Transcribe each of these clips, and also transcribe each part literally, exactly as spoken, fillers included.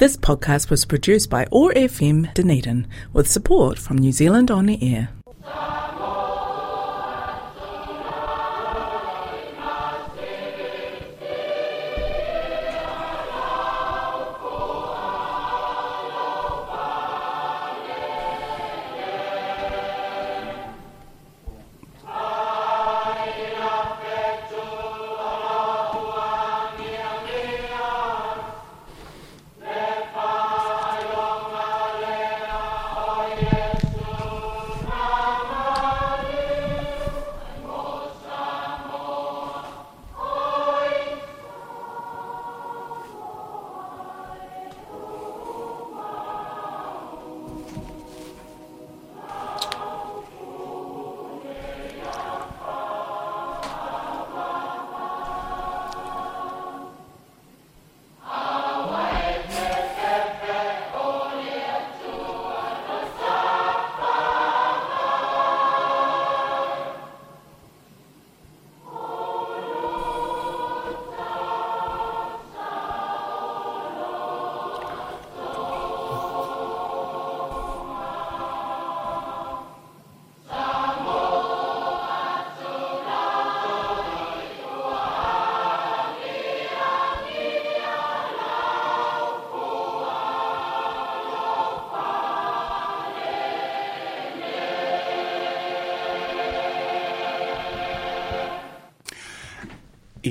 This podcast was produced by O R F M Dunedin with support from New Zealand On Air.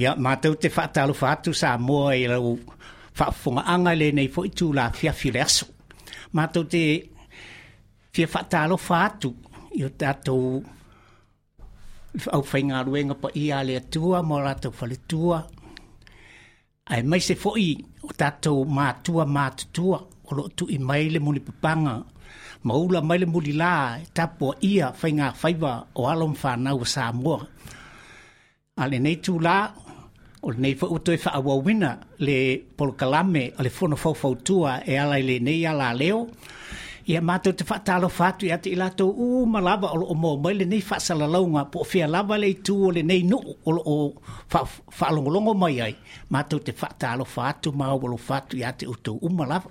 Ia mātou te whaatalofa atu sa moa i lau whaafongaanga le nei fo itu la fiafi le aso. Mātou te fia whaatalofa atu i o tātou au whainga ruenga pa ia le atua mo rātou whaletua. Ai mai se foi o tātou mātua mātutua o lo tu i mai le muli papanga. Maula mai le muli la tapo ia whainga whaiwa o alo mwhanau o Samoa. A le nei tū la, o le nei whauto e whaawawina le polokalame o le fono faufautua e ala i le nei ala leo. Ia mātou te whaatalo whātu i ate i lātou u malava o lo o mō mai le nei whaasalalaunga po o whia lava le i tū o le nei nuu o lo o whaalongolongo mai ai. Mātou te whaatalo whātu mau o lo whātu i ate utou umalava.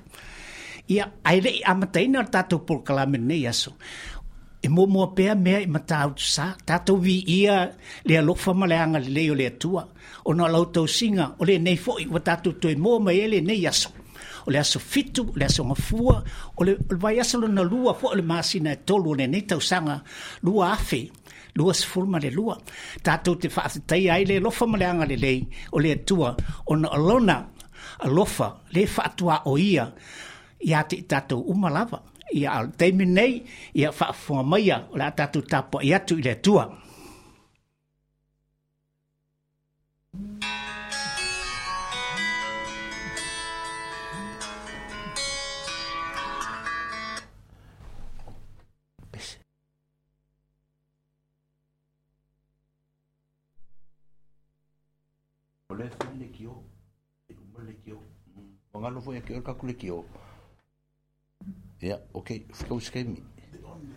Ia ai le i amataina o tātou polokalame nei aso. E momoa pea mea i matautu sa, tātou vi ia le alofa ma le anga le leo le atua. O nā lautou singa, o le nei foi, wa tātou toe moa mai e le nei aso. O le aso fitu, o le aso ngafua, o le, o le vai aso lona lua fo o le masina e tolu o le nei tausaga, lua afe, lua sefulu ma le lua. Tātou te whaafetai ai le alofa ma le anga le lei, o le atua, o na alona alofa, le whaatua o ia, ia te tātou umalava. Ia al teimi nei, ia whaafonga maia, o le a tātou tāpua i atu i le atua. O le whai le kio, e uma le kio, wangalo fo e kio kaku le kio. Ia, okei, whakauskaimi. Amen.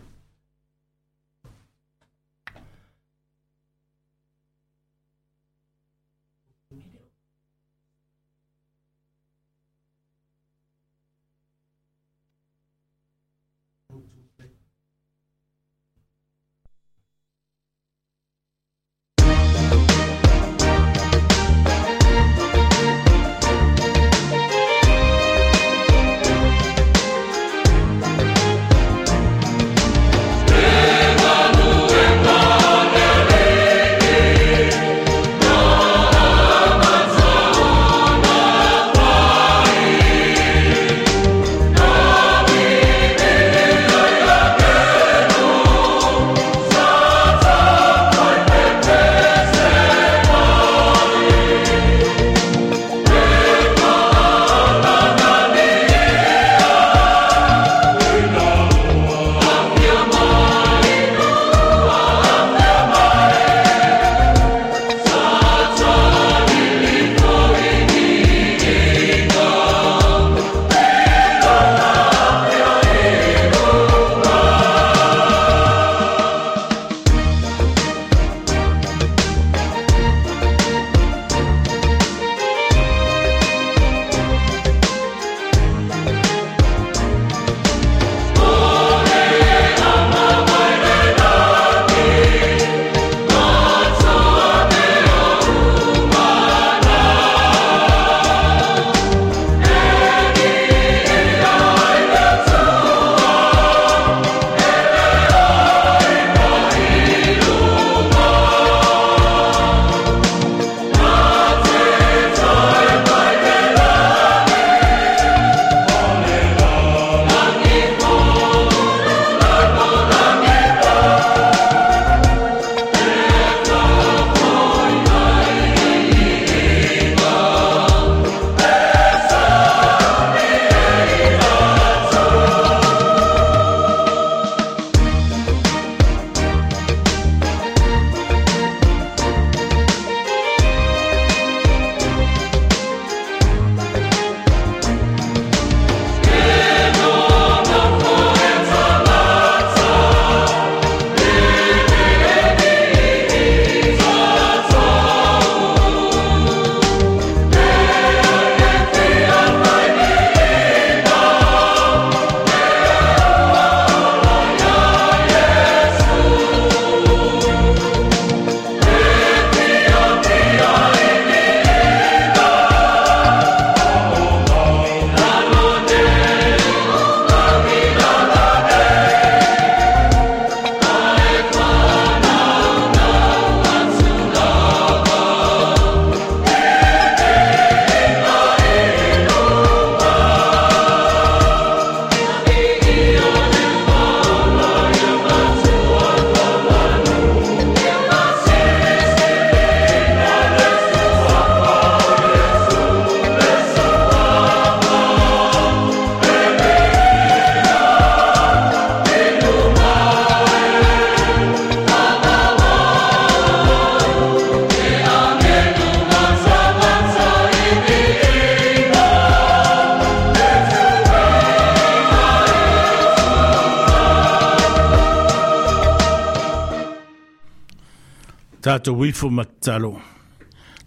Tātou ifo matatalo.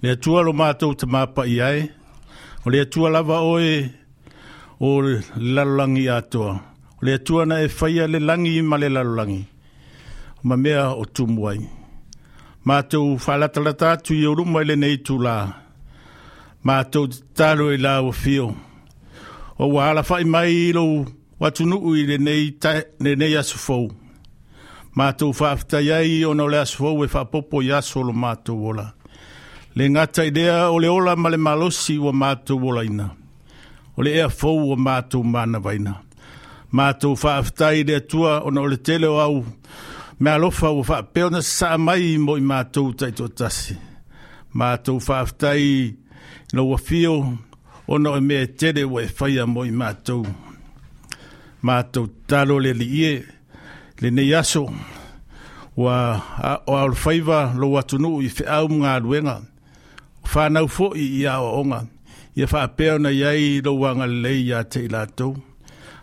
Le atua lo mātou te māpai ai, o le atua lava oe o le lalolagi atoa. O le atua na e whaia le langi ma le lalolagi. O mamea o tumu ai. Mātou whaalatalata atu i oruma i le nei tūlā. Mātou te talo i la ua fio. O ua ala whai mai i lo watunuu i le nei, ta, le nei aso fou. Mātou whaaftai ai ona o le aso fou e whaapopo i aso lo mātou ola. Le ngata i lea o le ola ma le malosi ua mātou ola ina. O le ea fou ua mātou mana vaina. Mātou whaaftai i le atua ona o le tele o au me alofa ua whaapeo na saa mai mo i mātou taito tasi. Mātou whaaftai i lo wafio ona o mea tele ua e whaia mo i mātou. Mātou talo le liie le nei aso ua o au whaiva lo atunuu i wheau mga aluenga. Whanau foi i ao onga. Ia whaapeo na iai lo wanga lei ia te i lātou.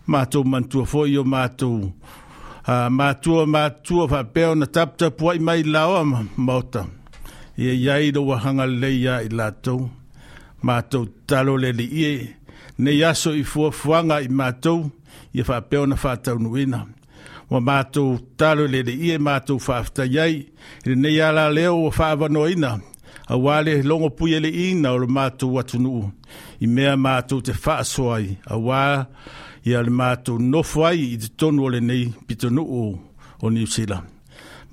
Mātou mantua foi o mātou. Uh, mātua mātua whaapeo na taputapu ai mai laoa maota. Ia iai lo wahanga lei ia i lātou. Mātou talo le liie. Nei aso i fuafuanga i mātou. Ia whaapeo na whaataunuina. Wa mātou talo le le ie mātou whaaftai ai. I le nei ala leo wa whaavanoina. A wale longo pui ele ina o le mātou atunuu. I mea mātou te whaasoa ai. A wā ia le mātou nofo ai i te tonu o le nei pitonuu o Niu Sila.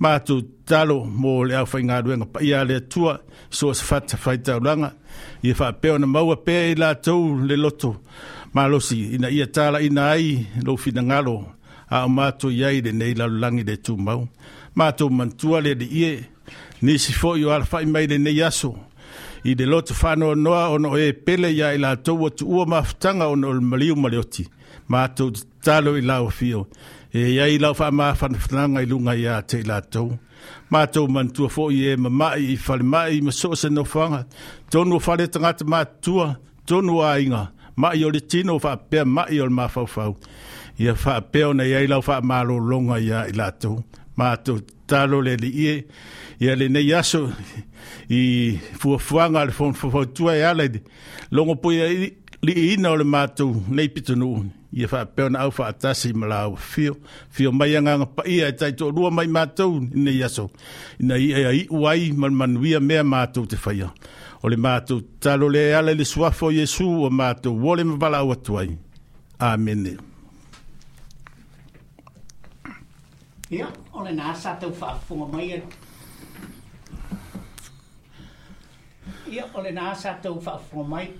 Mātou talo mō le au whaingaruenga pa ia le atua so se whata whaitauranga. Ia whaapeo na maua pea i lātou le loto. Malosi ina ia tāla ina ai lo whinangalo. A o mātou iai le nei lalulangi le tūmau. Mātou mantua le le ie, nisi foi o alawhai mai le nei aso. I le loto whanoa noa ono e pele ia i lātou atu ua mafutanga ono o le maliu ma le oti. Mātou te talo i lau whio. E iai lau wha mawhanawhananga i lunga ia te i lātou. Mātou mantua foi e mamai i whale mai ma so se nofanga. Tonu o whale tangata mātua, tonu a inga. Mai o le tino whaapea mai o le mawhauwhau. Ia whaapeo na iai lau whaamalolonga ia i lātou. Mātou talo le li ie. Ia le nei aso i fuafuanga le whanfawhautua e ala i longo pui li ina o le mātou nei pitonuu. Ia whaapeo na au whaatasi ma lau whio. Whio mai anganga pa ia e taito rua mai mātou i nei aso. Ina ia i uai ma manuia mea mātou te whaia. O le mātou talo le ala i le suafo Iesu o mātou wole mawala au atu ai. Amene. Ia, o le nā sa tau whaafunga mai e. Ia, o le nā sa tau whaafunga mai.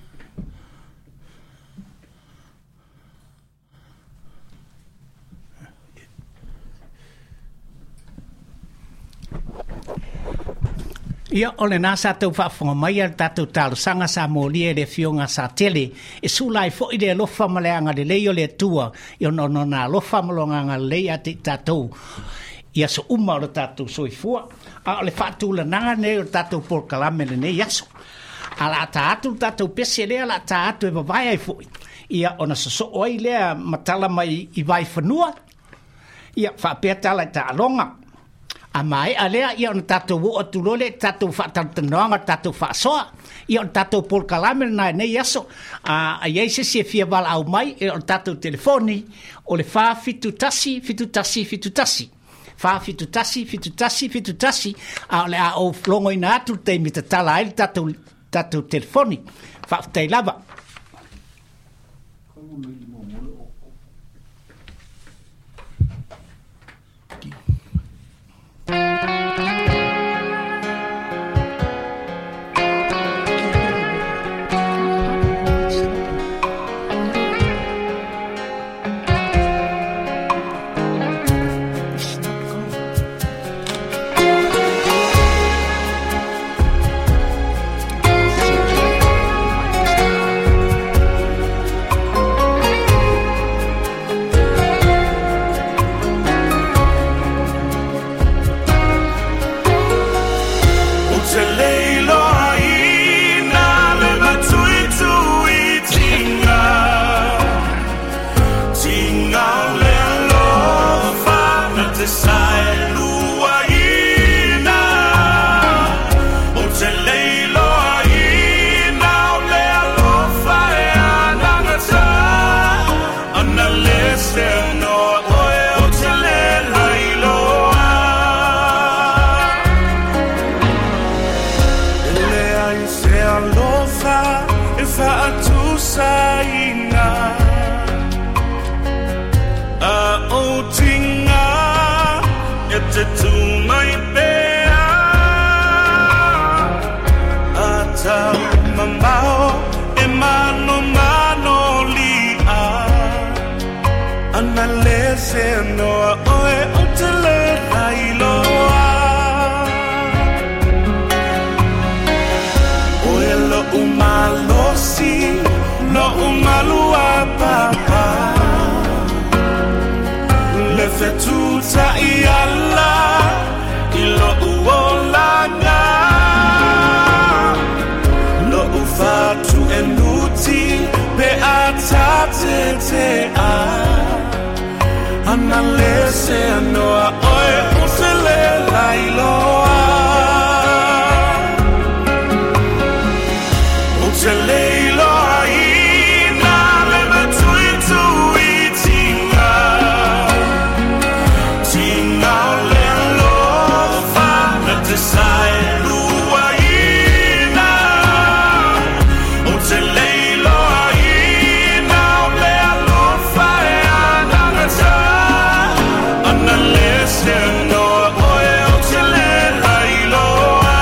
Ia, o le nā sa tau whaafunga mai a le tātou talosanga sa mōlia le fionga sa tele. E sula i foi le alofa ma le anga le lei o le atua. I ono no nā alofa ma lo nganga lei a te tātou. Ia so uma o le tātou soifua. A o le whaatula nanga nei o le tātou polokalame le nei aso. A la tā atu le tātou pese lea, la tā atu e vavae ai foi. Ia ona soso oi lea matala mai i vai whanua. Ia whaapea tala i tā alonga. A mai a lea, ia ona tātou wo atu lole, tātou whaatalutanoanga, tātou whaasoa. Ia ona tātou polokalame nai nei aso. A, a iei se se fia wala au mai, e ona tātou telefoni, o le wha fitu tasi, fitu tasi, fitu tasi. Wha fitu tasi, fitu tasi, fitu tasi. A o le a o longo ina atu te mi tatala ai le tātou, tātou telefoni. Whaaftai lava. It's not going. Ana le se noa oe o te le lailoa. Oe lo umalosi, lo umalua papa. Le fetuta i ala, i lo uolanga. Lo ufatu enuti, pe atate te a. Ana le se anoa oe o se le lailoa. O te leiloa ina le matui tui tinga. Tinga o le alofa na te sae lua ina. O te leiloa ina o le alofa e anagata. Ana le se anoa oe o te le lailoa.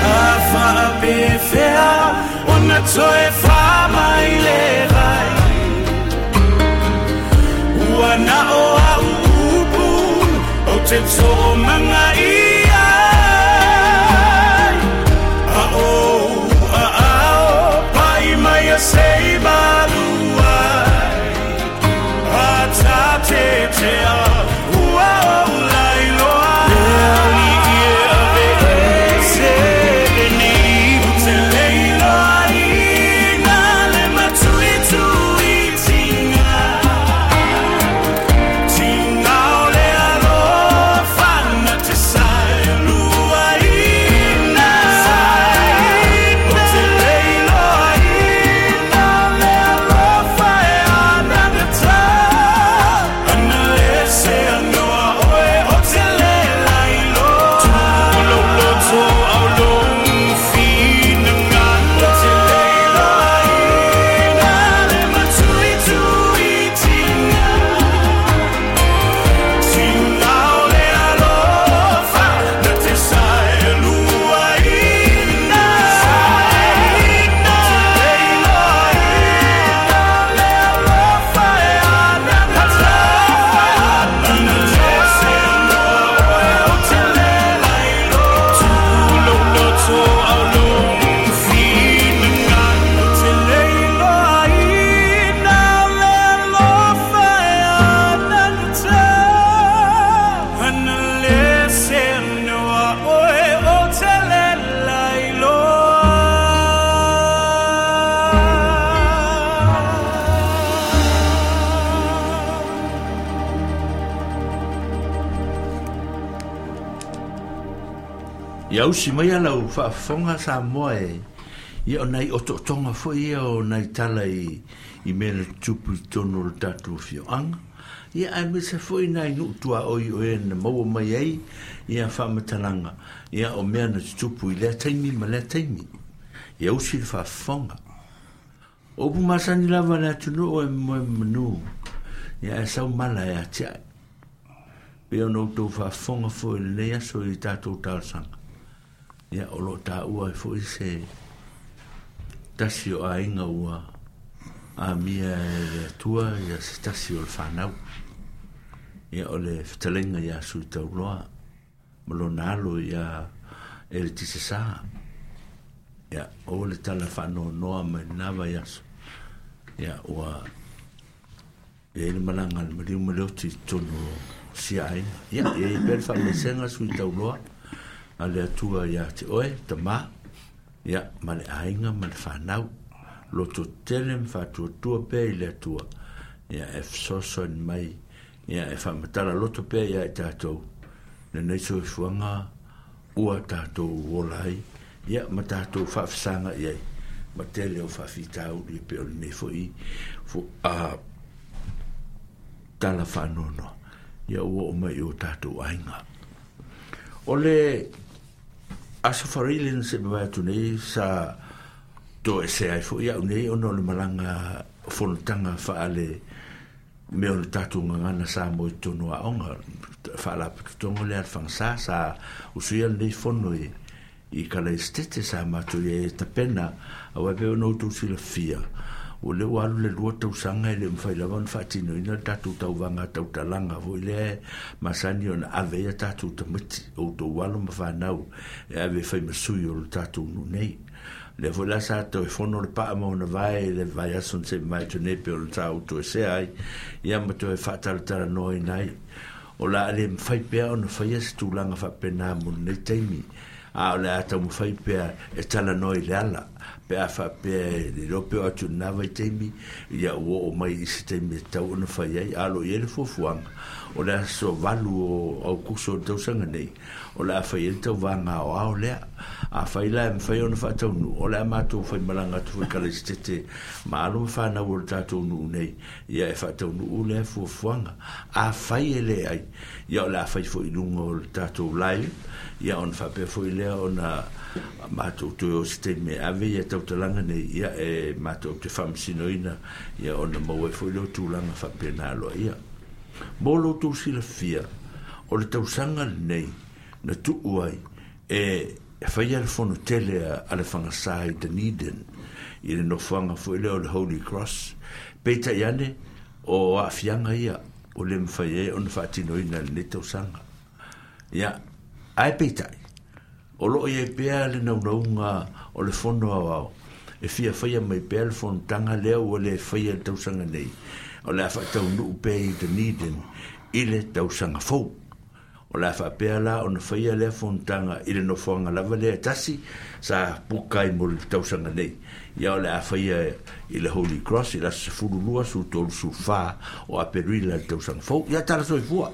A whaapewhea o na toe whamai le vai. Ua na o au upu o te tō manga ia. A o a ao pai mai a sei maluai. A tā te te a ua o lailoa. Le ali i e ave e se le nei. O te leiloa ina le matui tui tinga. Tinga o le alofa na te sae lua ina. O te leiloa ina le alofa e anagata. Ana le se anoa oe o te le lailoa. Tulo loto au long fina ngalo. O te leiloa ina le matui tui tinga. Tinga o le alofa na te sae lua ina. O te leiloa ina le alofa e anagata. Ana le se anoa oe o te le lailoa. Tulo loto au long fina ngalo. O te leiloa ina le alofa e anagata. Ana le se anoa oe o te le lailoa. Ia usi mai ala u whaafonga sa moa e. Ia o nai ototonga fo ia o nai tala i, i mea tupu i tono o le tātou fioanga. Ia ai me se fo i nai nuutua oi o e na maua mai ai ia whaamatalanga. Ia o mea na tupu i lea taimi ma lea taimi. Ia usi le whaafonga. O pu masani lava le atunu o e moe manu. Ia e sau mala e atiai. Pe o no tau whaafonga fo i lenei aso i tātou talsanga. Ia o lo tā ua e fo i se tasi o ainga ua a mia e le atua ia se tasi o le whanau. Ia o le whatalenga ia sui tauloa ma lona alo ia e le tise sā. Ia o le tala whanonoa mai nava ia aso. Ia ua ia ile malanga le mariu ma le oti tonu sia ainga. Ia ia i pere whamesenga sui tauloa a le atua ia te oe, tama, ia, ma le ainga, ma le whanau, loto tele ma whatuatua pea i le atua, ia e whasosoin mai, ia e whamatala loto pea ia e tātou, le nei soifuanga, ua tātou ola ai, ia ma tātou whaafisanga iai, ma tele o whaafitauri pe o le nei foi, fo, a, tala whanono, ia ua o mai o tātou ainga. O le aso wharile na se mawai atu nei sa toesea ai foʻi aʻu nei ona o le malaga fonotaga faale mea o le tatou gagana sa mo i totonu aoga faalapotopotoga lea a le fagasā sa usuia lenei fono i i Kalaisitete sa matou ia e tapena auā pe ona outou silafia ua lea ua alu le lua tausaga e le mafai lava ona faatinoina le tatou tauvaga tautalaga foʻi lea e masani ona ave ai a tatou tamaiti outou alo ma fanau e ave e faimasui o le tatou nuu nei. Lea foi la sa toe fono le paa ma ona vae i le vaiaso na seʻi mai atu nei pe o le sa ou toesea ai ia ma toe faatalatalanoaina ai o le a le mafai pea ona faia se tulaga faapenā mo lenei taimi a o le a taumafai pea e talanoa i le ala pe a faapea e le iloa pe o atu i lenā vaitaimi ia ua oo mai i se taimi e tatau ona fai ai a o loo i ai le fuafuaga o le aso valu o Aukuso o le tausaga nei o le a fai ai le tauvaga aoao lea afai la e mafai ona faataunuu o le a matou faimalaga atu foi i Kalaisitete ma alo ma fanau o le tatou nuu nei ia e faataunuu lea fuafuaga afai e leai ia o le a fai foi i luga o le tatou live ia ona faapea foi lea ona matou toe o se taimi e ave ia tautalaga nei ia e matou te faamasinoina ia ona maua ai foi lea o tulaga faapena aloaia. Mo lo outou silafia o le tausaga lenei na tuu ai e faia le fono tele a le fagasā i Dunedin i le nofoaga foi lea o le Holy Cross peitai ane o aafiaga ia o le mafai ai ona faatinoina i lenei tausaga. Ia ae peitai o loo i ai pea le naunauga o le fono aoao e fia faia mai pea le fonotaga lea ua le faia i le tausaga nei o le a faataunuu pea i Dunedin i le tausaga fou. O le a faapea la ona faia lea fonotaga i le nofoaga lava lea e tasi sa puka ai mo le tausaga nei. Ia o le a faia i le Holy Cross i le aso sefulu lua, sefulu tolu, sefulu fa o Aperila i le tausaga fou. Ia tala soifua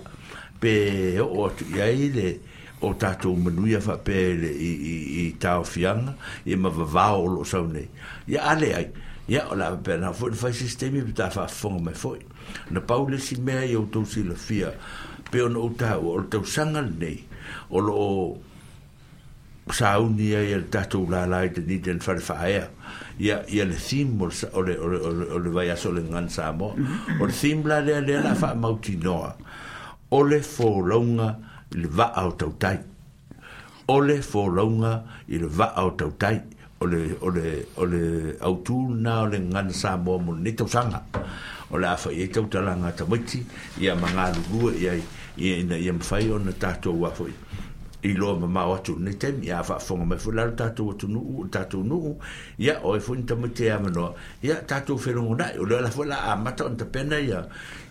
pe oo atu i ai le o tatou manuia faapea i le i, i, i taofiaga ia ma vavao o loo sau nei. Ia a leai ia o le a faapena foi ona fai se isi taimi pe ta faafofoga mai foi. Na pau le isi mea ia outou silafia pe ona ou taua o le tausaga lenei o loo sauni ai e le tatou lala i Dunedin fale faaea ia ia le theme o le o le o le o le vaiaso o le Gagana Samoa. O le theme la lea lea la faamautinoa o le folauga i le vaa o tautai. O le folauga i le vaa o tautai o le o le o le autū lena o le Gagana Samoa mo lenei tausaga. O le a fai ai tautalaga a tamaiti ia ma galulue i ai ia ina ia mafai ona tatou a foi i loa mamao atu i lenei taimi. Ia a faafofoga mai foi la lo tatou atunuu o le tatou nuu ia o ai foi ni tamaiti e avanoa ia tatou felogonai o lea la foi la amata ona tapena ia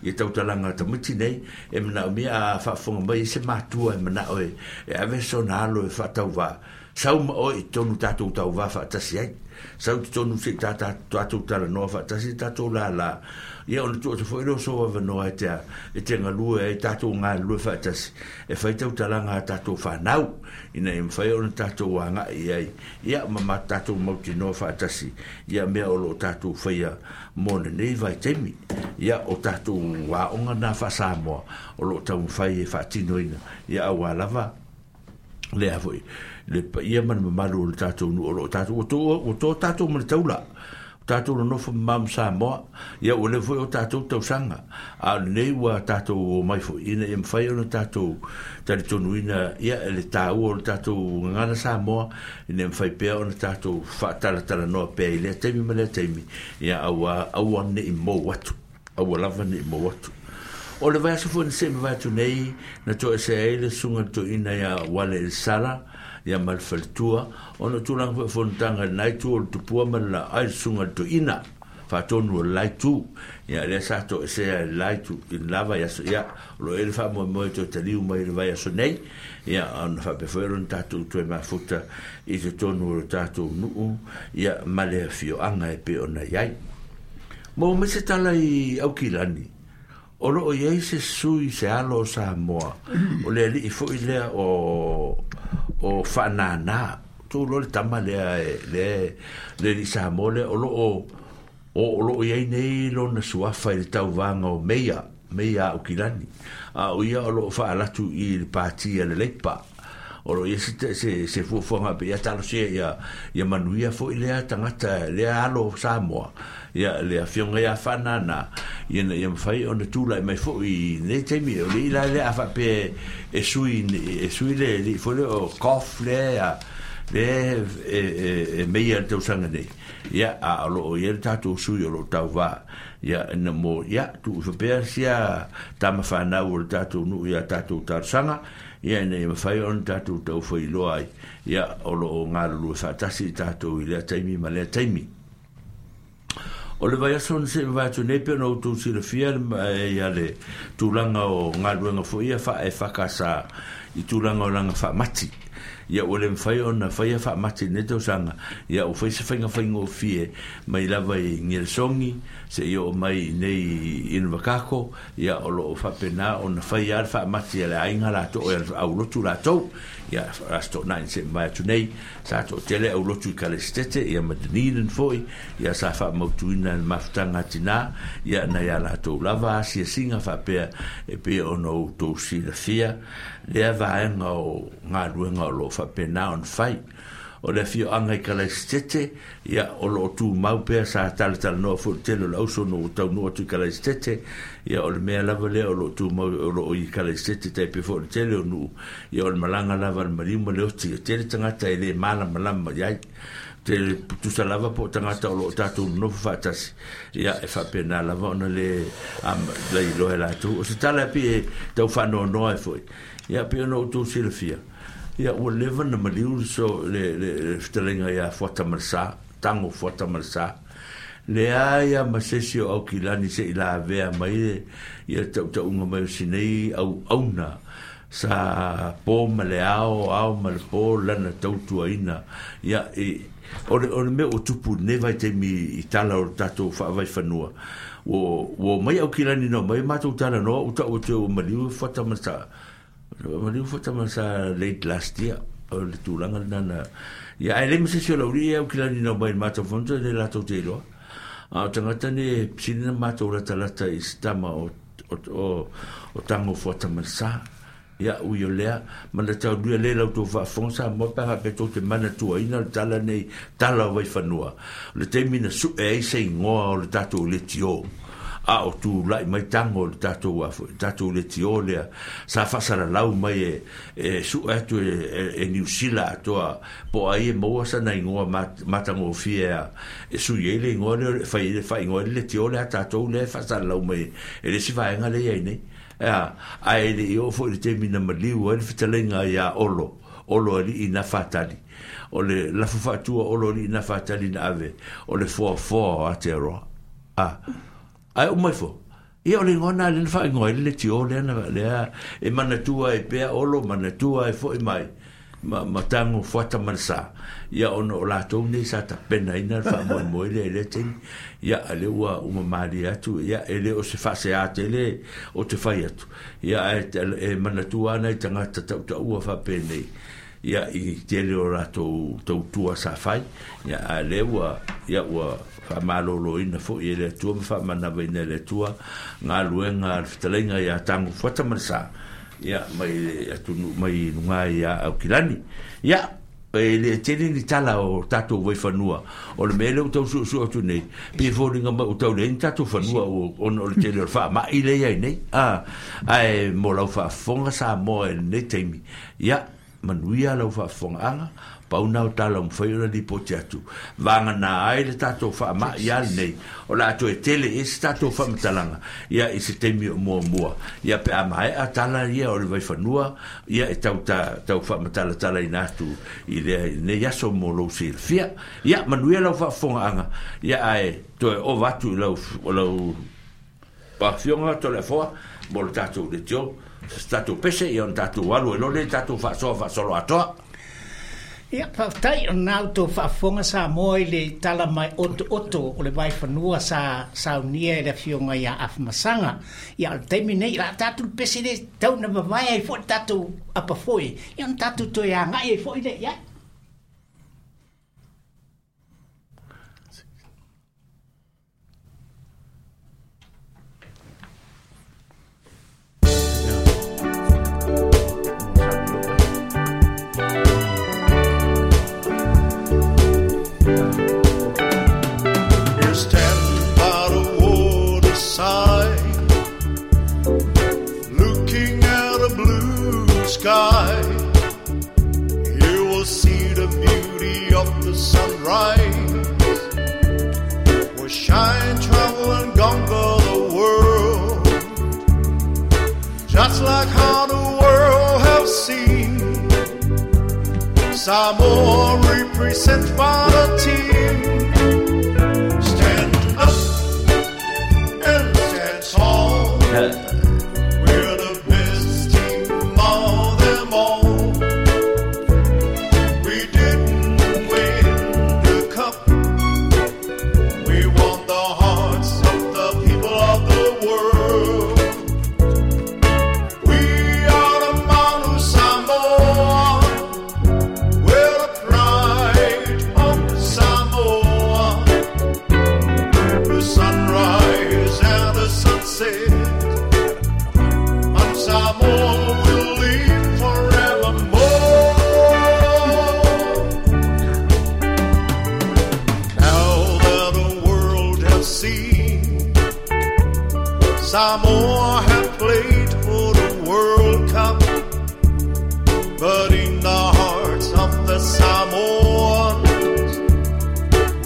ia tautalaga a tamaiti nei e manaomia a faafofoga mai ai se matua e manao e e ave sona alo e faatauvā sau ma oe i totonu tatou tauvā faatasi ai sau i totonu se i tatou talanoa faatasi tatou lala ia ona tuu atu foi lea o sou avanoa e te e te galue ai tatou galulue faatasi e fai tautalaga a tatou fanau ina ia mafai ona tatou agai i ai ia ma ma tatou mautinoa faatasi ia mea o loo tatou faia mo lenei vaitaimi. Ia o tatou aoga na faa-Samoa o loo taumafai e faatinoina ia auā lava lea foi le paia ma le mamalu o le tatou nuu o loo tatou ua to ua to tatou ma le taula o tatou nonofo ma ma Samoa ia ua leva foi o tatou tausaga a o lenei ua tatou omai foi ina ia mafai ona tatou talitonuina ia le taua o le tatou gagana Samoa ina ia mafai pea ona tatou faatalatalanoa pea i lea taimi ma lea taimi ia aua aua nei mou atu aua lava nei mou atu. O le vaiaso foi na seʻi mavae atu nei na toesea ai le susuga i le toeaina ia Wale Elisala ia ma le faletua ona o tulaga foi o fonotaga i lena itu o le tupua ma le laai le susuga i le toeaina faatonu o le la itu ia lea sa toesea i le la itu i le la vaiaso ia o loo i ai le faamoemoe toe taliu mai i le vaiaso nei ia ona faapea foi ona tatou toe mafuta i totonu o le tatou nuu ia ma le afioaga e pei ona i ai. Maua mai se tala i Aukilani o loo i ai se sui se alo o Samoa o le alii foi lea o o Faanana tou iloa le tama lea e le le alii Samoa lea o loo o o loo i ai nei lona suafa i le tauvaga o Meia Meia Aukilani a o ia o loo faalatu i le pati a le Leipa O lo ia se se se fuafuaga pe ia talosia ia ia manuia fo'i lea tagata lea alo Samoa ia le afioga ia Faanana ia ina ia mafai ona tula'i mai fo'i nei taimi o le ila lea a fa'apea e sui e sui le ali'i foi lea o Goff lea lea e e e meia le tausaga nei ia a o lo'o i ai le tatou sui o lo'o tauvā ia ina mo ia tu'u fapea sia tamafanau o le tatou nu'u ia tatou talosaga ia ina ia mafai ona tatou taufailoa ai ia o lo'o galulue fa'atasi i tatou i lea taimi ma lea taimi. O le vaiaso na se'i mavae atu nei pe ona outou silafia ia le tulaga o galuega fo'i ia fa'ae-F K S i tulaga o laga fa'amati. Ia ua le mafai ona faia fa'amati i lenei tausaga, ia ua fai se faiga faigofie mai lava i Gelesogi seia oo mai i nei Invercargill, ia o lo'o fa'apena ona faia a le fa'amati a le aiga latou e aulotu latou. Ia Aso Toonai na se'i mavae atu nei sa to'atele aulotu i Kalaisitete ia ma Dunedin fo'i, ia sa fa'amautuina e le mafutaga atinā ia nai a latou lava asiasiga fa'apea e pei ona outou silafia lea vaega o galuega o lo'o fa'apena ona fai. O le afioaga i Kalaisitete, ia o lo'o tumau pea sa talatalanoa fo'i le tele o le auso ona ua taunuu atu i Kalaisitete, ia o le mea lava lea o lo'o tumau o lo'o i Kalaisitete tai pei foi o le tele o nu'u, ia o le malaga lava a le maliu ma le oti e tele tagata e lē malamalama i ai tele tusa lava po o tagata o lo'o tatou nonofo fa'atasi ia e fa'apena lava ona lē lailoa e latou o se tala e pei e tau fa'anoanoa ai fo'i ia pei ona outou silafia ia ua leva na maliu so le le le fetalaiga iā Fuata ma le Sa Tago Fuata ma le Sa leai a ma se isi o Aukilani se'i lavea mai le ia ta'uta'uga mai o sinei auauna sa po ma le ao ao ma le po lana tautuaina ia i o le o le mea ua tupu i lenei vaitaimi i tala o le tatou fa'avaifanua ua ua omai Aukilani na omai matou talanoa ua ta'u atu ai ua maliu Fuata ma le Sa maliu Fuata ma le Sa late last year o le tulaga lena na ia ae leai ma se isi o le auli'i Aukilani na omai i le matou fono le latou te iloa a o tagata nei e sili na matou latalata i se tama o o o o Tago Fuata ma le Sa ia ui o lea ma le taulia lē la outou faafofoga Samoa pe a faapea tou te manatuaina le tala nei tala o Vaifanua o le taimi na su'e ai se igoa o le tatou leitio a o tula'i mai tago o le tatou afo'i tatou leitio lea sa fa'asalalau mai e e su'e atu e, e, e Niusila atoa po o ai e maua sana igoa matagofie a e sui ai le igoa lea e fai le fa'aigoa ai le leitio lea a tatou lea e fa'asalalau mai e le isi vaega lea i ai nei a ae le'i oo fo'i le taimi na maliu ai le fetalaiga iā Olo Olo ali'i na fatali o le lafo fa'atua Olo ali'i na fatali na ave o le foafoa o Aotearoa a ae uma ifo ia o le igoa na lea na fa'aigoa ai le leitio lea na lea e manatua ai pea Olo manatua ai fo'i mai ma, ma Tago Fuata ma le Sa ia ona o latou nei sa tapenaina le fa'amoemoe lea i lea taimi ia a lea ua uma malie atu ia e lē o se fa'aseā tele o te fai atu ia ae e manatua ana i tagata ta'uta'ua fa'apenei ia i tele o latou tautua sa fai ia a lea ua ia ua fa'amalōlōina fo'i e le Atua ma fa'amanavaina e le Atua galuega a le fetalaiga iā Tago Fuata ma le Sa ia mai le atunu'u mai lugā iā Aukilani ia e le tele ni tala o tatou Vaifanua o le mea lea ua tau su'usu'u atu nei pei foliga mai ua tau leai ni tatou fanua ona o le tele o le fa'ama'i lea iai nei a ae mo lau fa'afofoga Samoa i lenei taimi ia manuia lau fa'afofoga'aga pau na o tala ua mafai ona lipoti atu vagana ai le tatou fa'ama'i a lenei o le a toe tele i se tatou fa'amatalaga ia i se taimi o muamua ia pe a mae'a tala ia o le Vaifanua ia e tau ta, tau fa'amatalatalaina atu i lea i lenei aso mo lou silafia ia manuia lau fa'afofoga'aga ia ae toe ova atu i lau lau afioga Toleafoa mo le tatou leitio se tatou pese ia ona tatou alu ai loa lea i tatou fa'asoa fa'asolo atoa. Ia, faafetai o lena outou faafofoga Samoa i le tala mai otooto o le Vaifanua sa saunia e le afioga iā Afamasaga. Ia, o le taimi nei, o le a tatou le pese lea tau na vavae ai fo'i le tatou apafoe, ia ona tatou toe aga'i ai fo'i lea i ai. Sunrise will shine, travel, and conquer the world, just like how the world have seen. Samoa represent by the team. Stand up and stand tall. We're the best team of them all. We didn't win the cup. We won the hearts of the people of the world. We are the Manu Samoa. We're the pride of Samoa. The sunrise and the sunset. Manu Samoa will live forevermore. Now that the world has seen Samoa have played for the World Cup, but in the hearts of the Samoans,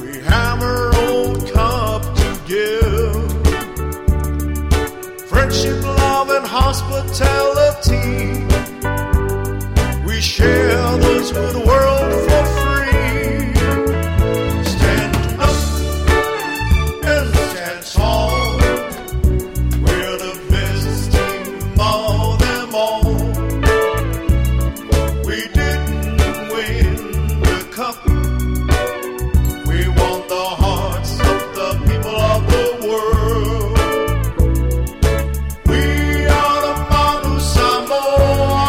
we have our own cup to give. Friendship, love, and hospitality, we share those with the world for free. Stand up and stand tall. We're the best team of them all. We didn't win the cup. We won the hearts of the people of the world. We are the Manu Samoa.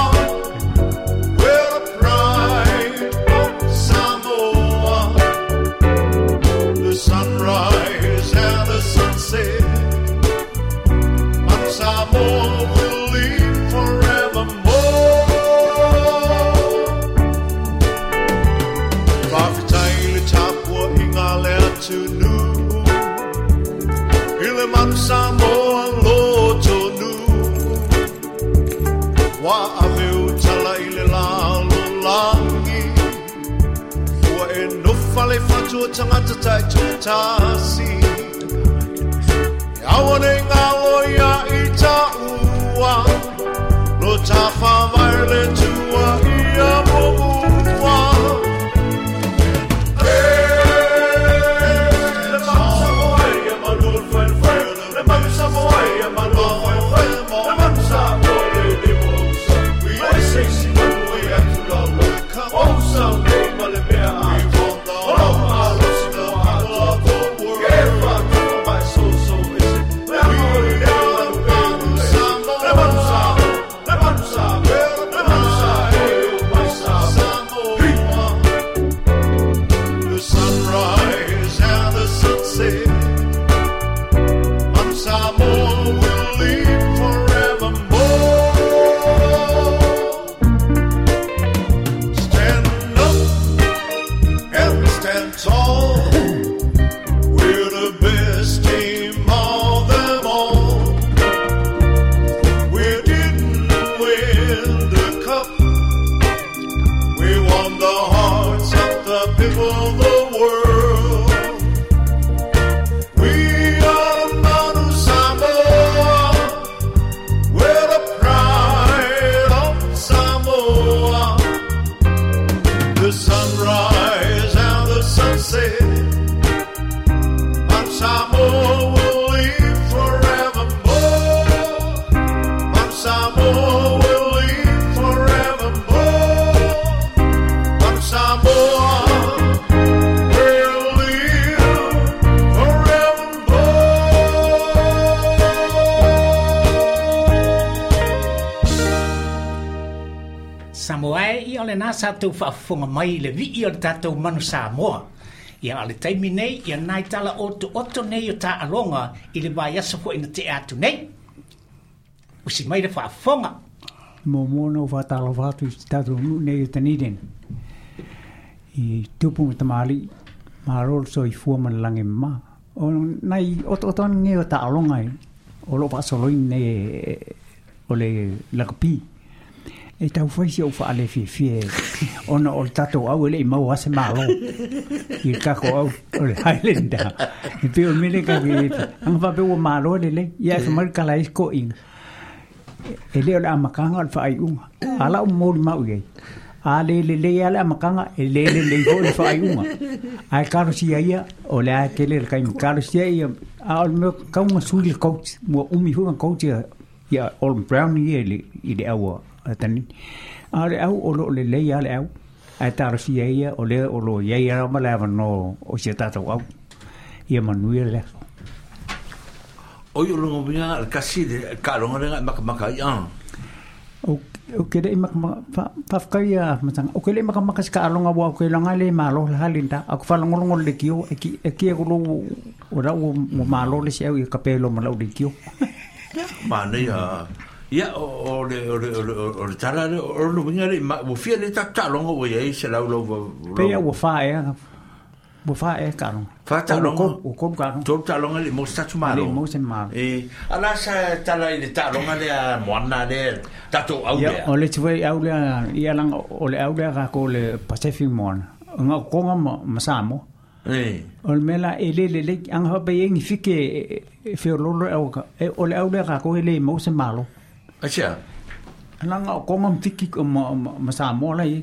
We're the pride of Samoa. The sunrise and the sunset. Manu Samoa will live forevermore. Fa'afetai le tapuaʻiga le atunuu i le Manu Samoa lotonu. Ua ave utala i le lalolagi ua e nofa le fatua tagata taitoatasi. E aua nei galo ia i taua lo tafavae le tua ia muamua. Le Manu Samoa ia manu o le faifai. Le Manu Samoa ia manu o le faifai. Le Manu Samoa le le mo usa. O se isi manu e atu lava. O usa o nei ma le mea atoa. O lau malosi mo atoa. Ke whātua mai so so ese. Le anga o le nei manu e ulu e. Le Manu Samoa, le Manu Samoa, le Manu Samoa e o mai Samoa. Hi! The sunrise and the sunset. Manu Samoa will live forevermore. Stand up and stand tall. We're the best team of them all. We didn't win the cup. We won the hearts of the people of the world. We are the Manu Samoa. We're the pride of Samoa. The sunrise and the sunset. Manu Samoa will live forevermore. Manu Samoa will live forevermore. Manu Samoa will live forevermore. Samoa e ia o lena sa tou faafofoga mai i le vi'i o le tatou Manu Samoa. Ia o le taimi nei, ia nai tala oto oto nei o taaloga i le vaiaso fo'i na tea atu nei. Usi mai le faafofoga. Mo mo no whātalofa atu i te tātou nuu nei o Dunedin. I tupu ma tamali, ma rolo so i fua ma le langi ma. O nai oto oto nge o taaloga e, o lo whaasoloin nei e, o le lakapi. E tau fai si au whaale fiafia ona o le tatou au e le i mau ase malo i le kako au o le Highlander. E pe o mele ka ke anga whape ua malo le le ia e whamari kala isko inga. E le o le amakanga o le whaai unga. Ala o mōri mau iei. A le le le ia le amakanga e le le le ho le whaai unga. Ai karo sia ia o le ae tele le kaimi. Karo sia ia a o le mea kaunga sui le coach. Mua umi hunga coach ia ia Olin Brown ia i le, i le aua. Tani a le au o lo le le ia le au ai taro sia ia o le o lo ia ia ma le no o se tatou au ia manuia le aso. O yo longo minga al kasi de ka longo lenga maka maka ia. O o ke le maka fa fa ka ia matanga o ke le maka maka ska longa wa ke longa le malo la halinda a ko fa longo longo le kio e ki e ki ko lo o ra o malo le se au i ka pelo ma le kio. Ma ne ia ia o le o le o le tala le o lo minga le ma o fia le ta ta longo o ia se lau lo pe ia o fa e o fa e ka longo fa ta longo o ko ka longo to ta longo le mo sa tu malo le mo se malo e ala sa tala ile ta longa le moana le tato au le o le tue au le ia langa o le au le ka ko le Pacific Moana nga ko nga ma samo e o le mela e le le le anga pa ye ngi fike fe lo lo au o le au le ka ko le mo se malo. Asia. Langa o konga mfiki ma ma Samoa la i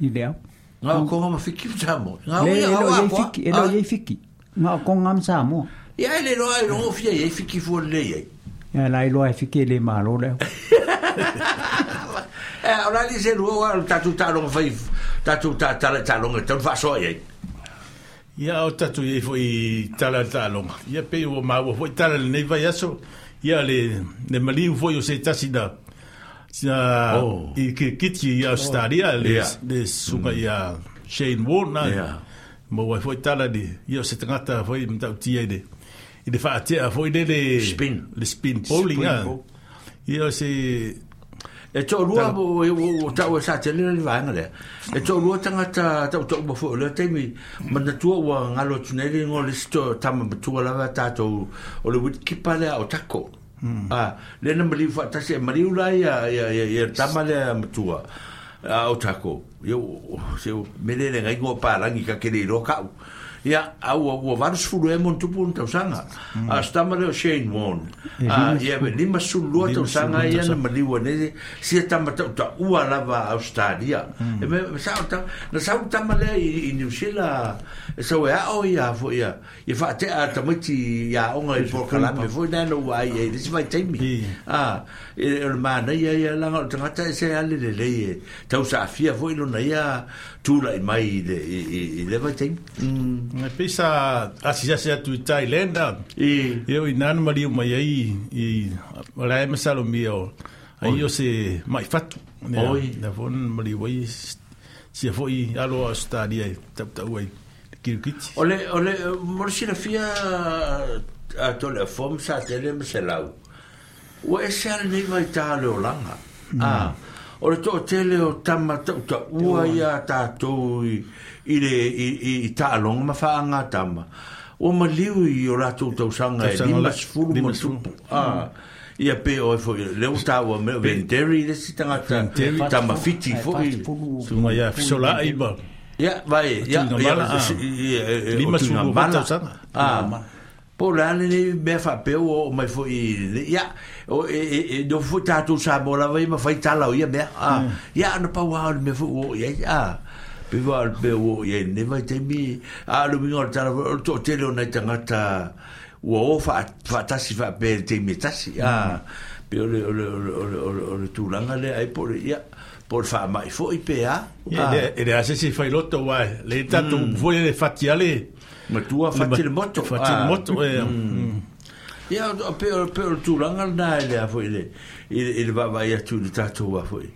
i leo. Nga o konga mfiki Samoa. Nga o ia ia fiki, e lo ia fiki. Nga o konga Samoa. Ia le lo ai lo fia ia fiki fu le ia. Ia la lo ai fiki le malo le. Eh ora li se lo o tatu ta lo fai tatu ta ta ta lo ta fa so ia. Ia o tatu ia foi tala ta lo. Ia pe o ma o foi tala nei vai aso. Ia le le maliu foi o se tasi da sa oh. I ke kiti i Australia le Yeah. le sunga ia Shane Warne na Yeah. mo wai foi tala le ia o se tangata foi mtautia i le i le faatea foi le le Spin. le spin bowling Spin a bowl. ia o se E to'alua o o tau e sa tele le vaega lea. E to'alua tagata tautau ma foi o lea taimi manatua ua galo atu nei le igoa le isi tama matua lava tatou o le witkipa lea o Tako. A lea na maliu faatasi e maliu la ia ia ia ia tama lea matua a o Tako. Ia se mele le ngai palagi ka kele iloa ka'u. Ia au ua valu sefulu e mo tupu ona tausaga. A se tama lea o Shane Warne. A ia lima sefulu lua tausaga ia na maliu ane sia tama tautaua lava Australia. E me sa ta na sau tama lea i New Zealand e sau e ao ia foi ia ia faatea tamaiti ia aoga i polokalame foi na na ua ai ai le isi vaitaimi. A e o le manaia ia laga o le tagata e se ale lelei e tausaafia foi lona ia tula'i mai i le i le vaitaimi. E pisa asisasi atu i Thailand I ia o inana maliu mai ai i la e masalomia o ai o se mai fatu Oi. na fon maliu ai sia foi alo Australia e tautau ai kirikiti. O le o le mo le silafia a to le fom sa tele ma se lau. Ua ese ale nei vaitā le olaga. A o le to'atele o tama tautaua ia tatou i i le i i, i taaloga ma faaga tama. Ua maliu i o latou tausaga e Tausaga lima la- sefulu ma lima sefulu. tupu. A ia pe o e foi le ua taua me Venderi le isi tagata tama fiti foi. Sunga ia fisola'i ma Ia vai ia Tuiga ia mala, ah. ia Lima o tuiga sefulu mala. tausaga. Ah. Po le ale nei mea faapea ua oo mai foi i ia o e e e no foi tatou Samoa lava ia ma fai tala o ia mea. Ah. Ia ana pau lava o le mea foi ua oo i ai. Ah. Pe ua o le mea ua oo i ai lenei vaitaimi. A o le uiga o le tala foi o le to'atele o nai tagata ua o faatasi faapea i le taimi e tasi. Ah. Pe o le o le o le o le o le o le tulaga lea ai po o le ia po o le faama'i foi pe a. Ia le e le ase se fai loto wa le tatou foi le fati ale Matua fati le moto. Fati le Ah. moto e mm. Ia, o pe o pe o le tulaga lena e lea foi le i le i le vaavaai atu i le tatou a foi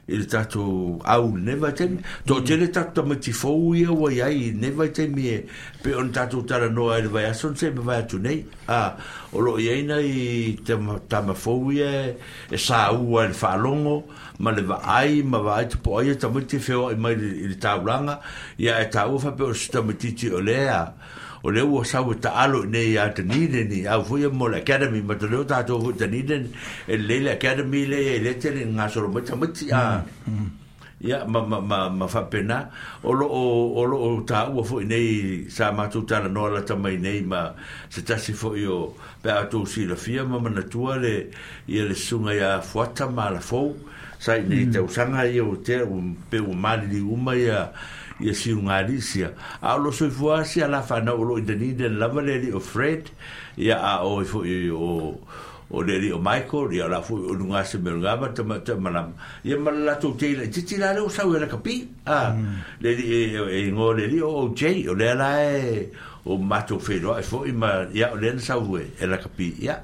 i le tatou au lenei vaitaimi. To'atele tatou tamaiti fou ia ua iai i lenei vaitaimi e pe ona tatou talanoa ai le vaiaso na se'i mavae atu nei. A o loo iai nai tama, tama fou ia e, e sāua i le faalogo ma le vaai ma vaai tapo'ai ia tamaiti e feoa'i mai i le, i le taulaga ia e taua faapea o se tamaititi o lea o le ua sau e taalo i nei a Dunedin i au foi mo le Academy ma te leo tātou foi Dunedin e lelei le Academy lea e le tele gasolo mai tamaiti a ia ma ma ma ma faapena o loo o loo taua foi nei sa matou talanoa lata mai nei ma se tasi foi o pe a outou silafia ma manatua le ia le susuga ia Fuata ma Alafou sa i nei tausaga ia ua tea ua pe ua maliliu uma ia ia siugalisia a o lo soifua sia la fanau o loo i Dunedin lava le alii o Fred ia a oe foi o o le alii o Michael ia la foi o luga se mea luga ma tama malama ia ma le latou teila titi la lea ua sau e lakapi a le alii e igoa le alii o O J o lea la e o matou feiloai foi ma ia o lea na sau e e lakapi ia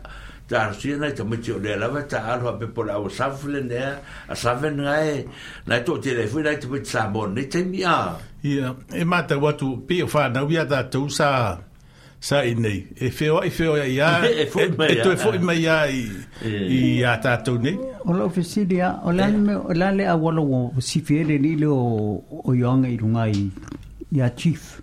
talosia nai tamaiti o lea lava taalo faapepa o le aua Southland ea a Southern gae nai toatele ai foi nai tamaiti Samoa i lenei taimi a Ia, e matau atu pei o whanau ia tātou sa sa i nei. E wheoai wheoai ia, E foi mai e toe ia. foi mai ia i, i a tātou nei. O lau fesili a, o le a le mea- o le a le auala ua sifi ai le alii lea o o Ioanga i luga i ia Chief.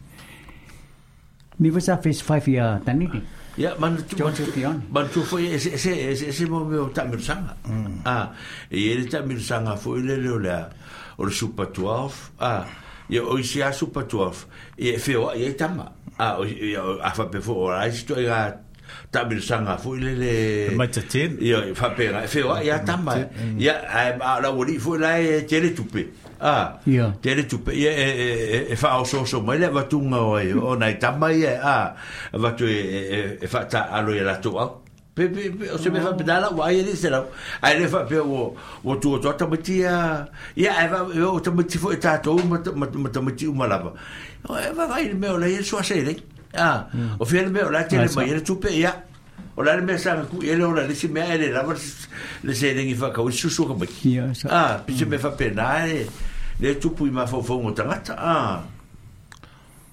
Ni foi sa phase five ia Dunedin. Ia, manatu, George manatu, Fiona. manatu foi ese ese ese ese mo mea o taamilosaga. Ah, e i ai le taamilosaga foi lele o le a o le Super twelve. Ah, ia o isi a Super twelve, ia e feoai ai tama. Ah, o ia o a faapea foi o la isi toaiga taamilosaga foi lele E mai te ten. Ia e faapea e feoai a tama. Ia ae a o le aualii foi la e tele tupe. Ah, Ia. tele tupe ia e e e e faaosooso mai le avatuga o ai o nai tama ia a avatu e e e faataalo ia latou au. Pe pe pe o se mea faapena lau ai e le se lau. Ae le faapea ua ua tu atu a tamaiti ia ia ae va o tamaiti foi tātou ma ma ma tamaiti uma lava. O e vaavaai le mea o la ia suaselei. Ah, o fia le mea o la tele mai ai le tupe ia. O la le mea sa ku ele o la le si mea ele lava le selegi faakau i susu o tamaiti. Ia, sa- Ah, pe se mea faapena e le tupu i mafaufauga o tagata. Ah.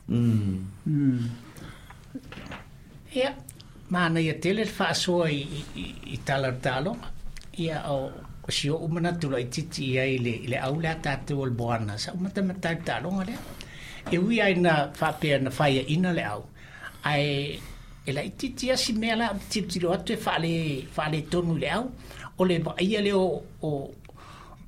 Mm. Ia, manaia tele le faasoa i, i, i, i tala o le taaloga. Ia, o, o si o'u manatu laititi i ai i le, i le au lea tātou o le moana. Sa umatamata i le taaloga lea. E ui ai na faapea na faiaina le au. Ae e laititi asi mea la tilotilo atu e faale, faaletonu i le au. O le vaaia lea o, o,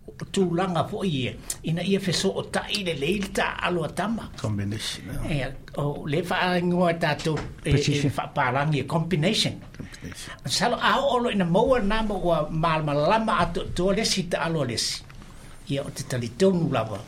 o tulaga foi ia, ina ia fesootai lelei le taaalo a tama. Combination. E, o le faaigoa e tātou e, e Precision. faapalagi e combination. Combination. Masalo a oo loa ina maua lena ma ua malamalama atoatoa le isi taalo a le isi. Ia o te talitonu lava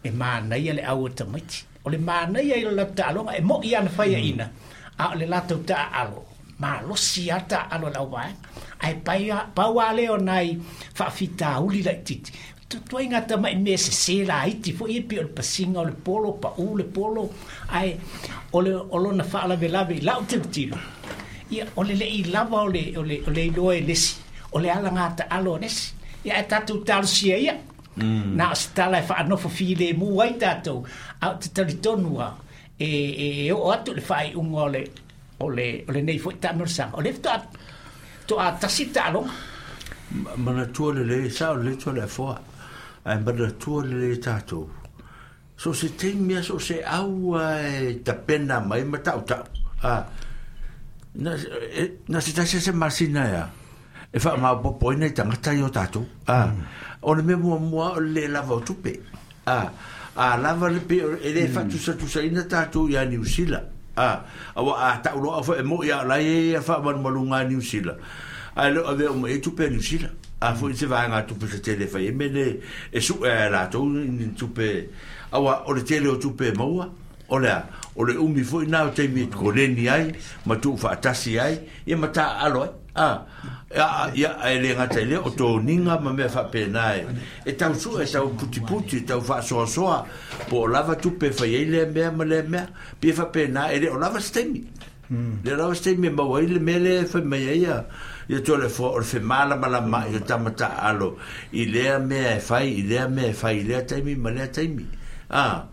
e manaia le au o tamaiti. O le manaia i le latou taaloga e mo'i ana faiaina, a o le latou taaalo. Malosi a taaalo a le auvaega. Ae pai a- pau a lea o nai faafitauli laititi. Tutuaiga tama'i mea sesē laiti foi e pei o le pasiga o le polo, paʻū le polo, ae o le o lona faalavelave i lau tilotilo. Ia o le leʻi lava o le o le o le iloa e lesi, o le alaga taalo a lesi. Ia ae tatou talosia ia. Na o se tala e faanofo filemu ai tātou, a o te talitonu a e e e oo atu i le faaiuga o le o le o lenei foi taamilosaga. O le faatoa toa tasi taaloga. Manatua lelei sa o lelei toa le afoa. Ae manatua lelei tātou. So se taimi a so se au e tapena mai ma tautau. Ah, na, e, na se tasi se masina ia. E whaamaopopo ai nai tagata i o tātou. Ah, o le mea muamua o le lē lava o tupe. Ah, a lava le pe e le faatusatusaina tātou ia Niu Sila. Ah, aua a tauloa foi e mo'i a o la e ia faamalumaluga a Niu Sila. Ae le o avea uma i ai tupe a Niu Sila. A foi se vaega tupe se tele fai e mele e su'e a latou ni tupe aua o le tele o tupe e maua o le a o le umi foi na o taimi e koleni ai ma tuufaatasi ai ia ma taaalo ai. Ah, ia ia e le gata i lea o toniga ma mea faapena e e tau su'e e tau putiputi e tau faasoasoa po o lava tupe e fai ai lea mea ma lea mea pei e faapena e le o lava se taimi. Le o lava se taimi e maua ai le mea lea e fai mai ai ia ia toa le foa o le femalamalama'i o tama taaalo i lea mea e fai i lea mea e fai i lea taimi ma lea taimi. Ah,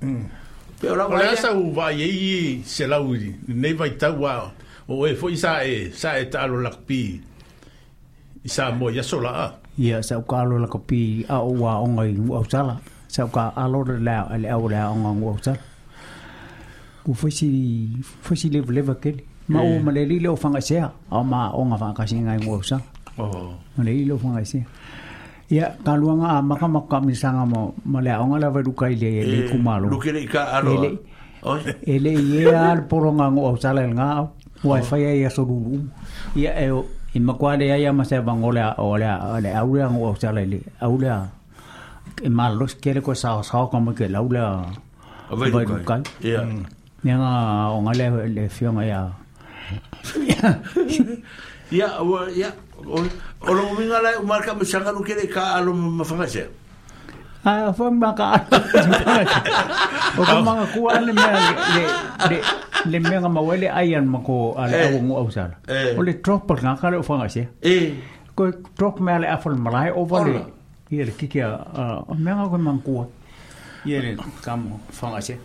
pe o O lau le ai lea. asa u vaai ai i se lau i nei vaitau a o e foi sa e sa e taalo lakapi i Samoa i aso laa. Ia, sa uka alo lakapi a o ua onga i Nu'uausala. Sa uka alo le lea le au le aoga i Nu'uausala. Ku fasi fasi leva leva kele. Ma o ma le lile o whangasea. Au ma o ngā whakasi ngai ngō sa. Oh. Ma le lile o whangasea. Ia, ka luanga a maka maka misanga mo ma le aonga lava ruka i le le kumalo. Luke le ka aloa. E le i ea al poronga ngō au sala el ngā au. Ua e whaia ia soruru. Ia e o i makua le aia ma se vangole a o le a le aulea ngō au sala le aulea e malos kele ko sao sao ka mo ke laulea vai rukai. Ia. Ia ngā o ngā le le fionga ia. Ia, ia, o longo minga lai o marka misanga no kele ka alo ma whangasea. Ah, fa ma ka alo. O ka manga kua le mea le le le mea nga mawele ai an mako ale au ngo au sala. O le drop nga ka le o whangasea. Eh. Ko drop mea le afol malai over le. Ia le kiki a o mea nga ko mangkua. Ia le kamo whangasea.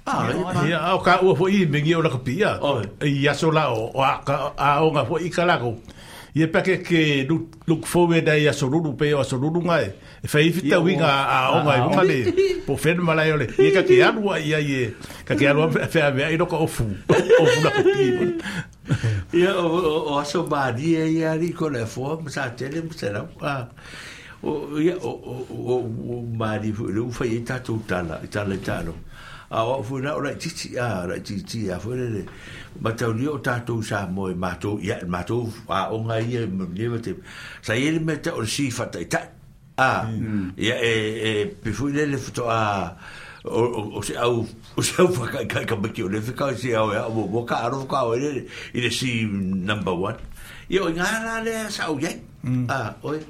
Ah, ia au ka ua foi mengi o la kapia. I aso la o a a o nga foi kalako. Ia pake ke look forward ai aso ruru pe aso ruru ngai. E fai fita winga a o ngai unga le. Po fen malai ole. Ia ka ke alua ia ia ka ke alua fe ave ai loko ofu. Ofu la kapia. Ia o o aso mari ia ri ko le fo sa tele mo sera. Ah. O ia o o o mari fu le fa i tatu tala tala tala. A o fu na ora titi a ora titi a fu le matau o tātou sa mo e mātou ia mātou a o ngai ia me te sa ele me te o si fata i tai a ia e e pifu le le futo a o o se au o se au whaka kai ka maki o le whika si au ia o mo ka aro ka o le i le si number one ia o ngā la le sa o ia a oi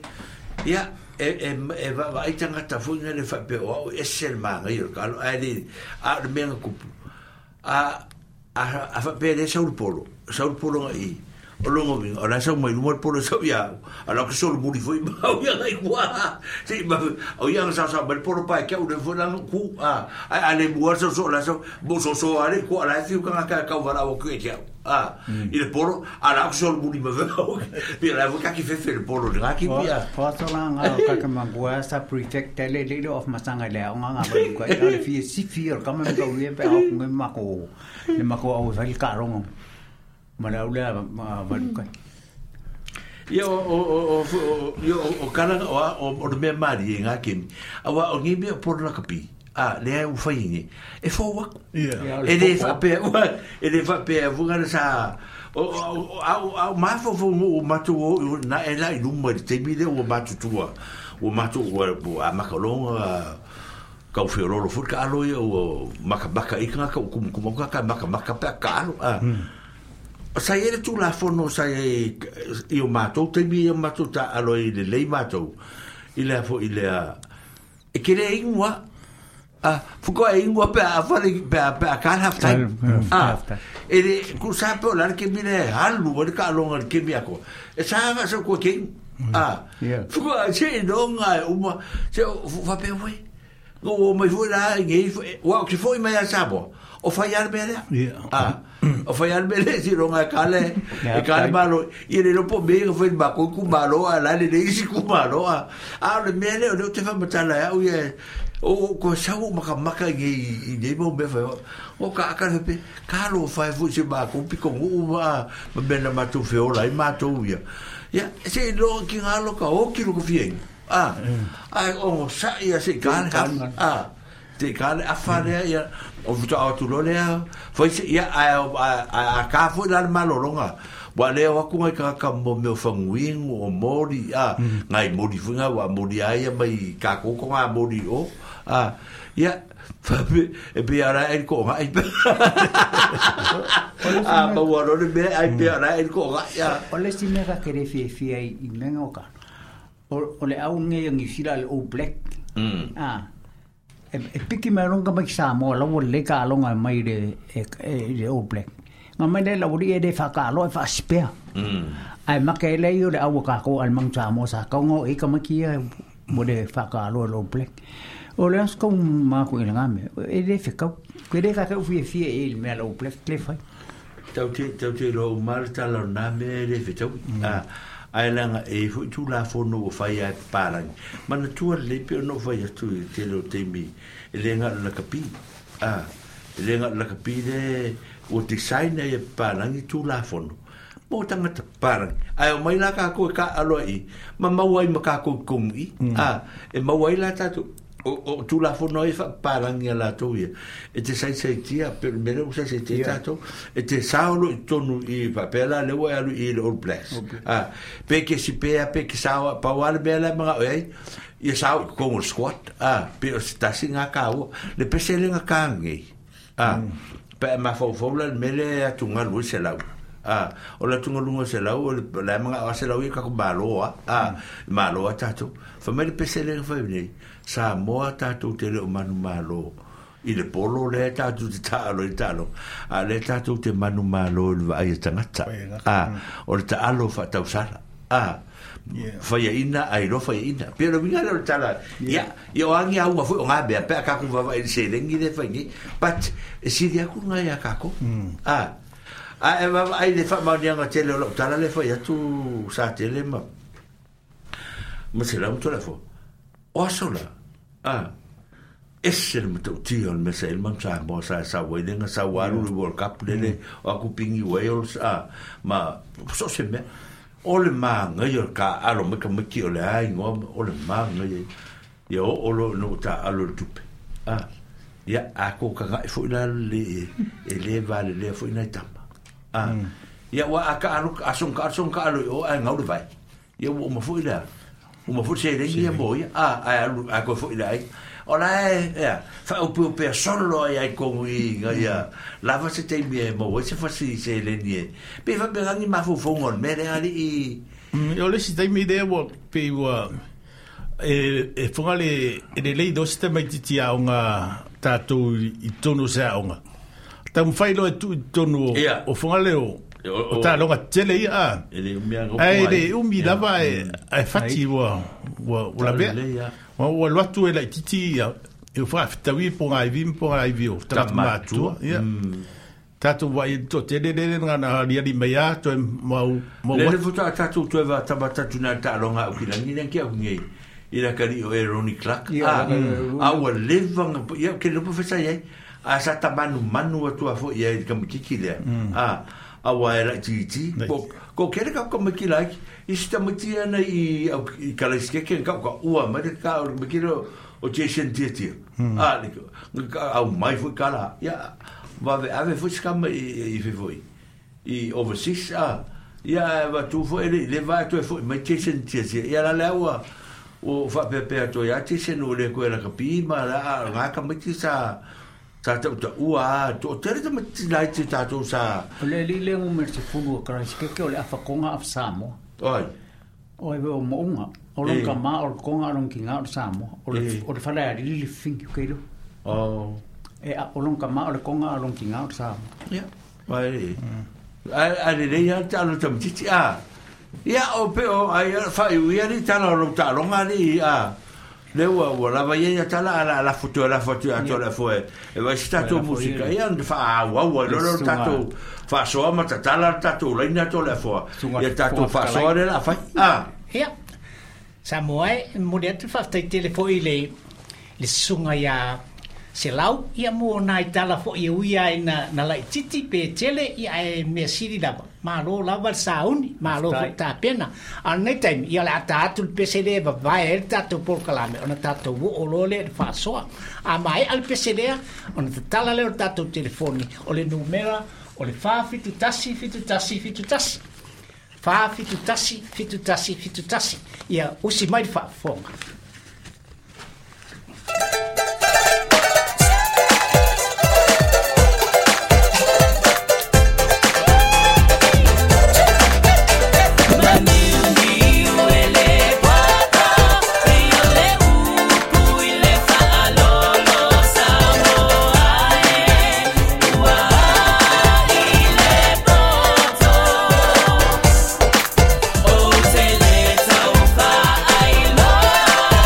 ia e e e va va ai tangata fu ngai le whape o au ese le maanga i o ka alo ai le a le mea kupu a a a whape le saul polo saul polo ngai i o longo vinga o la sau mai luma polo sau ia a la ke solo muri foi ma o ia ngai kua si ma o ia sa sa mai polo pai ke o le foi la ku a a le mua so so la so bo so so a le ku a la fiu ka ka ka wala o ku e tia a i le polo a la ke solo muri ma o pi la ka ki fefe le polo nga ki pia fa so la nga ka ka mangua sa prefect le le of masanga le o nga nga ba ka le fi si fi o ka me ka u pe au ngai mako le mako au fa ka rongo ma la ma ma ka ia o o o o o kala o o o me mari nga kim awa o ngi me por la kapi a le u fai ni e fo wa e le fa pe e le fa pe vu nga sa o o a ma fo fo o matu o na e la iluma te mi le o matu tua o matu o a makalonga kau fiorolo fu ka alo ia o makabaka i ka kum kum ka maka maka pe ka alo a sa ia le tulafono sa ia i o mātou taimi ia mātou ta alo i le lei mātou i le afo i le a e ke le ingoa a fukoa e ingoa pe a whare pe a pe a ka half time a e le ku sa pe o la ke mile halu o le ka alonga le ke mi ako e sa nga sa kua ke a fukoa se nonga e uma se fa pe we o mai foi la ngi wa ki foi mai a sabo o fai al mele a o fai al mele si ronga kale e kale malo i le lopo me foi ba ko ku malo a la le isi ku malo a a le mele o te fa matala o ye o ko sa o maka maka i i mo me fa o ka ka pe ka lo fai fu se ba ko piko o ma me na matu fe o la i matu ia ia se lo ki ngalo ka o ki lo ko fi a a o sa ia se kale a te kale a fare ia o futa atu lo lea foi se ia a a ka foi la malolonga wa le wa ku ngai ka ka mo me fanguing o mori a ngai mori funga wa mori ai mai ka ko ko nga mori o a ia fa e be ara el ko ngai a ma wa lo me ai be ara el ko ngai ia o le si me ka kere fi fi ai i menga o ka o le au ngai ngi sila le o black mm a e piki mai longa mai Samoa la le ka longa mai le e o black nga mai le la uri e de fa ka lo e fa spea mm ai make le yo le au ka ko al mang Samoa sa ka ngo e ka makia mo de fa ka lo lo black o le as ko ma ko ile ngame e de fe ka ke de ka ka fi fi e me lo black le fa tau te tau te lo mal ta lo na me le fe tau a ai langa e fu tu la fono o fai ai parangi mana tua le pe no fai atu te lo temi e le nga la kapi a Le nga lakapi le ua design ai e palangi tulafono mo tangata palangi ae o mai la kākou e kāʻalo ai ma mau ai ma kākou i komu i a e mau ai la tatou o o tulafono ai faapalangi a latou ia e te saisaitia pe o le mea lea ua saisaitia tatou e te sao lo i totonu i faapea la lea ua e alu i le All Blacks a pe kesi pea pe ke sao pau a le mea la e magao ai ia sao i totonu o le squad a pe o se tasi gā kāua le pese le ga kāgei a pe e mafaufau la le mea lea e atugalu ai se lau a o le atugaluga o se lau o le la e magao a se lau ia kako malo a a malo a tatou fa mai le pese le ga fai nei Samoa tatou te le o manu malo i le polo le tatou te taalo i taalo a le tatou te manu malo i le vaai e tagata a o le taalo faatausala a faiaina ai lo faiaina pe o le uiga lea o le tala ia ia o agi auga foi o gā mea pe a kākou vavaai i le selegi le fai nei but e sili aku luga iā kākou a a e vavaai le faamaoniaga tele o lau tala le fai atu sa tele ma ma se lau ma o aso la a ese le matautia o le mea sa ele manu Samoa sa sau ai lega sau alu le World Cup lele o aku pingi Wales a ma so se mea o le magaia o le kāʻalo mai ka maiki o le aigoa o le magaia ia oo lo ina ua tāʻalo le tupe a ia a ko kagaʻi foʻi la le e lē valelea foʻi nai tama a ia ua a kaʻalo aso ma kaʻalo aso ma kaʻalo i o ae gau le vai ia ua uma foʻi lea uma foʻi seleni ia mo ia a ae alu ae koe foʻi le aiga o la e ea faaupeupea solo ai ai kogu i iga ia lava se taimi e maua ai se fasi seleni e pe faapegagi mafaufauga o le mea lea alii o le isi taimi lea ua pei ua e e foga le e lelei do se tamaititi aoga tatou i totonu o se aoga taumafai loa e tuu i totonu o foga le o o taaloga tele ia a ae le umi lava e ae fati ua ua ua lavea ua ua alu atu e laititi ia e faafetaui po gaivi ma po gaivi o tagata matua ia tatou vaai toatele lele na aliali mai a toe mau mau lele faatoa tatou toe vatamatatu na taaloga au kilagi lea ke au nei i la kali o e Ronnie Clark a a ua leva ia ke le profesa ai a sa tamanu manu atu a foʻi ai i le kamakiki lea a aua e laitiiti ko ko kele ka kamaki laiki i se tamaiti ana i i kalaisikeke ka ka ua mai le ka o le kamaki lea o Jason Tiatia a le au mai foʻi kala ia vave ave foʻi se kama i i foʻi i overseas a ia vatu foʻi le le va toe foʻi mai Jason Tiatia ia la lea ua ua faapeapea atu ai a Jason ua le koe lakapi ma la gā kamaiti sa sa tautaua a toatele tamaiti laiti tatou sa o le alii lea numera sefulu o Karaisikeke o le afakoga afa Samoa oi o e o moʻuga o lona kamā o le koga o lona kigā o le Samoa o le o le fale alili le fingi o keilo o e o lona kamā o le koga o lona kigā o le Samoa ia ai ai ai lelei a taalo tamatiti a ia o pe o ai faaiuia li tala o lou taaloga alii a le ua ua lava ia ia tala ala ala fotu ala fotu atu ala foe e vai se tatou musika ia ona faaauau ai loa le tatou faasoa ma tatala le tatou laina atu le afoa ia tatou faasoa lea la fai a ia Samoa e momoli atu le faafetai tele foʻi le le susuga iā Selau ia mo nai tala foʻi e ui ai na na laititi pe tele ia ae mea sili lava malo lava le sauni malo foʻi tapena a lenei taimi ia o le ata atu le pese lea e vavae ai le tatou polokalame ona tatou oo loa lea i le faasoa a maeʻa le pese lea ona tatala lea o le tatou telefoni o le numera o le fa fitu tasi fitu tasi fitu tasi fa fitu tasi fitu tasi fitu tasi ia usi mai le faafofoga. Tele tau whaai loa.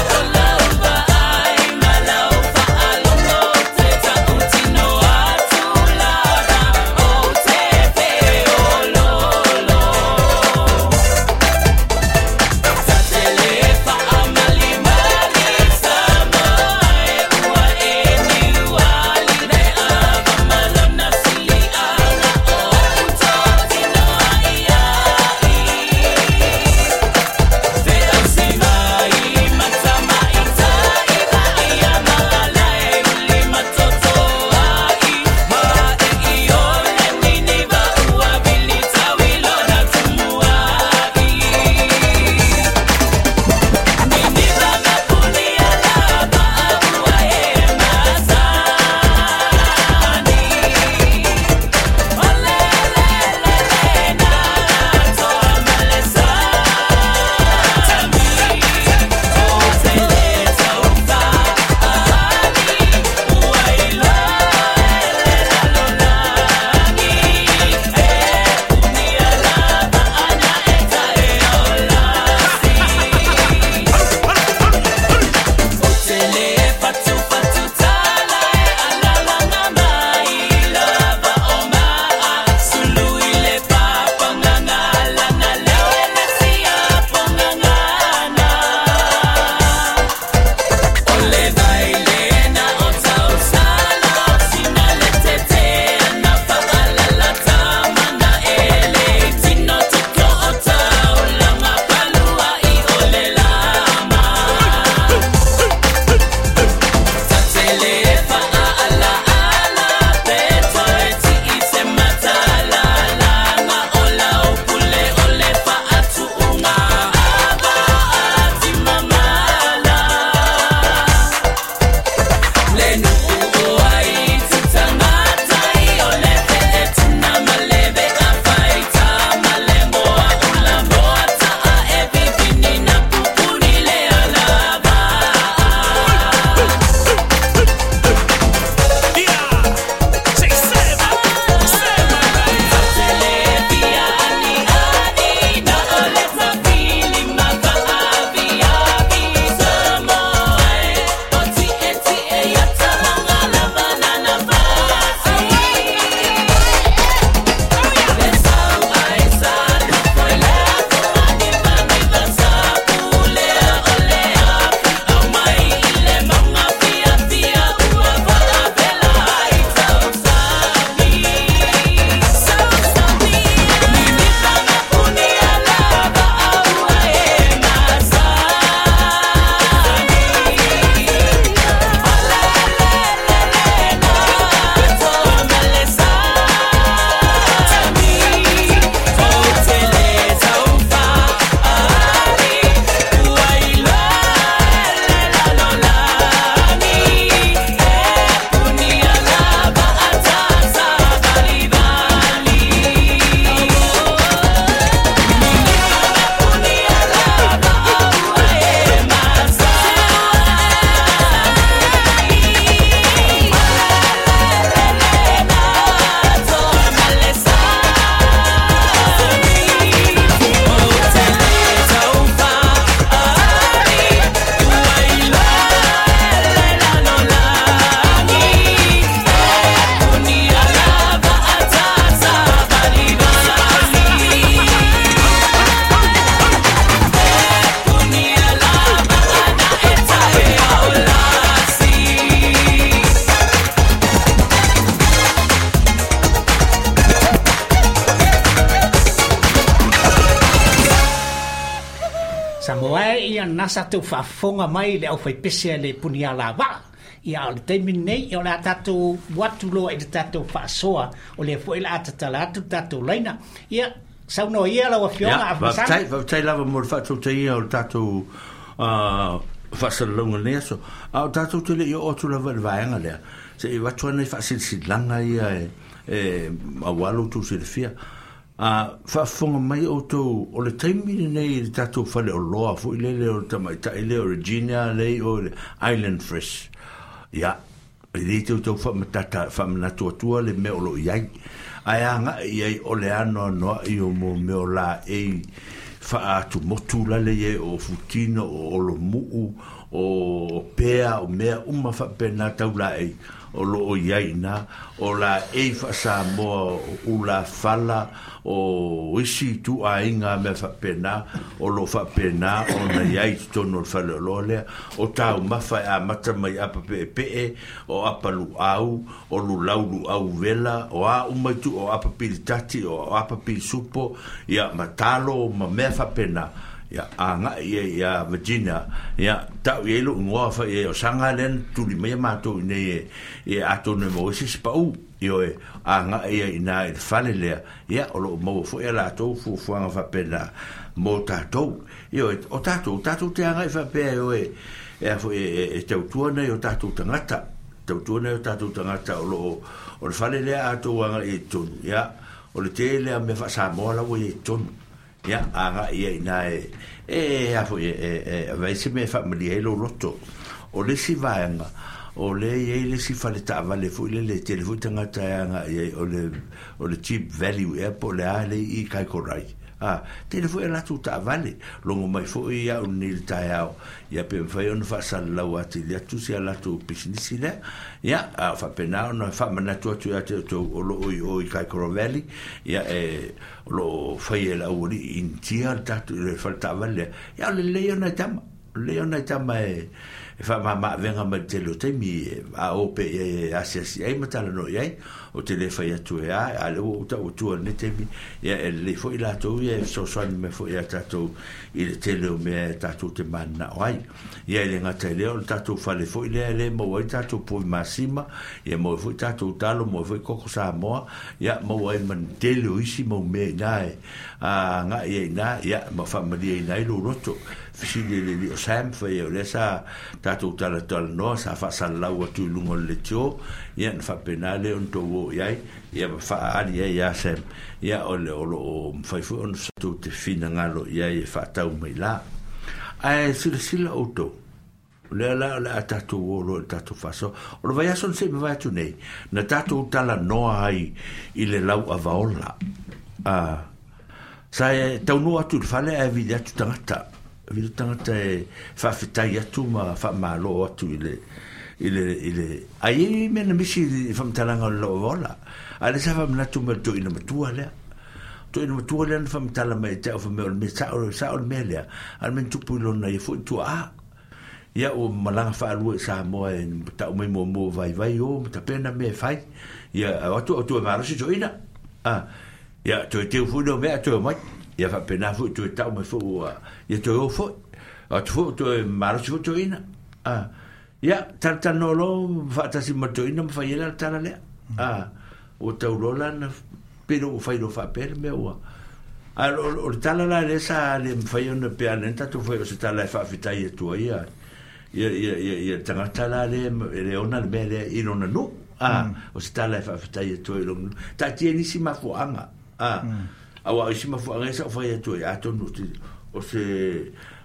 Samoa e ia nasa tau faafofoga mai le aufaipese a le punialavaa. Ia o le taimi lenei o le a tatou atu loa i le tatou faasoa o lea foi le a tatala atu le tatou laina. Ia saunoa ia lau afioga Afamasaga. Faafetai, faafetai lava mo le faatautaia o le tatou uh, faasalalauga lenei aso. A o tatou te le i oo atu lava i le vaega lea, se i avatu ana i faasilasilaga ia e, e auā lo outou silafia. A faafofoga mai outou o le taimi lenei i le tatou faleoloa foi lele o le tamaitai lea o Regina lea o le Island Fresh. Ia, e le tautau faamatata faamanatu atua le mea o loo i ai. Ae aga'i i ai o le anoanoa'i o mo mea o laei faatumotu lale ia o futino o olomuu o pea o mea uma faapena tau laei o loo i ai iná o laei faasamoa o ulafala o isi ituaiga mea faapena o loo faapena ona i ai i totonu o le faleoloa lea o taumafa e amata mai apa peepee o apa luau o lulau luau vela o a uma itu o apa pilitati o apa pilisupo ia ma talo ma mea faapena. Ia aga'i ia ia Virginia ia ta'u i ai lo'u igoa fa'i ai o saga lea na tuli mai ia matou iinei e e atonu e maua ai se isi pa'ū ioe aga'i ia iinā i le fale lea ia o lo'o maua fo'i a latou fuafuaga faapena mo tatou ioe o tatou tatou te aga'i faapea e oe e a fo'i e tautua nai o tatou tagata tautua nai o tatou tagata o loo o le fale lea a outou aga'i ai i totonu ia o le tele a mea faasamoa la ua i ai i totonu. Ia aga'i ia iinā e e a fo'i e e avai se mea e faamalie ai lou loto. O le isi vaega o lea e i ai le isi fale taavale foi lele e tele foi tagata e aga'i ai o le o le Cheap Value ea po o le a le i Kaikorai. A tele foi a latou taavale logo mai foi ia'u lenei i le taeao ia pe mafai ona faasalalau atili atu si a latou pisinisi lea. Ia a faapena ona faamanatu atu ia te outou o loo i o i Kaikorai Valley ia e o loo faia e le aualii Initia le tatou le fale taavale lea. Ia o le lelei ona e tama o le lelei ona e tama e e faamāmāavega mai le tele o taimi a o pe i ai e asiasi ai ma talanoa i ai o te le fai atu e a a le ua ou ta'u atua i lenei taimi ia e lelei foi latou ia e fesoasoani mai foi iā tatou i le tele o mea e tatou te manana'o ai. Ia e le gata i lea o le tatou fale foi lea e lē maua ai tatou povi masima ia maua ai foi tatou talo maua ai foi koko Samoa ia maua ai ma le tele o isi mau mea iinā e aga'i ai iinā ia ma faamalieina ai lou loto. Fesili le alii o Sam fai ai o lea sa tatou talatalanoa sa faasalalau atu i luga o le leitio ia na faapena lea ona tou oo i ai ia ma faaali ai iā Sam ia o le o loo mafai foi ona tou te finagalo i ai e faatau mai la. Ae silasila outou o lea la o le a tatou o loa i le tatou faasoa. O le vaiaso na se i mavae atu nei na tatou talanoa ai i le lauavaola. A sa e taunuu atu i le fale ae vili atu tagata vili tagata e faafetai atu ma faamālō atu i le i le i le ai i mea na misi i faamatalaga o le lauavaola. A lea sa faamanatu mai le toeaina matua lea toeaina matua lea na faamatala mai ia te au fai mai o le mea sa'o sa'o le mea lea a o le mea na tupu i lona ia fo'i tua'a ia ua malaga faalua i Samoa e ta'u mai muamua vaivai o ma tapena mea e fai ia o atu o toe malosi toeaina a ia toe teu foi lea o mea ae toe omai ia faapena foi toe ta'u mai foi ua ia toe o foi atu foi toe malosi foi toeaina a ia talatalanoa loa faatasi ma le toeaina ma fai ai la le tala lea a ua tauloa la na pe le ua fai loa faapea le mea ua a o le tala la lea sa le mafai ona pe ana tatou fai o se tala e faafetai atu ai ia ia ia ia ia tagata la lea e le ona le mea lea i lona nuu a o se tala e faafetai atu ai i lona nuu taatia nisi mafuaaga a auā o isi mafuaaga ia sa ou fai atu ai atonu o se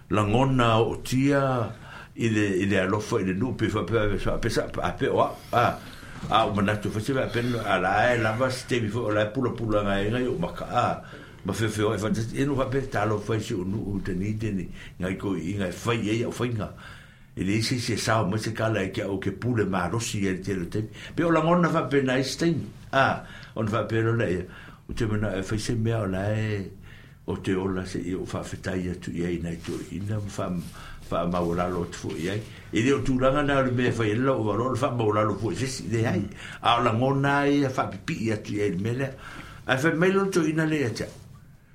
lagona ootia i le i le alofa i le nuu pe faapea faapea sa ape o a'u a a ou manatu foi se faapea a la e lava se taimi foi o la e pulapula gaega i ou maka a ma feofeoa'i faatasi ia na ou faapea talofa i si ou nuu i Dunedin nai toeaiina e fai ai a'u faiga e leai se isi e sao mai se kala ia te a'u ou te pule malosi ai i le tele o taimi pe o lagona faapena i isi taimi a ona faapea loa lea ou te mana'o e fai se mea o la e o te ola seia ou faafetai atu i ai nai toeaiina ma faa faamaualalo atu foi i ai. E le o tulaga na o le mea e fai ai le lauavaloa o le faamaualalo foi i se isi, leai. A o lagona lava ia faapipii atu i ai i le mea lea. Ae fai mai loa le toeaina lea ia te au,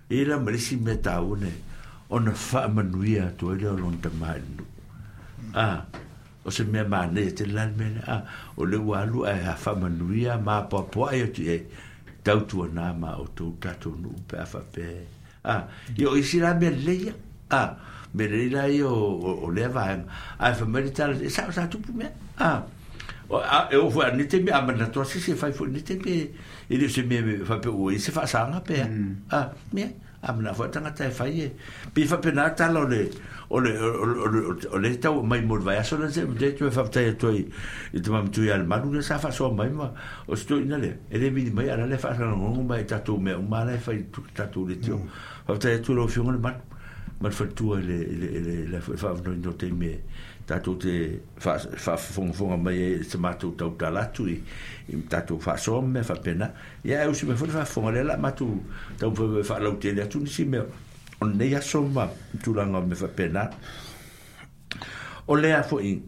e i ai la ma le isi mea taua nei, Ona faamanuia atu ai lea o lona tamā i le nuu. A, o se mea manaia tele la le mea lea. A, o lea ua alu ae faamanuia ma apoapoai atu i ai, tautuanā ma outou tatou nuu pe a faapea e. A, ia o isi la mea lelei ia. A, mea lelei la ia o, o, o lea vaega. Ae fai mai le tala, e sao sa tupu mea. A, o, a, e oo foi a lenei taimi, a manatu lava se isi e fai foi i lenei taimi, e le o se mea faapea ua i ai se faasaga pe a. A, mea. A manao foi le tagata e fai e pei faapena le tala o le o le o le o le tau mai mo le vaiaso lea se te toe faafetai atu ai i te mamatui ia le malu lea sa faasoa mai ma o se toeaina lea e le vili mai a o la e faasalagolago mai i tatou mea uma la e fai i tatou leitio. Faafetai atu i lau Afioga le malu ma le faletua i le i le i le le faavanoaina o taimi e tatou te faafofogafoga mai ai i se matou tautala atu i i tatou faasoa ma mea faapena. Ia ae usi mai foi le faafofoga lea o le a matou taumafai foi e faalautele atu nisi mea o lenei aso ma tulaga o mea faapena. O lea foi,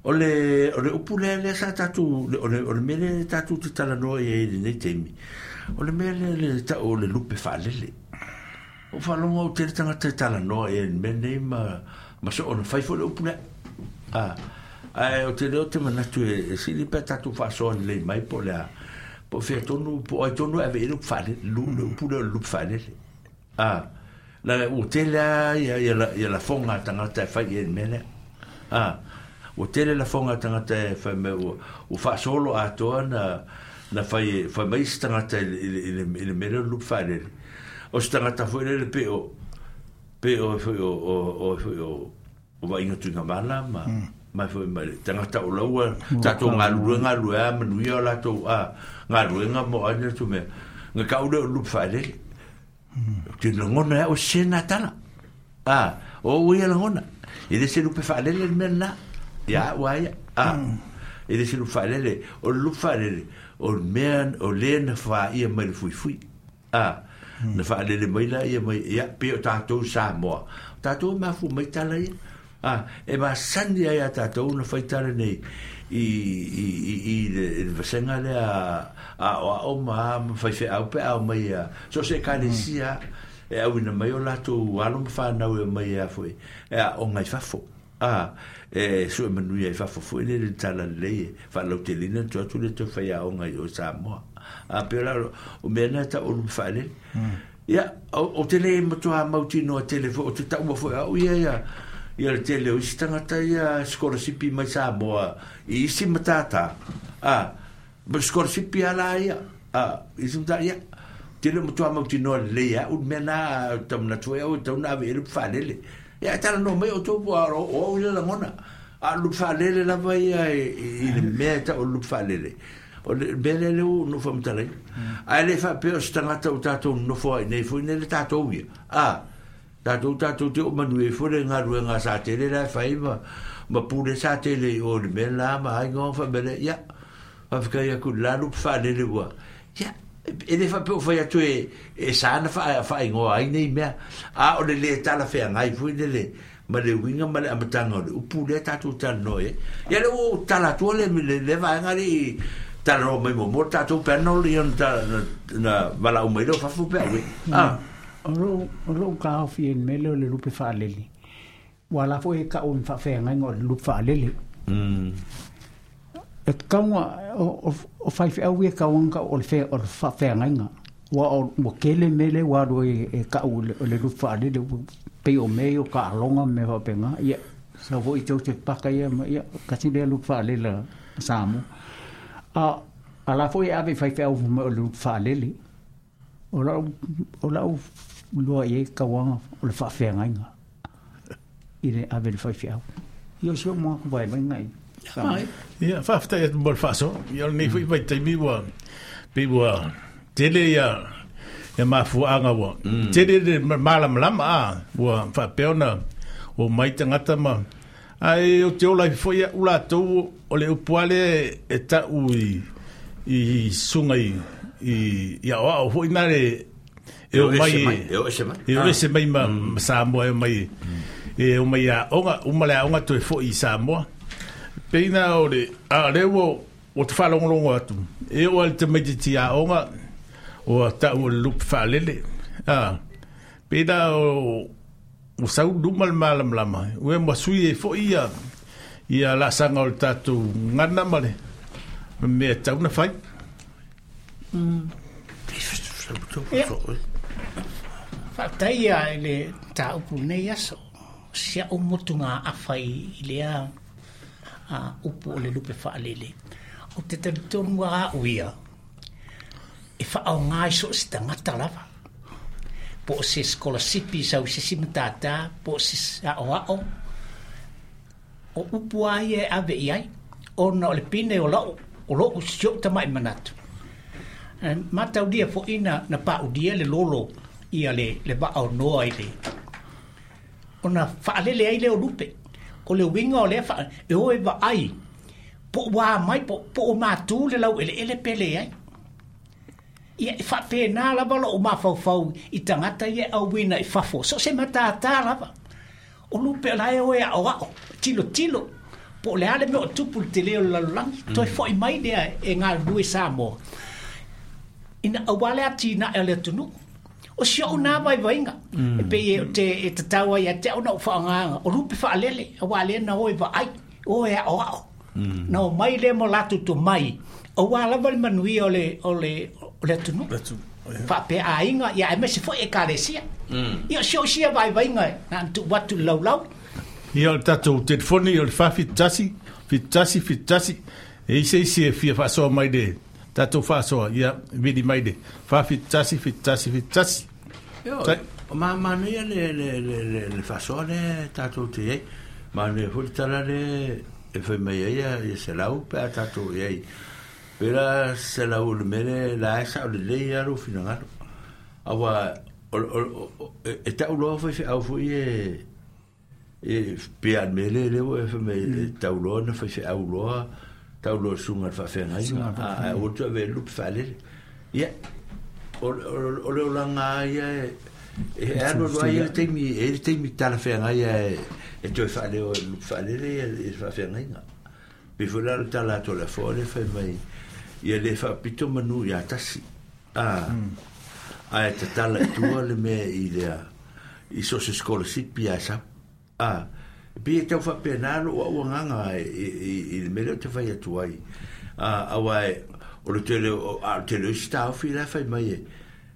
o le o le upu lea lea sa tatou o le o le mea lea tatou te talanoa i ai i lenei taimi, o le mea lea le tau o le lupe faalele. Ua faalogo au tele tagata e talanoa i ai i le mea lenei ma ma soona fai foi le upu lea. A, ae o te lea ou te manatu e, e sili pe a tatou faasoa lelei mai po o le a, po o fea tonu, po o ai tonu e ave i ai le upu faalele, lu, le upu lea o le lupe faalele. A, leaga ua tele lava ia, ia, la, ia lafoga a tagata e fai i ai i le mea lea. A, ua tele lafoga a tagata e fai mai ua, ua faasolo atoa na, na fai, fai mai isi tagata i le, i le, i le, i le mea lea o le lupe faalele. O se tagata foi lele pei o, pei o foi o, o, o foi o, o Vaaiga Tuigamala ma, ma foi ma le tagata o laua tatou galulue galulue a manuia o latou a galuega mo ai le atu mea. Nga kau lea o le lupe faalele. Ou te lagona e au e sese lena tala. A, o au ia lagona. E le se lupe faalele le mea lena. Ia au a ia. A, e le se lupe faalele. O le lupe faalele, o le mea, o le na faia mai le fuifui. A, na faalele mai la ia mai, ia, pei o tatou Samoa. O tatou e mafua mai tala ia. A, e masani ai a tatou na fai tala nei i, i, i, i le, i le vasega lea a aoao ma ma faifeau pe a omai a so o se ekalesia e auina mai o latou alo ma fanau e omai a foi e aoga i fafo. A, e sue manuia i fafo foi le le tala lelei e faalauteleina le toe atu le toe fai aoga i o i Samoa. A, pei o la o mea na e tau o lupe faalele. Ia, o, o te le matua mautinoa tele foi, o te taua foi au ia ia, ia le tele o isi tagata ia sikolasipi mai Samoa i isi matata. A, ma sikolasipi a la ia, a, isi matata, ia, te le matua mautinoa lelei au le mea na, tau manatu ai au e tau na ave i ai le lupe faalele. Ia, e talanoa mai outou po o o au ia lagona. A o le lupe faalele lava ia i, i le mea e tau o le lupe faalele. O le mea lea lea ua ou faamatalaina. Ae le faapea o se tagata ua tatou nonofo ai nei foi nei le tatou ia. A, tatou tatou te oo manuia ai foi le galuega a Satele la e fai ma, ma pule Satele i o i le mea la ma aiga ma faamea lea. Ia, faafetai atu i le la lupe faalele ua, ia, e le faapea ua fai atu e, e sa na faa, faaigoa ai nei mea. A o le le talafeagai foi lele ma le uiga ma le amataga o le upu lea tatou talanoa i ai. Ia lea ua ou tala atua le, le, le vaega lea i talanoa mai muamua le tatou panel ia na, na, na valaau mai lea o fafo pe a ue. Ah. O lou, o lou taofi i le mea lea o le lupe faalele, ua la foi e kau i faafeagaiga o le lupe faalele. Mm. E tatau ona, o, o, o faifeau ia e tatau ona kau o le fe, o le faafeagaiga. Ua o, ua tele mea lea ua alu ai e kau o le, o le lupe faalele, ua pei o mea ia o taaloga ma mea faapena. Ia, sau foi Joseph Parker ia ma ia, kasi lea lupe faalele a Samoa. A, a la foi e ave i faifeau mai o le lupe faalele. O lau, o lau iloa i ai tauaga o le faafeagaiga i le ave i le faifeau. Ia o si ou manatu vaivaiga i Samoa. Ia, faafetai atu mo le faasoa. Ia, o lenei foi vaitaimi ua pei ua tele ia ia mafuaaga ua tele le malamalama a ua faapea ona omai tagata ma ae o te ola ai foi a'u latou o le upu lava lea e ta'u i i susuga i i i aoao foi na le e E o omai ese mai, e o ese mai. e o ese mai ma ma Samoa e omai e omai i aoga uma le aoga toe fo'i i Samoa. Pei na o le a o lea ua ua te faalogologo atu e oo lava i le tamaitiiti aoga ua ta'u o le lupe faalele a pei la o o sau luma le malamalama ue ma sui e fo'i ia ia la'asaga o le tatou gana ma le mea tau na fai. Faafetai ia i le tāupu nei aso si a'u motuga afa i lea upu o le lupe fa'alele o te talitonu a'u ia e fa'aogā i so o se tagata lava po o se skolasipi sau se isi matātā po o se a'oa'o o upu a ia e ave i ai ona o le pine o la'u o lo'u sio'u tama'i manatu mataulia fo'i na na pa'ulia le lolo ia le le va'aonoa i le ona fa'alele ai lea o lupe o le uiga o lea fa e o e va'ai po o ā mai po po o matū le lau'ele'ele pe leai ia e fa'apēnā lava lo'u mafaufau i tagata ia e auina i fafo so o se matātā lava o lupe o la e o e a'oa'o tilotilo po o le a le mea o tupu le telē o le lalolagi toe fo'i mai lea e galulue Samoa ina auā le atina'e o le atunu'u o si o'u nā vaivaiga e pei e te e tatau ai ia te a'u na ou fa'aogāga o lupe fa'alele auā lea na o e va'ai o e a'oa'o na o mai lea mo latou tomai auā lava le manuia o le o le o le atunu'u fa'apea aiga ia aemaise fo'i ekalesia ia o si o'u sia vaivaiga na ana tu'u atu i le laulau. Ia o le tatou telefoni o le fa fitu tasi fitu tasi fitu tasi e ise isi e fia fa'asoa mai le tatou fa'asoa ia vili mai le fa fitu tasi fitu tasi fitu tasi. Io, ma manaia le le le le le fa'asoa le tatou te ai manaia foi le tala le e fai mai ai ia selau pe a tatou i ai pela selau o le mea le la e sa'o lelei a lou finagalo auā e ta'u loa faife'au fo'i e e pea le mea le lea ua e fai mai e tau loa na faife'au loa tau loa suga le fa'afeagaiga ae ua toe ave lupe fa'alele ia o le olaga ia e alu alu ai le taimi e le taimi talafeagai e e toe fa'aleo lupe fa'alele ia le fa'afeagaiga pe foi la le tala atu o le afoa le fai mai ia le fa'apito manu iā tasi a ae tatala i tua le mea i lea i so se scholarship ia sau a pe e tau fa'apena lo'u a'u agaga i le mea lea o te fai atu ai a auā o le tele o a le tele o isi taofi la e fai mai e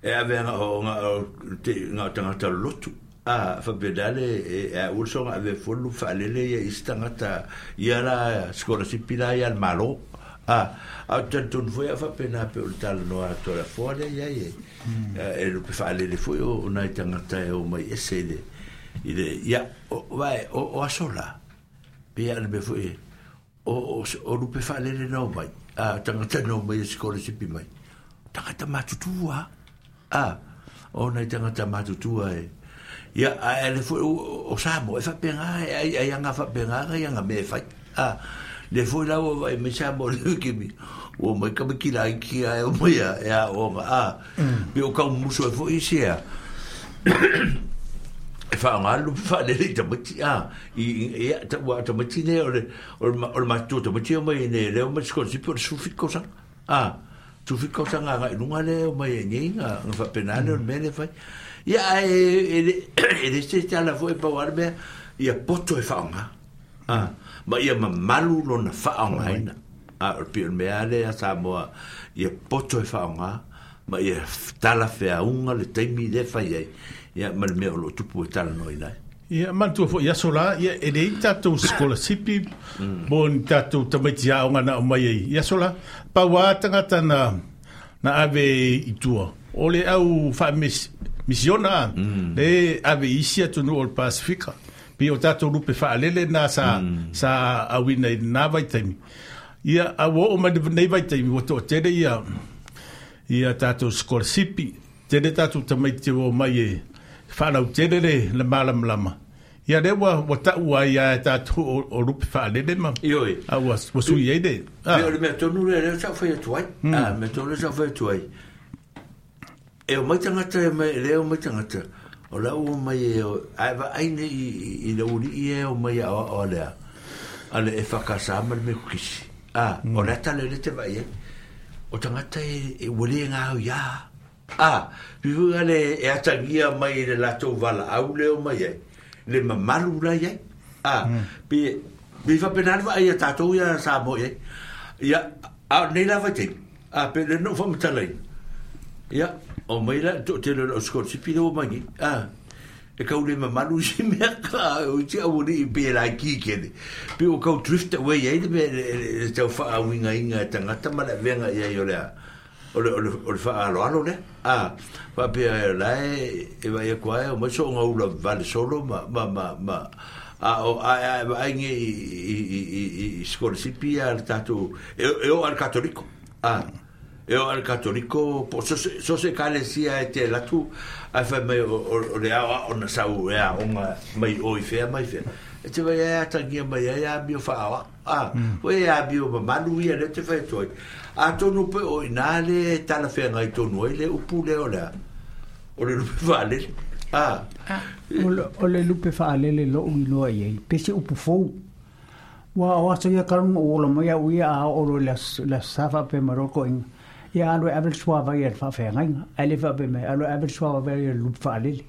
e ave aga o ga o tagata lolotu a fa'apena le e a'u le soga ave fua le lupe fa'alele ia isi tagata ia la scholarship la ia le Mālō a a o talitonu foi a'u fa'apena pe o le talanoa atu o le afoa lea iai e e lupe fa'alele foi o nai tagata e o mai ese i le i le ia o vae o o aso la pe ia le mea foi o o lupe fa'alele na o mai a tagata na o mai e scholarship mai tagata matutua a o nai tagata matutua e ia ae le foi o Samoa e fa'apega e ai aga fa'apega aga ia aga mea e fai a le foi la ua vaai mai Samoa le kimi ua mai kamiki laiki ae o mai a e a'oga a pe o kaumuso e fo'i isi a e fa'aogā le lupe fa'alele i tamaiti a i ia ua tamaiti nei o le o le matutua tamaiti o mai nei lea o mai scholarship o le sefulufitu tausaga a sefulufitu tausaga aga'i luga lea o mai ai nei ga fa'apena lea o le mea lea fai ia ae e le e le se tala foi pau a le mea ia poto e fa'aogā a ma ia mamalu lona fa'aogāina a o le pei o le mea lea Samoa ia poto e fa'aogā ma ia tala feauga le taimi lea fai ai ia ma le mea o lo'o tupu e talanoaina ai. Ia manatua fo'i aso la ia e leai tatou scholarship mo ni tatou tamaiti a'oga na aumai ai i aso la pau a tagata na na ave i tua o le au fa'amisiona le ave i isi atunuu o le Pasifika pe o tatou lupe fa'alele na sa sa auina i lenā vaitaimi ia a ua o'o mai lenei vaitaimi ua to'atele ia ia tatou scholarship tele tatou tamaiti ua omai e fa'alautele le le malamalama ia lea ua ua ta'u ai ia e tatou o lupe fa'alele ma Ioe. a ua ua sui ai le Pe o le mea tonu lea lea sa'u fai atu ai a mea tonu lea sa'u fai atu ai e o mai tagata e mai lea o mai tagata o la ua mai e ae va'ai nei i i le uli'i e o mai a'oa'o a lea a le e fa'akasā ma le mea kukisi a o le ata lea le te vaai ai o tagata e e ua lē gao iā a pifuga le e atagia mai i le latou vala'au lea o mai ai le mamalu la iai. A, pe, pe whapenari wa ia tātou ia Samoa iai. Ia, a nei la vai teimi. A, pe le no whamatalai. Ia, o mai la, to te le o skolsipi le o mangi. A, e kau le mamalu si mea ka, o ti au ni i pe la ki kene. Pe o kau drift away ai le me le tau whaawinga inga e tangata ma le venga ia i o lea. O le o le o le whaaloalo le. A, whapea e lae, e vai e koae, o mai so ngā ula vale solo ma, ma, ma, ma, a o a a a nge i i i i i skolsipi a le tātou, e, e o al katoliko. A, e o al katoliko, po so se, so se kalesia e te latu, a whai mai o, o, o le ao o na sau e a onga mai o i whea mai whea. E te vai e atangia mai e a mio whaawa. A, o e a mio mamalu ia le te whai toi. A tonu pe o ina le tala whenga i tonu ai le upu le o lea. O le lupe whaalele. A. O le, o le lupe whaalele lo ui loa i ei. Pese upu fou. Wa o aso ia karunga o ola mai au ia a oro le, le safa pe maroko inga. Ia alo e avel suava ia le whaawhengainga. A le whape mai alo e avel suava ia le lupe whaalele.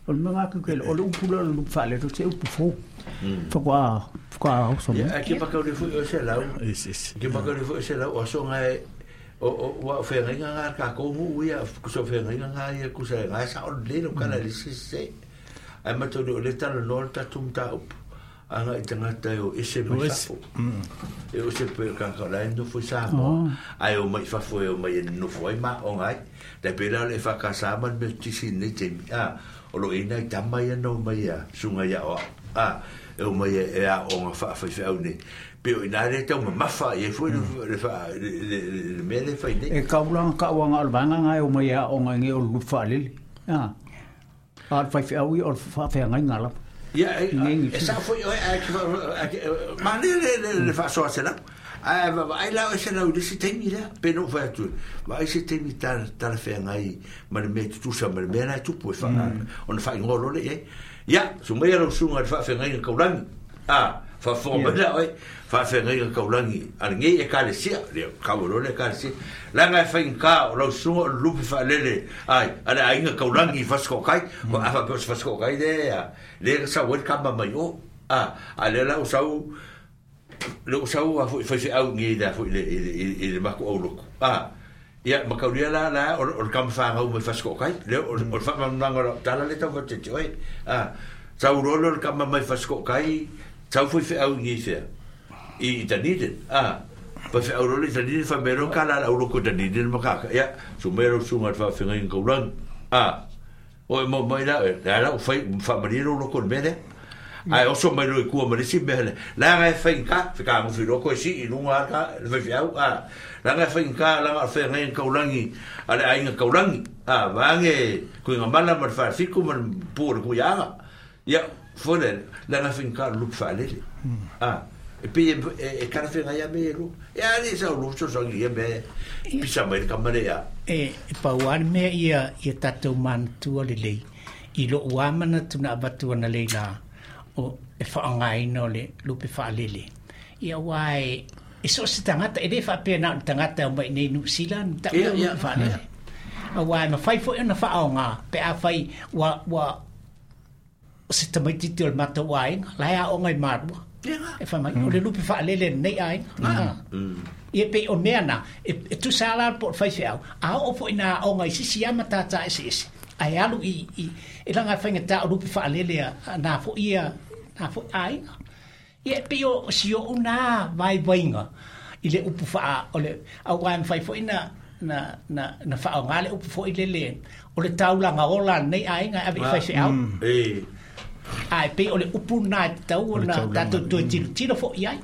O le mga kukele, o le upu le lupe whaalele, o se upu fou. Whakua, whakua hausa mai. Ia, ke makau le fui o se lau. Ke makau le fui o se lau, o songa e, o o o whengainga ngā ka kōngu ia, kusa whengainga ngā ia, kusa e ngā sa o le no kala le se se. Ai matau le o le tala noa le tatum tā upu. Anga i tangata e o ese mai fafo. E o se pe kaka la e nofo i Samoa. Ai o mai fafo e o mai e nofo ai ma o ngai. Tai pera le whakasama me tisi nei te mi. A, o lo ina i tama ia no mai a sunga ia o. A, e o mai e a o ngā whaawhaiwhai au nei. Pe o ina re tau mamafa i e fui le le mea le whai nei. E kaulanga kauanga o le vanga ngai o mai a o ngai nge o le lupe whaalele. A, a le whaiwhai au i o le whaawhai ngā lapa. Ia, e sa foi o ma le le le whaasoa se lau. Ai ai lau e se lau le se teimi lea, pe no whai atu. Ma ai se teimi tala tala whengai ma le mea tutusa ma le mea lai tupu e wha ona whai ngolo le e. Ia, so mai lau sunga le whaawhengai ngā kaulangi. A, whaawhenga mai la oi, whaawhengai ngā kaulangi. A le ngei e kalesia, le kawalo le kalesia. Langa e whai ngā o lau sunga o lupe whaalele. Ai, a le ainga kaulangi whasko kai, ko awha pe o se whasko kai le, le sa wet kama mai o. A, a le lau sau, le o sau a fui whai au ngi la fui le i le mako au loko. A, ia, makauria la la o le kama whangau mai whasko kai, le o le whamananga la tala le tau whatete oi. A, sau rolo le kama mai whasko kai, sau fui whai au ngi whea. I Dunedin. A, pa whai au rolo i Dunedin, whai mero ka la au loko Dunedin makaka. Ia, so mero sunga te whawhengai ngau rangi. A, o e mo mai la, la la o whai whamariro loko le mea. Ai oso mai roi kua marisi mea le. Langa e whai ngā, whika ngu whiroko e si i lunga ka, le whai whiau, a. Langa e whai ngā, langa e whai ngai kaulangi, a le ainga kaulangi. A, vaange, kui ngā mana ma le whafiku ma le pūre kui anga. Ia, fone, langa e whai ngā lup whaalele. A, e pe e kara whenga ia me e lu. E ari sa o lup so sangi ia me, pisa mai le kamare ia. E, e pauani mea ia, ia tātou manatua le lei. I lo uamana tuna avatua na lei la. O e whaangaina o le lupe whaalele. Ia wai, e so se tangata, e le whaapea nā o tangata o mai nei New Zealand, ta ua lupe whaalele. A wai, ma whai fo e na whaonga, pe a whai, wa, wa, o se tamaititi o le mata waenga, lai a o ngai marua. E whai mai, o le lupe whaalele nei ainga. Ia pe o mea nā, e, e tusa ala po o whai whiau, a o fo ina o ngai sisi ama tātā ese ese. Ai alu i, i, e langa whainga tā o lupe whaalele a nā fo ia, nā fo ainga. Ia pe o si o nā vai vainga i le upu whaa, o le, au wai mwhai fo ina, na, na, na whaa o ngā le upu fo i le le, o le taulanga ola nei ainga ave i whai whiau. Ai pe o le upu nā te tau o nā tātou toi tiro, tiro fo i ai.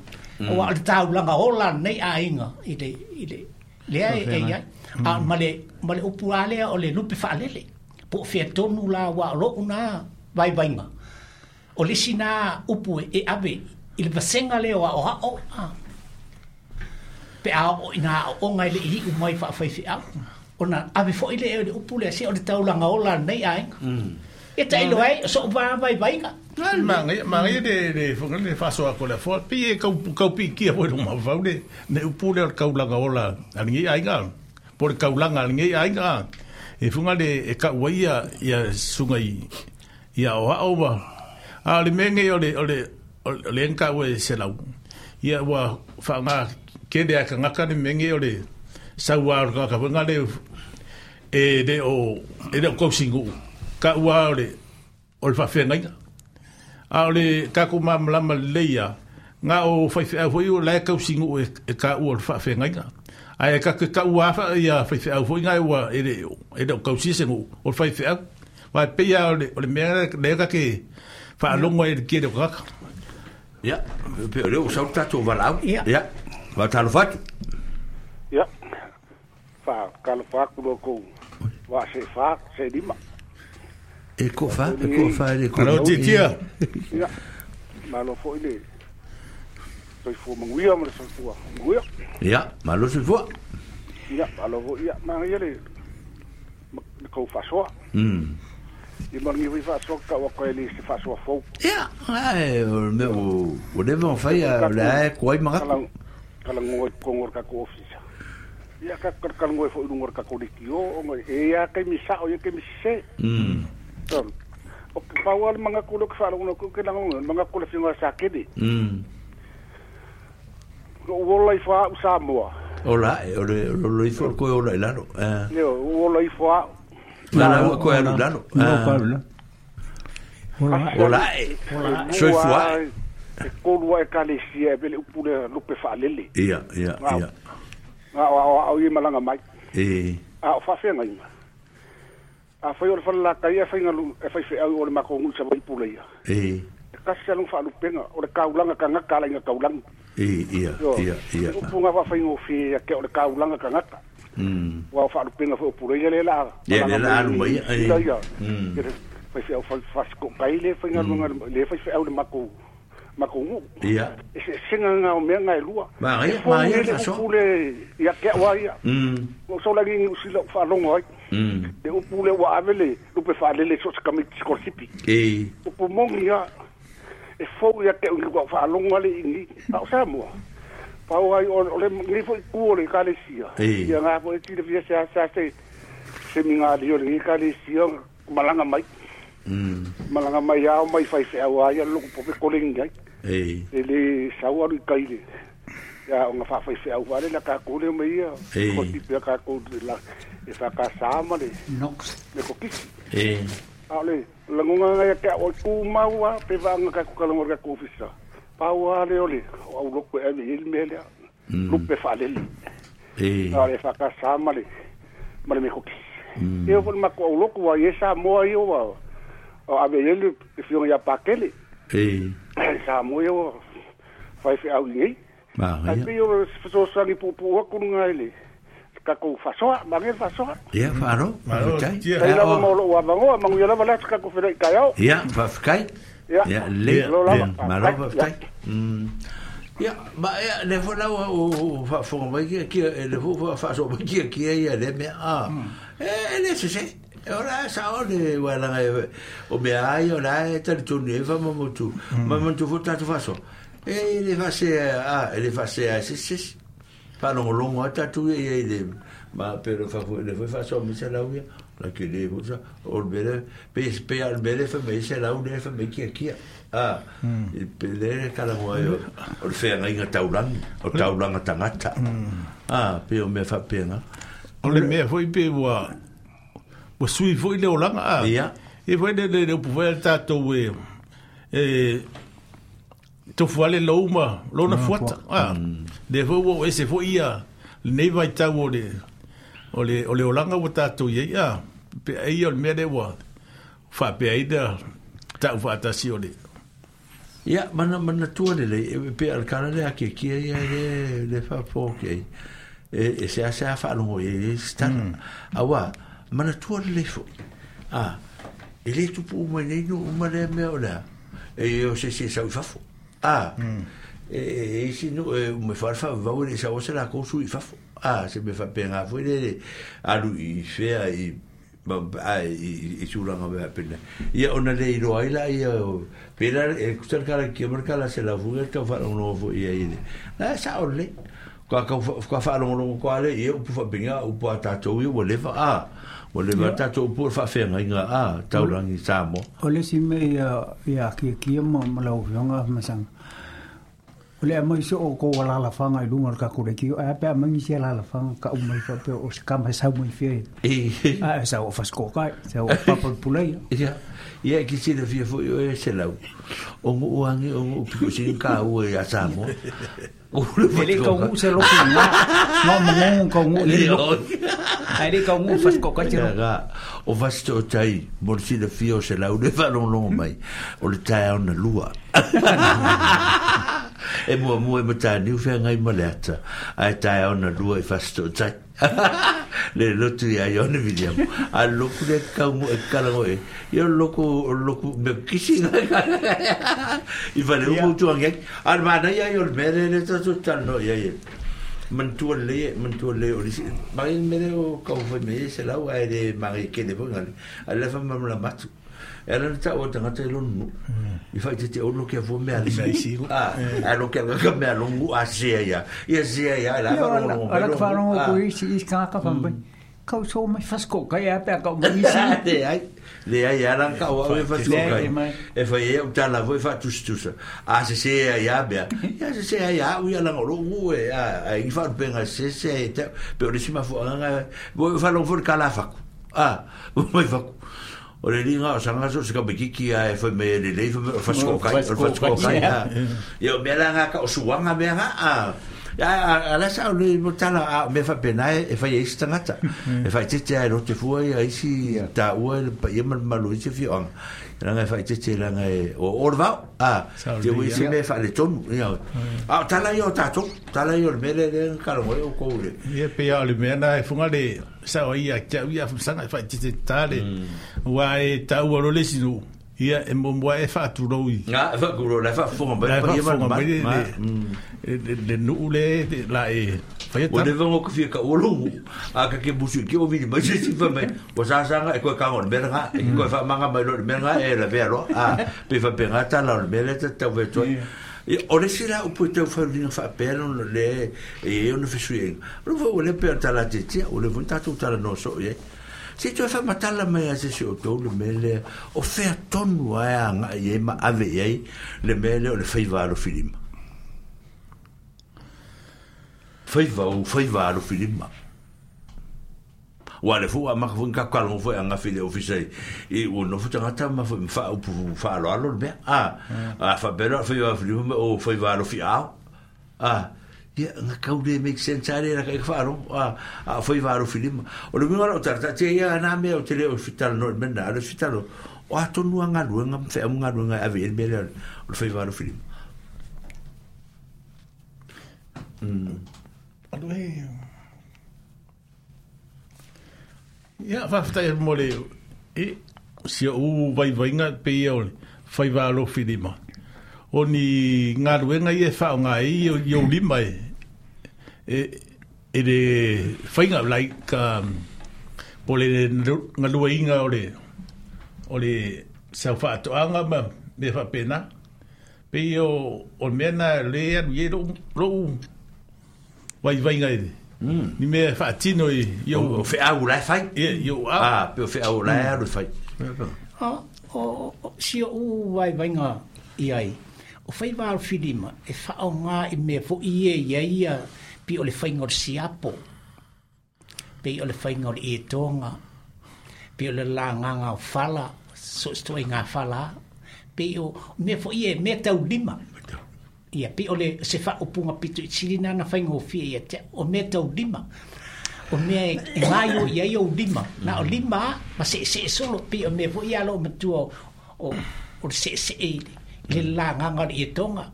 O le taulanga ola nei ainga i le, i le, lea e e ai. A ma le, ma le upu alea o le lupe whaalele. Po whia tonu la wa loo nā vai vainga. O le si nā upu e ave i le vasenga leo a o hao. Pe a o ina o ngai le i umai wha whai whiau. O nā ave fo i le e le upu lea se o le taulanga ola nei ainga. E ta ilo ai, so va vai vainga. Mangai, mangai le le fonga le faso a kola fo. Pi e kau kau pi kia foi luma vau le ne upu le kaulanga ola. Ani ainga. Por kaulanga ani ainga. E funga le e ka waia ia sunga i ia o aoba. A o le mea nei o le o le o le enka ua e se lau. Ia ua whaanga kere a kangaka le mea nei o le saua o le kangaka whenga le e le o e le o kausingu. Ka ua o le o le whawhengainga. A o le kako mamalama leia ngā o whaiwheau foi o lae kausingu e, e ka ua o le whawhengainga. Ai e ka ka ua afa ia whaiwheau foi ngā ua e le, e le o kausisengu o le whaiwheau. Wai peia o le, o le mea le ka ke whaalongo e le kere o kaka. Ia, pe o leo o sau tātou walau. Ia. Ia, wātalo whatu. Ia, wha kalofa aku lo kou. Wa se fa, se lima. E ko fa, e ko fa e ko. Alo titia. Ia, malo foi le soifua manuia ma le soifua manuia. Ia, malo soifua. Ia, malo foi ia, ma ia le le kou faasoa. Mm. I malangi foi faasoa ka ua koe le se faasoa fou. Ia, ai o me o o le vent fai a la ko ai manga. Kala kala ngoi kongo ka ko ofisa. Ia ka kala ngoi foi lungo ka ko likio o ngoi e ia ke mi sa o ia ke mi se. Mm. Tom. O ke pau al manga ko lo ke fa lo ko ke langa manga ko le finga sa ke de. Mm. O ola i fa Samoa. Ola, o le o le ifo ko ola i lalo. Eh. Ne o ola i fa. La la ko alu lalo. No ko alu. Ola. Ola. Soifua. E kolua e kalesia e pele upule lupe faalele. Ia, ia, ia. Nga o o o i malanga mai. E. A o faafeaga ina. A fai o le falalakai e faiga e faifeau o le makou sa vai pule ia. E. E kasi alu faalupenga o le kaulaga kagaka alaiga taulagi. E, ia, ia, ia. Upuga faafaigofie ia ke o le kaulaga kagaka. Mm. Ua o faalupenga foi o pule ia le la. Ia le la alu mai. Ia ia. Faifeau fasikokai le faigaluega le faifeau le makou makou. Ia. E se senga nga o mea ngai lua. Ma ia, ma ia le faso. Upule ia ke wa ia. Mm. O so lagi ni usila faalogo ai. Mm. Le upule ua ave le lupe faalele so se kamiti skolsipi. E. Upu mongi ia e fou ia ke ua faalogo ale ingi. A o Samoa. Pau ai o le ngi foi ku o le kalesia. Ia nga foi ti le via sa sa se se minga li o le kalesia malanga mai. Mm. Malanga mai au mai fai fe au ai lo ko pe kolengi ai. E. E le sau alu kai le. Ya o nga fa fai fe au vale la ka ko le mai ia. Ko ti pe ka ko la e fa ka sa ma le. Nox. Le ko kisi. E. A le langonga nga ka o ku maua pe va nga ka ku ka ko ofisa. Pau ale ole au lo ko e le mele. Lupe fa le. E. A le fa ka sa ma le. Ma le me ko kisi. E o ma ko lo ko ia sa mo ai o o ave ele fio ia pakele. E. Sa mo yo fai fe au nei. Ma ia. Ai yo so sa ni pupu ku nga ele. Ka ko fasoa, ma nge fasoa. Ia faro, fakai. Ia la mo lo wa mango, mango ia la la ka ko fe ka yo. Ia fakai. Ia le. Ma lo fakai. Mm. Ia ma ia le fo la o fa fo mai ki ki le fo fa so mai ki ki ia le me a. E le se se. Ora sa o le wala o me ai o la e tali tonu e fa mamotu. Mamotu fo tatu faso. E le fa se a le fa se a se se. Pa longo longo a tatu e le ma pero fa le fa so mi se la uia. La ke le fo sa o bele pe pe al bele fa me se la uia fa me ki ki. Ah, e pe le kala mo ai o le fe ngai taulangi, o taulanga tangata. Ah, pe o me fa penga. O le mea foi pe ua ua sui foi le olanga a. Ia. E foi le le upu foi tātou e e tofu ale louma, lona fuata. Ah. Le foi ua ese foi ia nei vai tau o le o le o le olanga ua tātou ia ia. Pe ai o le mea le ua whapea i da tau whaatasi o le. Ia, mana mana tua le le pe al kala le ake kia ia le le whapo ke. E e se ase a whaalongo e stana. Awa, mana tua le fo. Ah, e le tupu uma nei no uma le mea o lea. E o se se sau i fafo. Ah, e e isi no e me fa fa vau le sa o se la ko su i fafo. Ah, se me fa penga foi le alu i fea i ma i i tulaga mea pena. Ia ona le iloa ai la ia pela e kusal kala ki mar kala se la fuga ka fa no fo ia ile. La sa ole. Ka ka ka whaalongolongo kwa le ia upu whapinga upu a tātou ia ua lewa a ua lewa tātou upu o whaawhenga inga a taurangi Samoa. O le si me ia ia kia kia ma malau fionga masanga. O le amai so o ko wala whanga i lunga o ka kore ki a pe amangi se la whanga ka umai fa pe o se kama sau mai fie. A sa o fasko kai sa o papa pulei. Ia ia ki se le fia fo e se lau. O ngu angi o ngu piko sin ka u e a Samoa. Ele ka ngu se loku nga nga mangongo ka ngu le loku. Ai le ka ngu fasko kai te ga o vasto tai mo se le fia o se lau le fa longo mai o le tai ona lua. E mua mua e matani u whea ngai maleata ai tae ona lua i fasto tai le lotu ia i ona William a loku le kaungu e kalango e ia loku loku me kisi ngai i whale umu tuangi a le mana ia i o le mere le tatu tano ia ia mantua le mantua le o lisi mari mere o kau whai me se lau ai le mari kele po ngale a le wha mamla matu Ela na tau o tangata i lonu. I whai te te ono kia fo mea lisi. A lo kia ka mea longu a sea ia. Ia sea ia. Ala ka wharongo ko isi isi kaka whambai. Kau so mai fasko kai a pea kau mai isi. Le ai. Le ai ala ka o au e fasko kai. E whai e utala fo e whaatustusa. A se sea ia mea. Ia se sea ia ui ala ngolo ngu e. A i wharupenga se sea e te. Pe o lisi mafu anga. Bo e whalongo fo le kalafaku. A, mai faku. O le linga o sanga so se ka mekiki a e fai me le lei o fasko kai o fasko kai ia o mea nga ka o suanga mea nga a a la sa o le motala a me fa pena e fai e tangata e fai tete a rote fua ia isi ta ua le pa ia malu isi fi anga langa e fai tete langa e o orva a te ui se me fa le tonu ia a tala ia o tato tala ia o le mele le karongo o koure ia pe ia o le mea na e funga le sa o ia kia ia sanga e fai tete tale ua e taua lo le sinu ia e momoa e whaaturou i nga e whaaturou la whaafonga mai pa ia mai le le nuu le la e o le vango ka fia ka olongu a ka ke busu ki o vili mai se sifa mai o sasanga e koe kango le mea nga e koe whaamanga mai lo le mea nga e la vea loa a pe whapenga tala o le mea le tatau vetoa o le sila upu e tau wharulinga whaapea no le e ona fesuienga o le fau le pea tala te tia o le fau tātou tala no so ie se toe whamatala mai a se se o tau le mele o whea tonu ai a ngai e ma ave i ai le mele o le whaiva alo filima whaiva o whaiva alo filima wa le fu a maka fu ka kalongo fu anga file ofisa i o no fu tangata ma fu mfa upu fa alo alo le mea a a fa pera whaiva filima o whaiva alo fi ao a ia nga kau le make sense are ra ka wharo a a whaiva alo filima o le winga o tata te ia na mea o te leo fitalo no mena alo fitalo o atonu anga luenga mfe amunga luenga ave el mele o le whaiva alo filima mm alo he ia whawhtai mo le e si o vaivainga pe ia o le whaiva alo filima o ni ngā ruenga i e whaonga e i o lima e e e le whainga like um, po le ngā lua inga o le o le sau whaatoanga ma me whapena pe i o o mea na le anu i e lo lo vaivainga e ni mea whaatino i i o wheau lai whai i o au ah pe o wheau lai aru whai o si o vaivainga i ai o whaiva alo filima e whaonga i mea fo i e ia ia pi o le whainga o le siapo pi o le whainga o le etoga pi o le langanga o whala so stoa i ngā whala pi o mea fo i e mea tau lima ia pi o le se whaopunga pito i sirina na whainga o fia ia te o mea tau lima o mea e ngaio ia i o lima na o lima ma se se solo pi o mea fo i alo matua o o le se se e le langanga o le etoga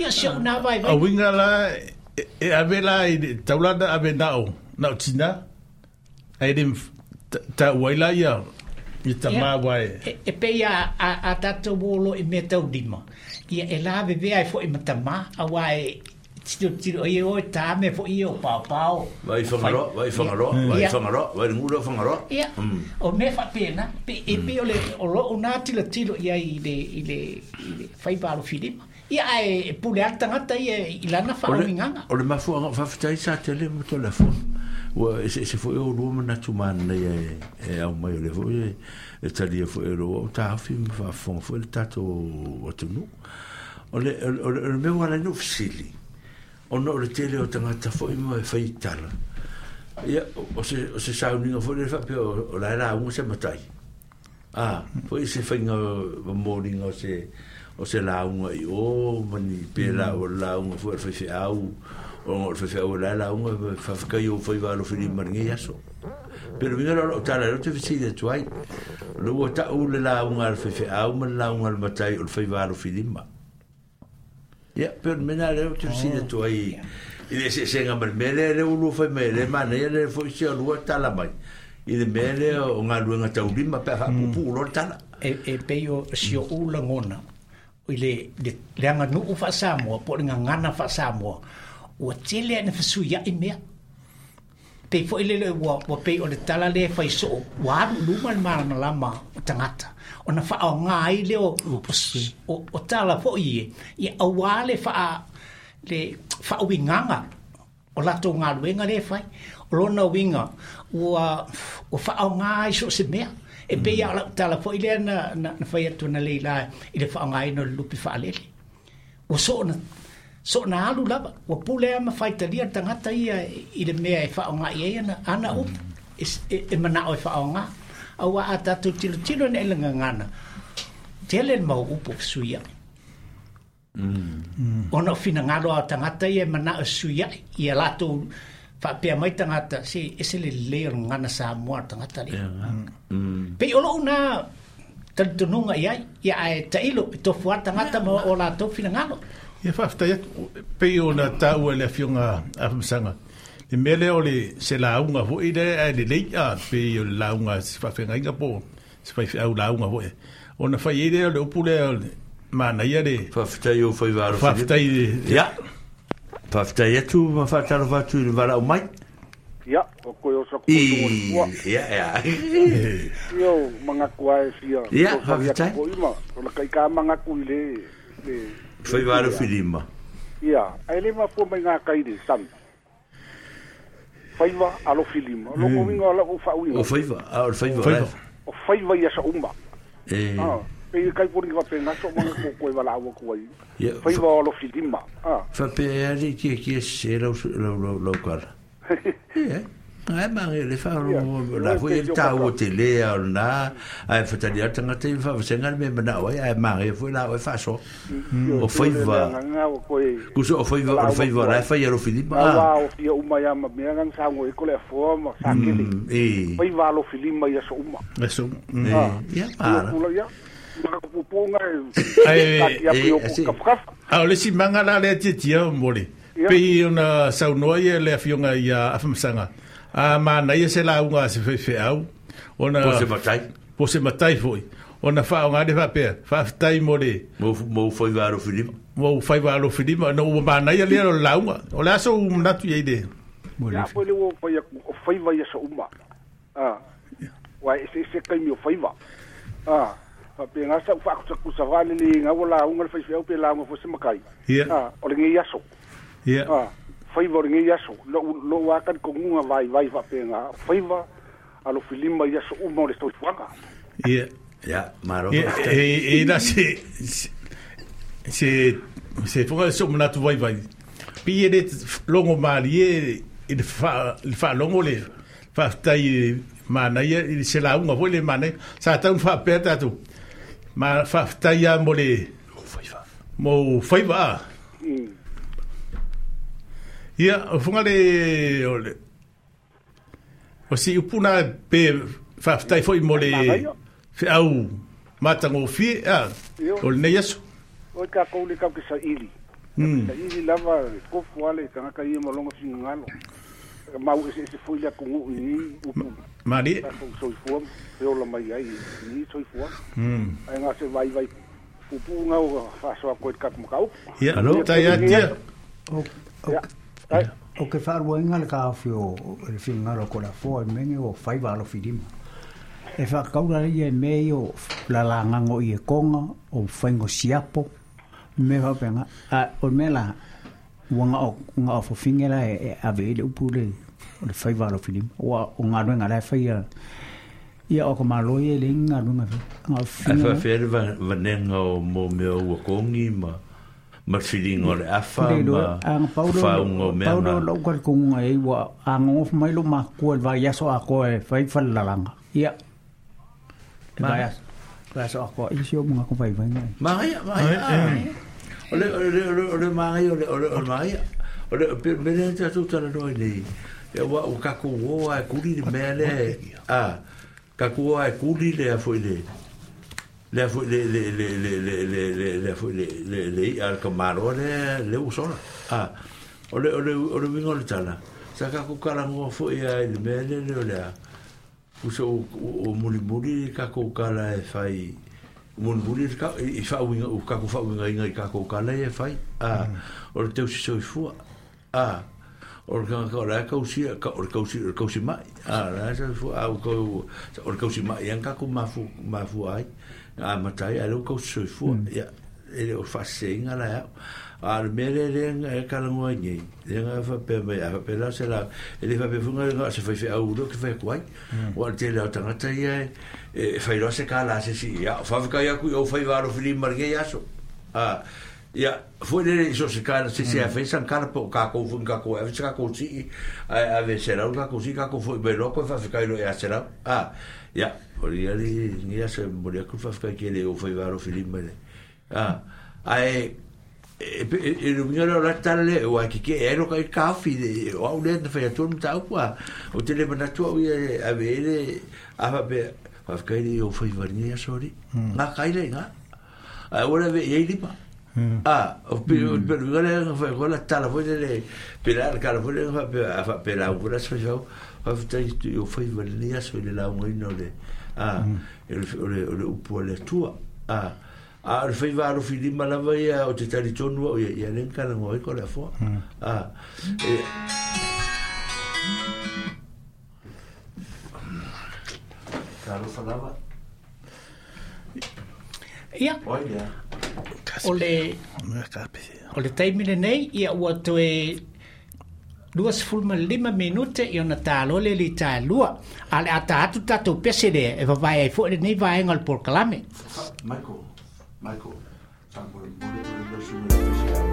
ia se o nā vai vai a winga la e ave la i taulana ave nao nao tina ai le ta waila ia i ta mawai e pe ia a a tatou olo i mea tau lima ia e la vevea ai foi matama a wai tiro tiro i o ta me fo i o pao pao vai whangaroa vai whangaroa vai whangaroa vai ngura whangaroa ia o me fa pena pe e pe o le o lo o nā tilo tilo ia i le i le i le whaiva alo filima Ia e pule a tagata ia i lana faauigaga. O le mafuaaga faafetai sa tele ma telefoni. Ua eseese foi o lua manatu manaia e e aumai o lea foi e talia foi e lou au taofi ma faafofoga foi le tatou atunuu. O le o le o le mea ua ala ai ona ou fesili, ona o le tele o tagata foi ma e fai tala. Ia o se o se sauniga foi lea faapea o la e lauga se matai. A foi se faiga momoliga o se o se lauga i o ma ni pe la o le lauga foi a le faifeau ona o le faifeau o la e lauga faafetai o faiva alofilima i lenei aso. Pe le uiga la o lau tala lea ou te fesili atu ai. O lea ua tau le lauga a le faifeau ma le lauga a le matai o le faiva alofilima. Ia, pe o le mea lena lea ou te fesili atu ai i le eseesega ma le mea lea lea ua lua fai mai ai, lea e manaia lea foi si o lua tala mai i le mea lea o galuega taulima pe a faapuupuu loa le tala. E, e pei o si oʻu lagona i le, le, le aganuu faa-Samoa po o le gagana faa-Samoa, ua tele a'e na fesuia'i mea. Pei foi lele ua, ua pei o le tala lea e fai soo, ua alu i luma le malamalama o tagata. Ona faaoga ai lea o, o, o tala foi e, ia auā le faa, le faauigaga o latou galuega lea e fai. O lona uiga, ua, ua faaoga ai so o se mea. E pei lava o lau tala foi lea na, na, na fai atu analeila i le faaaogaina o le lupe faalele. Ua soona, soona alu lava, ua pule lava ma faitalia le tagata ia i le mea e faaaoga i ai ana, ana upu, e, e, e manao e faaaoga. Auā a tatou tilotilo ane i le gagana, tele le mau upu o fesuia'i. Ona o finagalo lava o tagata ia e manao e fesuia'i ia latou faapea mai tagata, se ese le lelei o le gagana Samoa a le tagata lea. Pei o lou na talitonuga i ai, ia ae tailo e tofu lava le tagata ma o latou finagalo. Ia faafetai atu, pei ona taua e le Afioga Afamasaga, le mea lea o le se lauga foi lea ae lelei a, pei o le lauga a se faafeagaiga po o se faifeau lauga foi. Ona fai ai lea o le upu lea o le manaia le Faafetai i ou faiva alofilima. Faafetai i le Ia, faafetai atu ma faatalofa atu i le valaau mai. Ia, o koe o sa I, kupu le fua. ia, ia. Ia o mangaku ae fia Ia, fesoasoani atu faafetai. foi ma o le kai ka mangaku i le le le Faiva upu lea. alofilima. Ia, ae le mafua mai ngā kai le sami. Faiva alofilima. O loko uiga o lau faauiga. O faiva, a o le faiva o Faiva. la e. O faiva ia sa uma. E. Ah, pe kai pori ka pe ngaso manga ko koe wala au ko ai. Ia, Faiva alofilima. Ah. Faapea ali kia kia se lau lau lau lau kala. Ia, ai mange le fa Ia, la o foi pe el tio tau kaka. te le o na ai fatali a tangata i fa senga me mana oi ai mange foi la oi fa so. Io O te le faiva nganga o koe kuso o faiva wala o au faiva ko la ai. fai alo filima. Ngā Ah. wā o fia uma ia ma mea ngang sango e kole afoa ma sakele. Mm, e. Faiva alofilima ia sa uma. Aso. Mm. E, Ah. ia Ia mara. kula ia. Maka pupunga e Ae kaki apu E, i o asi. kafukafu. A o le isi maga la lea tiatia mo le. Ia. Pei ona saunoa ia le Afioga ia Afamasaga. A manaia se lauga a se faifeau. Ona Po se matai. po se matai foi. Ona faaaoga le faapea, faafetai mo le Mo mo faiva alofilima. mo faiva alofilima ona ua manaia lea o le lauga. O le aso ua manatu i ai le. Mo le Ia foi le ua fai aku o faiva ia sa uma. Ah. Wa e se se kaimi o faiva. Ah. Fa pe ngā sa whaakusakusa wale le ngā wala unga le whaiwhiau pe la unga fo se makai. Ia. Ah, o le ngei aso. Ia. Ah, faiva o le ngei aso. Lo lo waka ko ngunga vai vai fa pe ngā faiva alo filima ia so uma o le soifuaga. Ia. Ia, maro. E, e, e la se se se foga so manatu vai vai. Pi e le longo malie i le fa le fa longo le faafetai manaia i se lauga foi le manaia. Sa tau faapea tatou. Ma faafetai a mo le mo faiva a. Mm. Ia, o funga le o le o si upu na pe faafetai foi mo le Manaia. feau matagofie a Io. o lenei aso. O ka kou le kau ke sa ili. Mm. Sa ili lava kofu ale tangata ia ma longa fingalo. Mau ese ese foi le kungu i upu. Malie. Tatou soifua e ola mai ai i soifua. Mm. Ai ngā se vai vai pupunga o whaasoa koe te kaku makau. Ia, Alo? tai atia. O, o, Ia, ai, o ke whaaruainga le kāwhi o o le whingaro ko la foa e menge o faiva alofilima. E whakaura ia e mei o la langango i e konga, o whaingo siapo, Me faapega a o le mea la ua gao gaofofiga la e ave ai le upu le o le faiva alofilima ua o galuega la e faia ia o ka malo ia e leai ni galuega Ae faafefea le vanega o mo mea ua kogi ma ma le filiga o le afa ma fafaauga o mea pau lea o lou talitonuga i ai ua agogofo mai lou matua i le vaiaso atoa e fai falelalaga ia le vaiaso vaiaso atoa i si ou manatu vaivaiga Magaia magaia o le o le o le magaia o le o le o le magaia o le pe mea lea tatou talanoa ai nei ia ua ua tatou o lava e kuli le mea lea a tatou o lava e kuli le a foi le lea foi le le le le le le le lea foi le le le i'a a le tamaloa lea lea ua sola a o le o le o le uiga o le tala sa tatou talanoa foi lava i le mea lea le o le a uso o mulimuli le tatou tala e fai mulimuli i faauiga o tatou faauigaina i tatou tala ia e fai a o le tausi soifua a o le tagata o la e tausia o le tausi o le tausi mai a la e soifua a o o le tausi mai ia tatou mafu mafua ai amata ai a lea ua tausi soifua ia e le o faaseseina la e au a o le mea lea lea e talanoa ai nei lea na faapea mai a faapea la se la e le faapea foi na o se faifeau lea ou te fai atu ai ua o le tele o tagata ia e fai loa se kala a se isi ia faafetai atu i ou faiva alofilima i lenei aso a ia foi lele i so o se kala se se a fai sana kala po o tatou foi ni tatou e ave se tatou sii ae ave selau le tatou sii tatou foi mai loa toe faafetai loa ia selau a ia o ia lenei aso e momoli atu le faafetai tele i ou faiva alofilima i le a ae e le uiga lea o la tala lea ua e tetee ai lo ka taofi le o au lea na fai atu le mataupu a ou te le manatu au ia e ave ai le a faapea faafetai le i ou faiva i lenei aso alii gata ai lea i ina ae aua le ave i ai lima a o pe o pe le uiga lea na fai atu ai la tala foi lele pe la le tala foi lea na faapea a faapea lauga foi la se faifeau faafetai i ou faiva i lenei aso i le laugaina o le a o le o le upu a le Atua a a o le faiva alofilima lava ia o te talitonu au ia ia lea na talanoa ai ko le afoa a e talofa lava Ia oi lea o le o le taimi lenei ia ua toe lua sefulu ma lima minute i ona talo le li talua a le ata atu tatou pese lea e vavae ai foi lenei vaega o le polokalame. Michael Michael faamolemole o le lausuga le faifeau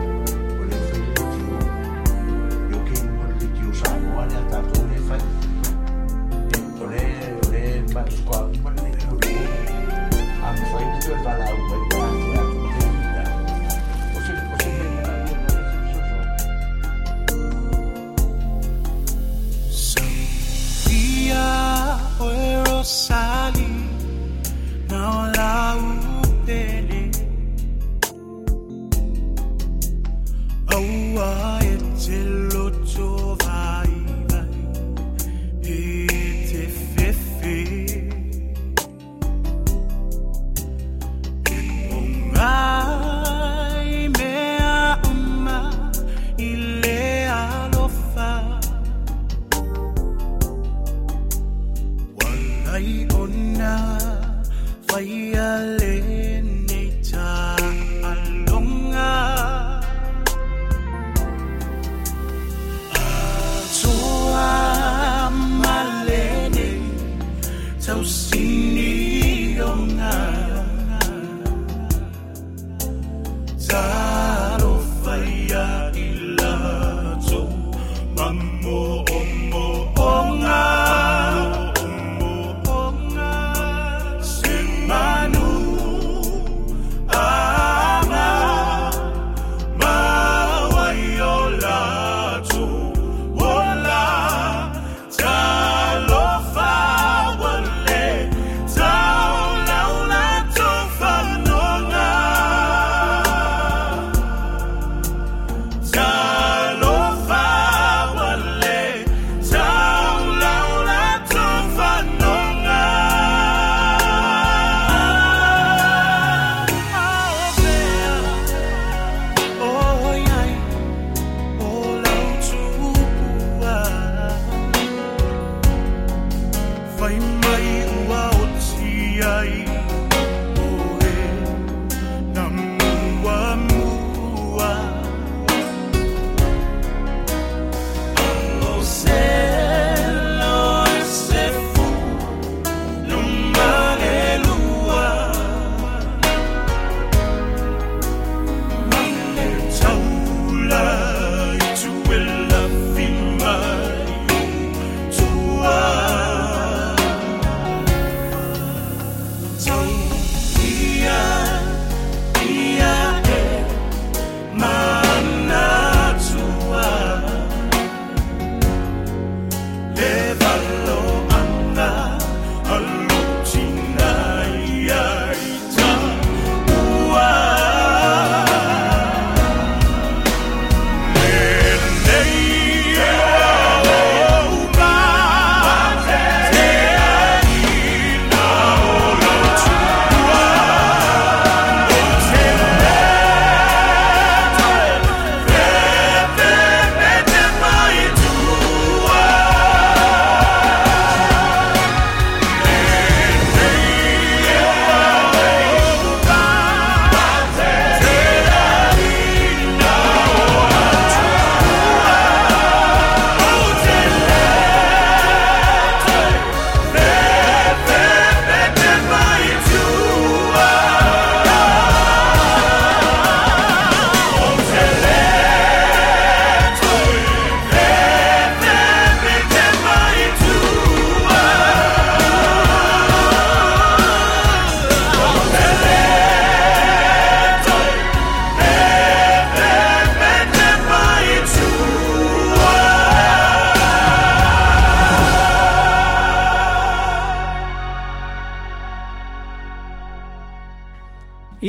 o lea fai le leitio e ok luga o le leitio Samoa lea tatou lea e fai o le o le faatoa uma le leitio le a mafai ona toe valaau mai pe a te atu le taimi lena o se o se mea manaomia lena se fesoasoani. Sophia oe Rosalie na o lau pele. Aua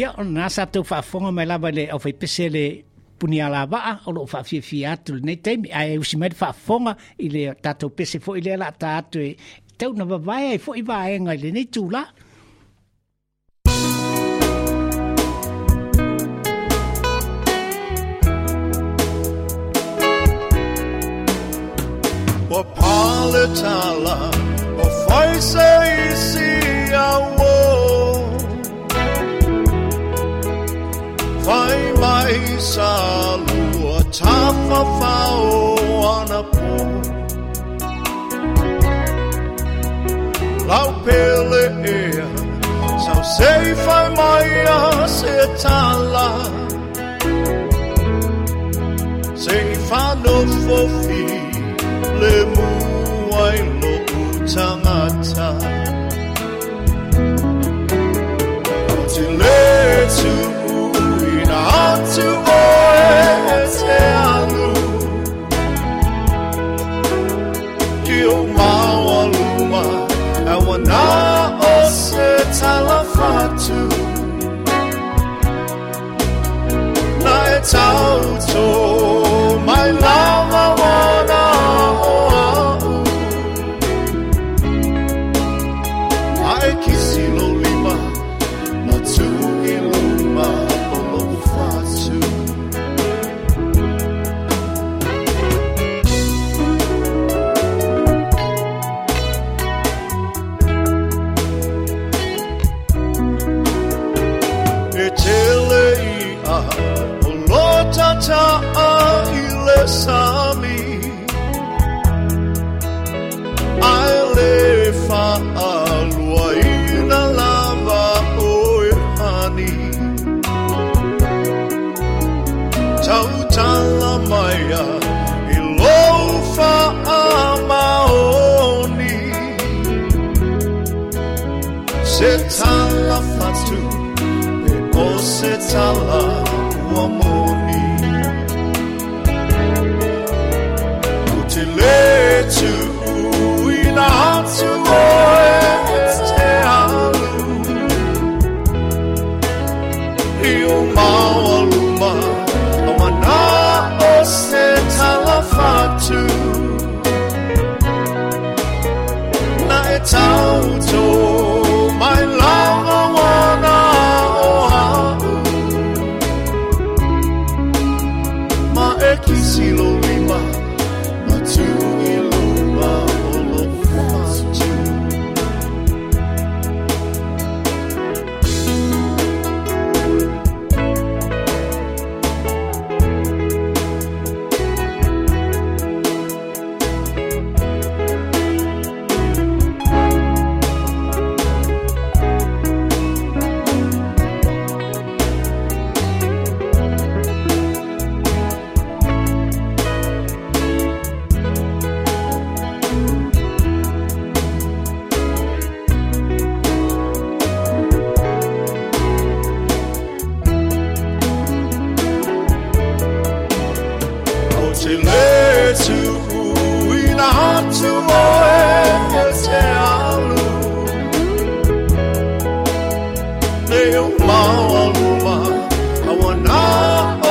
Ia ona sa tau faafofoga mai lava i le aufaipese le punialavaa o loo faafiafia atu lenei taimi ae usi mai le faafofoga i le tatou pese foʻi lea la ta atu e tau na vavae ai foʻi vaega i lenei tula. Ua pale tala o faise isi au Fai mai sa lua tafafao ana po Lau pele ea sau sei fai mai a se tala Sei whanofofi le muai lo utangata O te le tu atu oe te alu Ki o maualuma e wana o se talafatu Na e tauto mai lava wana o au Ma e kisi lo lima ma tu i luma o lo fatu. E tele i a o lo tata a i le sami Ai le whaalua ina lava o e hani Tautala maia i lou whaamaoni Se tala fatu e o se tala ua moni Ko te le tu ina atu oe te alu I o maualuma a wana o se tala fatu Na e tauto mai lava wana o au Ma e kisi lo lima ma tu i luma o lo fatu. O te le tu ina atu oe e te alu Leo maualuma a wana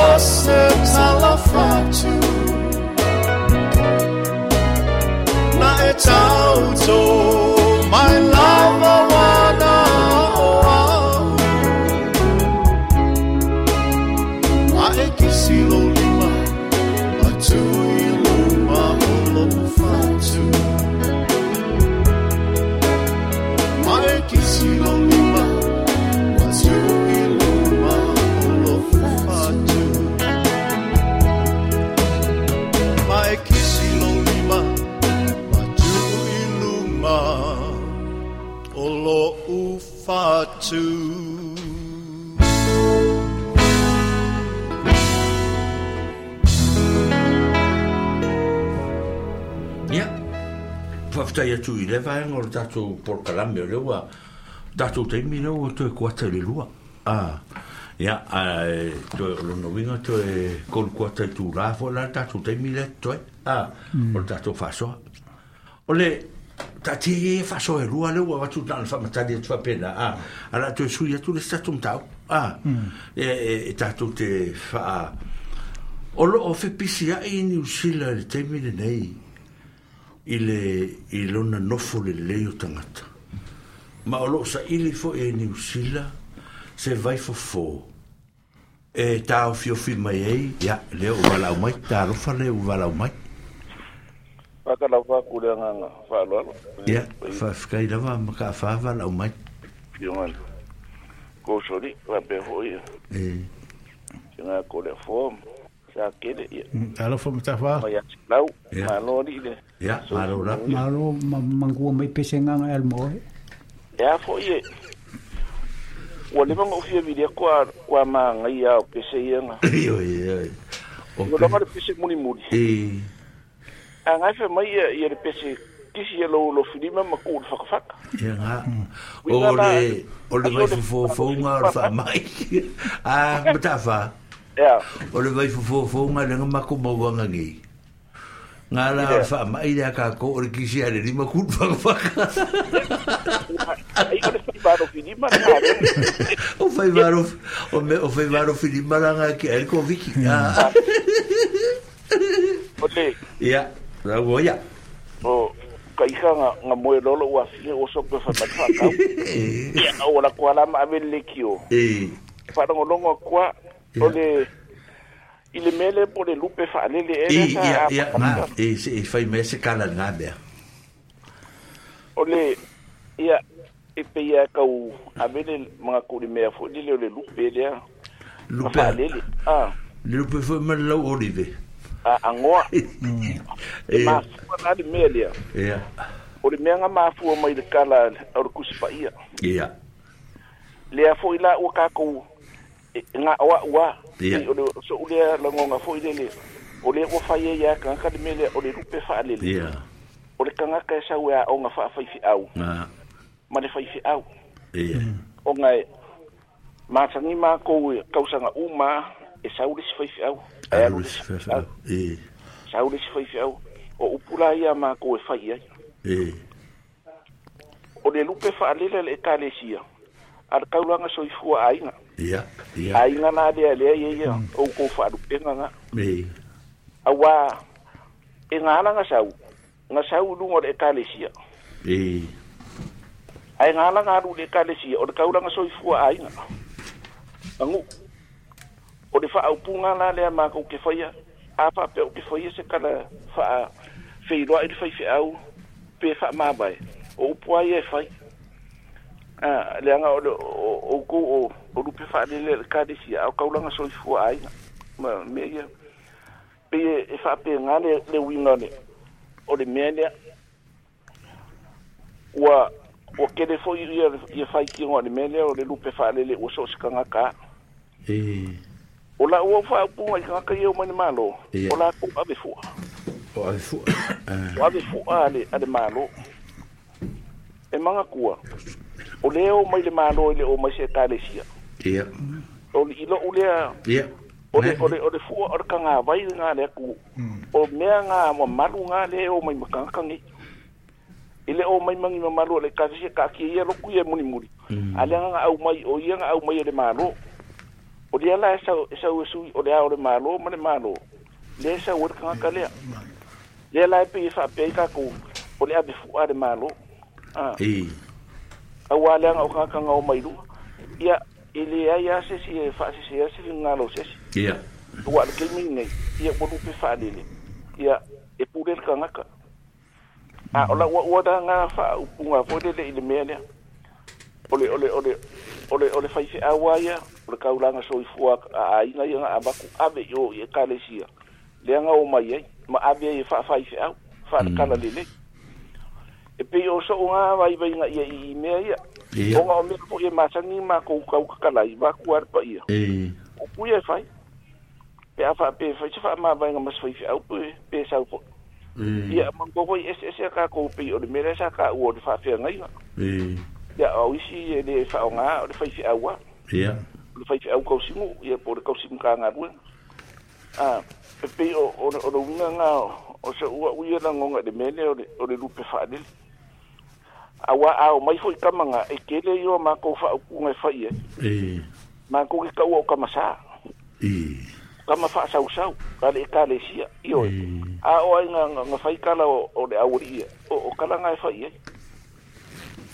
o se tala fatu Na e tauto mai lava wana o au Ma e kisi lo lima ma tu i luma o lo fatu Ma e kisi lo lima ma tu i luma o lo fatu Ma e kisi lo lima ma tu i luma o lo fatu. Ia, whaftai atu i le vaenga o le tātou polokalame o lea ua tātou taimi lea ua toe kuata i le lua. Ah, ia, ai, toe o lona uiga toe kolu kuata i tūlā foʻi la le tātou taimi lea toe. Ah, o le tātou faasoa. O le taatia ia e faasoa e lua lea ua avatu na ona faamatali atu faapena. Ah, a la toe sui atu le si tatou mataupu. Ah, e e tātou te whaa. O lo o fepisi ai i Niu Sila le taimi lenei i le i lona nofo le lei o tangata. Ma o lo sa ili fo e Niu Sila se vai fofo. E tāo fiofi mai ei, ia, leo u walau mai, tālofa leo u walau mai. Whakalau whaku le nganga whaaloalo. Ia, whawhikai lava maka wha walau mai. Fionga. Kosori, wape hoi. E. Fionga ko le form. Sa kele ia. Alofa matawha. Mai lau, malo li le. Ia, malo la. Malo mangua mai pese nganga el moe. Ia fo ie. Ua le manga ufia vilia kua kua maanga ia o pese ia nga. Io ia. O langa le pese muli muli. E. A ngai fe mai ia ia le pese kisi ia lo lo filima ma ku le whakawhaka. Ia nga. O le o le vai fofo nga o le wha mai. Ah, matawha. Ia. O le vai fofo nga le nga mako mauanga ngi. Ngā la o le wha mai le aka ko o le kisi a le lima ku le whakawhaka. Ai o le whaivaro filima nga. O whaivaro o me o whaivaro filima la nga ki el ko viki. O le. Ia. La voia. O ka iha nga nga moe lolo ua fia o sope wha mai whakau. Ia o la kua lama ave le kio. E. Wharongorongo kua o le i le mele po le lupe whaalele e E, ia, ia, ngā, e, e whai mea se kala ngā mea. O le, ia, e pe ia kau avele mga kuri mea fo lele o le lupe lea. Lupe. Whaalele. Ah. Le lupe fo ma lau olive. A angoa. E mafua nā le mea lea. Ia. O le mea ngā mafua mai le kala o le kusipa ia. Ia. Lea fo i la ua kākou ngā oa ua. Ia. O le so ulea langonga fo i lele. O le ua whai e ia kangaka le mea lea o le lupe whaalele. Ia. O le kangaka e sau ea o ngā whaawhaifi au. Ngā. Ma le whaifi au. Ia. O ngā mātangi mā kou kausanga uma e sau le si whaifi au. Alu le si whaifi au. E. Sau le si whaifi au. O upula ia mā kou e whai ai. E. O le lupe whaalele le ekalesia. A le kaulanga soifua ainga. Ia, ia. Ainga nā lea lea ia ia. O kou whaalupenga ngā. E. Awa e ngā ala ngā sau. Ngā sau lunga o le ekalesia. E. Ai ngā ala ngā alu le ekalesia. O le kaulanga soifua ainga. Angu. O le whaaupunga nā lea mā kou ke whaia. A whaapea o ke whaia se kala whaa wheiroa i le whaiwhi au. Pe wha mābai. O upua ia e whai. Ah, le anga o le o o o o lupe whaalele le ekalesia. Au kaulanga soifua ainga. Ma mea ia. Pe e whaapea ngā le, le winga le. O le mea lea. Ua ua kele fo ia ia whai ki ngā le mea lea o le lupe whaalele ua so se kangaka. E. O la ua whaaupunga i kangaka ia o mai le malo. Ia. O la kou ave fua. O ave fua. O ave fua ale, ale malo. E manga kua. O leo mai le malo i le o mai se ekalesia. Ia. O le ilo ulea. Ia. O le o le o le fua o le kanga vai ngā le ku. O mea ngā ma malu ngā le o mai makanga ngi. I le o mai mangi ma malu o le ekalesia ka ki ia loku ia muni muli. Ale ngā au mai o ia ngā au mai o le malo. O le ala e sau e sau e sui o le ao le malo ma le malo. Le sau o le kanga lea. Le ala e pe i whaapea i kākou o le ave fua le malo. Ah. E. Aua le anga o kangaka ngā o mai lua. Ia, i le ai a se si e whaasese a se ngalo sesi. Ia. Ua le keimi nei, ia ua lupe whaalele. Ia, e pure le kangaka. A, o la ua ua da ngā whaaupunga fo le i le mea lea. O le, o le, o le, o le, o le whaiwhi aua ia, o le kaulanga soifua a ainga ia ngā abaku ave i o i ekalesia. Lea ngā o mai ai, ma ave ai e whaawhaiwhi au, whaalekala lele. E pe o so ngā vai vai ngā ia i mea ia. Ia. O ngā o mea po ia mātangi mā kou kau kakalai, mā kua arpa ia. E. O puia e whai. Pe a wha, pe whai se wha mā vai ngā mas whai au pe, pe sau po. E. Ia, mango hoi ese ese ka kou pe o le mea sa ka ua o le whaawhea ngai ngā. E. Ia, au isi e le wha o ngā, o le whai whiau a. Ia. O le whai whiau kausimu, ia po le kausimu ka ngā rua. Ah, pe pe o, o, o le unga ngā, o se ua uia la ngonga le mele o le, o le lupe whaalele. Awa ao mai foi kamanga e kele i o mākou whaaupunga e whai e. E. Makou ke taua o kamasa. I. Kama faasausau ka le ekalesia ioe. A o ai nga nga fai kala o, o le auali'i ia o, o kala nga e fai ai.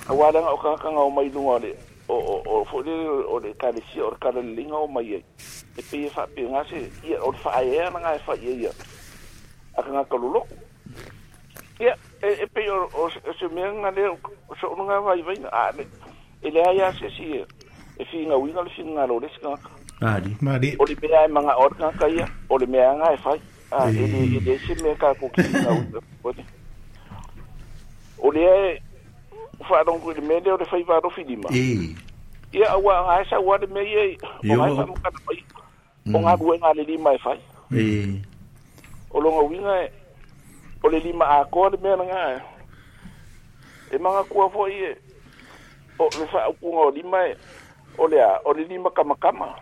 Auā leaga o tagata o mai luga o le o o o foi lele o le ekalesia o le kala leleiga o mai ai. E pei e faapega se ia o le faaea laga e fai ai ia a tagata loloku. Ia e, e pei o, o, o se mea nga lea o so'onuga vaivaiga a le e leai a se isi e e figauiga le finagalo o le isi tagata. Ali. Mali. O le mea e maga'o ai le tagata ia o le mea aga e fai. A e le e le se mea tatou te figauiga foi. O lea e faalogo i le mea lea o le faiva alofi lima. E. Ia auā aga e sau a le mea ia o gae faamakala mai o galuega a le lima e fai. E. O loga uiga e o le lima atoa le mea lagā e magatua foi e o le faaupuga o lima e o le a o le lima kamakama.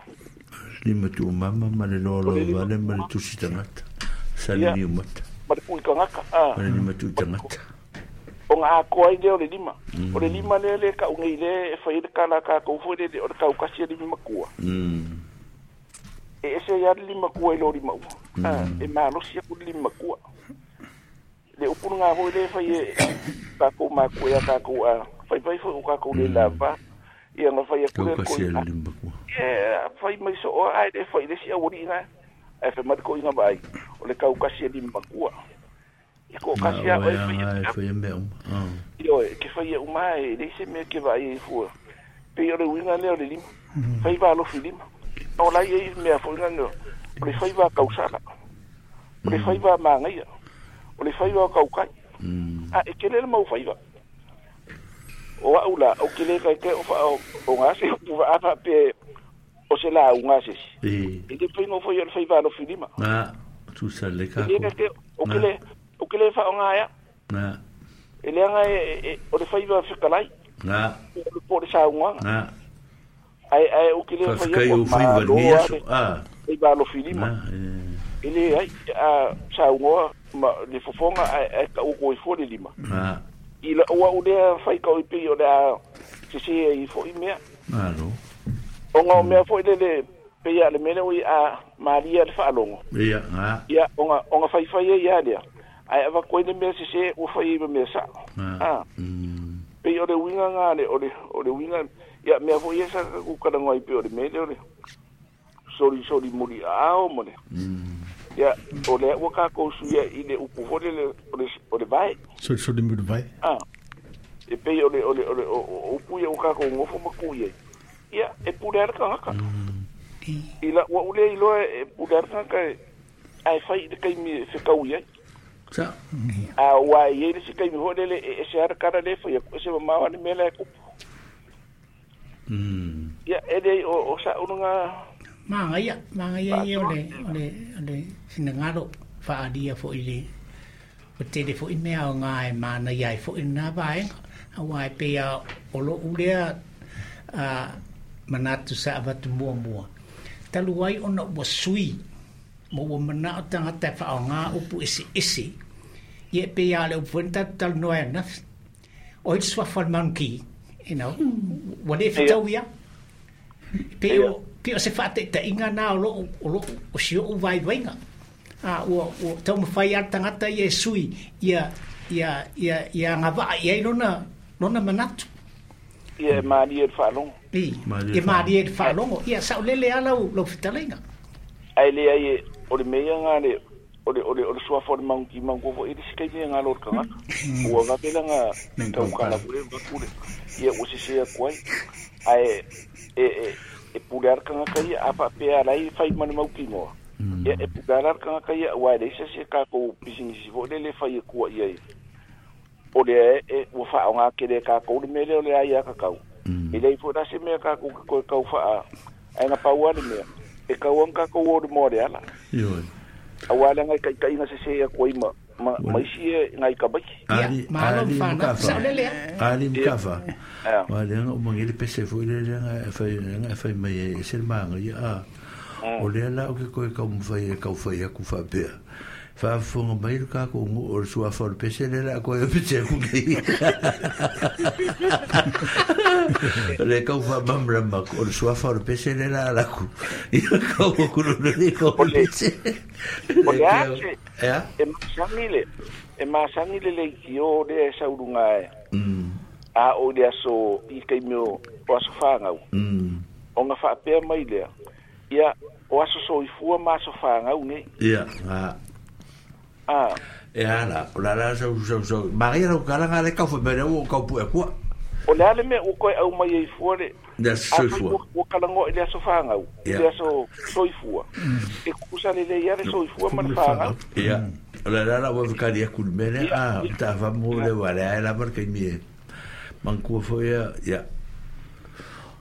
Lima tuumama ma le O loaloa le lima vale ma le tusi tagata. ia Salili o mata. ma le pui tagata a Ma le lima tui tagata. o ga atoa ai lea o le lima. O le lima lea le kau nei le e fai le kala kākou foi lele o le kaukasi e lima makua. Mm. E ese ia le lima kua i lo lima ua. A e malosi aku le lima makua. Le upu ngā foi le fai e kākou makua ia kākou a fai fai foi o kākou le lava. Ia nga fai aku le Kaukasi koi e le lima kua. Ia fai mai so o ai le fai le si auali'i nga. Ae fai mai le koʻiga vaai o le kaukasi e lima makua. I ko Na kasi a o oe e fai anga e fai e mea uma. Ah. Ioe, ke fai e uma e leai se mea ke vaai ai fua. Pei o le uiga lea o le lima. Faiva alofi lima. O lai ai mea foi nga o le faiva kausala. O le faiva magaia. O le faiva o kaukai. A e kele le mau faiva. O au la, o kele kai ke o fa o, o ngā se upu va afa pe o se la au ngā se si. E. E te whaingo foi o le faiva alofi lima. Na, tusa le E kako. le ke o kele o kele fa o ngā ia. Na, E leaga e, e, e o le faiva fekalai. na, O le po le saunoaga. na. Ae ae o kele fai Faafetai o faiva lenei aso. Ah. Faiva alofi lima. Na, e. E le ai a saunoa ma le fofoga ae ae kau ko i fua le lima. Na, I la ua o lea fai kau i pei o le a sese ai foi mea. malo. O ngā o mea foi le le pei a le mele oi a malia le faalogo. Ia, na, Ia, o ngā, o ngā fai fai e ia lea. Ae awa koe le mea sese ua fai i mea sa. na. Ah, Mm. pei o le uiga ngā le, o le, o le uiga, ia mea foi e sa ku karangoa i pei o le mele o le sori sori muri ao mo le. Mm. Ia, o le ua kākou suia i le upu foi le, o le, o le vai. Soli soli muli vai. Ah, e pei o le, o le, o le, o, o upu ia o kākou ngofo maku ia. Ia, e pule ara kangaka. I la, ua ule iloa e pule ara kangaka e, ai fai i le kaimi e whekau iai. Sa. A ua i le si kaimi foi lele e, e se ara kara le fai aku, e se mamao ani mea la e kupu. Mm. Ia, e le o, o sa ununga, Magaia, magaia ia o le, o le, o le finagalo faalia foi le o tele foi mea o ngā e mana ia e foi nā vaenga. Auā e pei a o lo'u lea a, manatu sa avatu muamua. Talu ai ona ua sui ma ua mana'o tagata e fa'aogā upu eseese. Ia e pei a le upu foi na tatou talanoa ai anafi. O ai le suafa o le manuki, you know, ua lē fetau ia. Pei o pei o se fa'ataʻitaʻiga na o lo'u o lo'u o si o'u vaivaiga. A ua ua taumafai a le tagata ia e sui ia ia ia ia agava'a i ai lona lona manatu. ia e malia le faalogo. I Malie e malie le faalogo. Ia sa'olele a lau lau fetalaiga. Ai le ai e, o le mea ngā le, o le, o le, o le suafa o le maunki maunku foi, e le si kaimi e ngā lo le kangaka. Ua vavela ngā taukala pule, vakule. Ia ua sese aku ai. Ae, e, e, e pule ara kangaka ia, a faapea ala ai fai ma le maukinoa. Ia e pule ara le kangaka ia, ua e leai se se kākou pisinisi foi le le fai e kua ia i. O le e, e ua faaogā kele e kākou le mea lea o le ai a kakau. E leai foi la se mea kākou ke koe kau faa, ae na pau a le mea. E kau ang kākou o le moa le ala. Ioe. Auā le ngai kaikaiga sese aku ai ma, ma, ma isi e ngai kabaiki. Ia Ali, malo ali fana mkafa. sa'olele a. Ali mkafa. Ia. Wa le anga o mangele pese foi le le anga e fai le anga e fai mai e se le manga ia a. O le la o ke koe kau mwhai e kau whai aku whapea. Faafofoga mai le kākou nu'u o le suafa o le pese lea le a koe pese aku nei. Le kau faamamlama o le suafa o le pese lea le a laku. Ia kau aku lona le kau O le pese. O Le le a kau. se Ea? e masani le e masani le leitio lea e sauluga e Mm. a o le aso i taimi o o aso fagau Mm. ona faapea mai lea ia o aso soifua ma aso fagau nei Ia, a. a E ala, o la la sau sau sau. Maria lau kala ngā le kau whamere o kau pu e kua. o le a le mea ua koe au mai ai fua le Le aso afai soifua. ua ua kalagoa i le aso fagau i Ia. le aso soifua e kusa lelei a le soifua ma le fagau Ia. O la la la ua whakari aku le mele. ia A, ia ta whamu le wale ai la marka i mie. Mangkua fo ia, ia.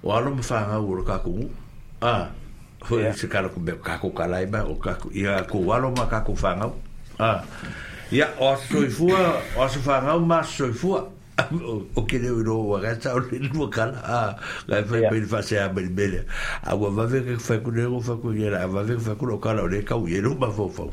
O alo ma whangau o le kākou. A, fo ia se kala ku me kākou kalai mai o kākou. Ia, ko alo ma kākou whangau. A, ia, o aso soifua, o aso whangau ma aso soifua. O ke leo i roa ua gata o le lua kala. A, ngai whai ia mai le whasea mai le mele. A ua vave ke whai kune o whai kune a vave ke whai kune o kala o le kau i e ma fau fau.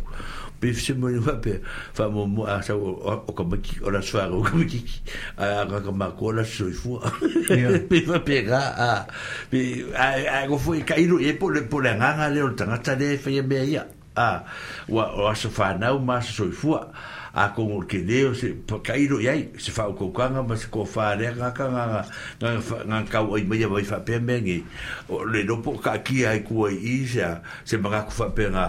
Pe se mo ni whape, wha mo mo a sa o o ka maki, o la swara o ka makiki. A ka ka mako o la soifua. Ia. Pe whape ka, a, pe, a, a, ko fo i ka iro e po le po le nganga le o le tangata le whaia mea ia. A, ua o aso whanau ma aso soifua. A ko ngor ke leo se pa- ka iro iai, se whau kaukanga ma se ko wharea ngā ka ngā ngā ngā ngā kau ai mai mai whapea mea ngi. O le lopo ka kia ai kua i i se a se mga ku whapea ngā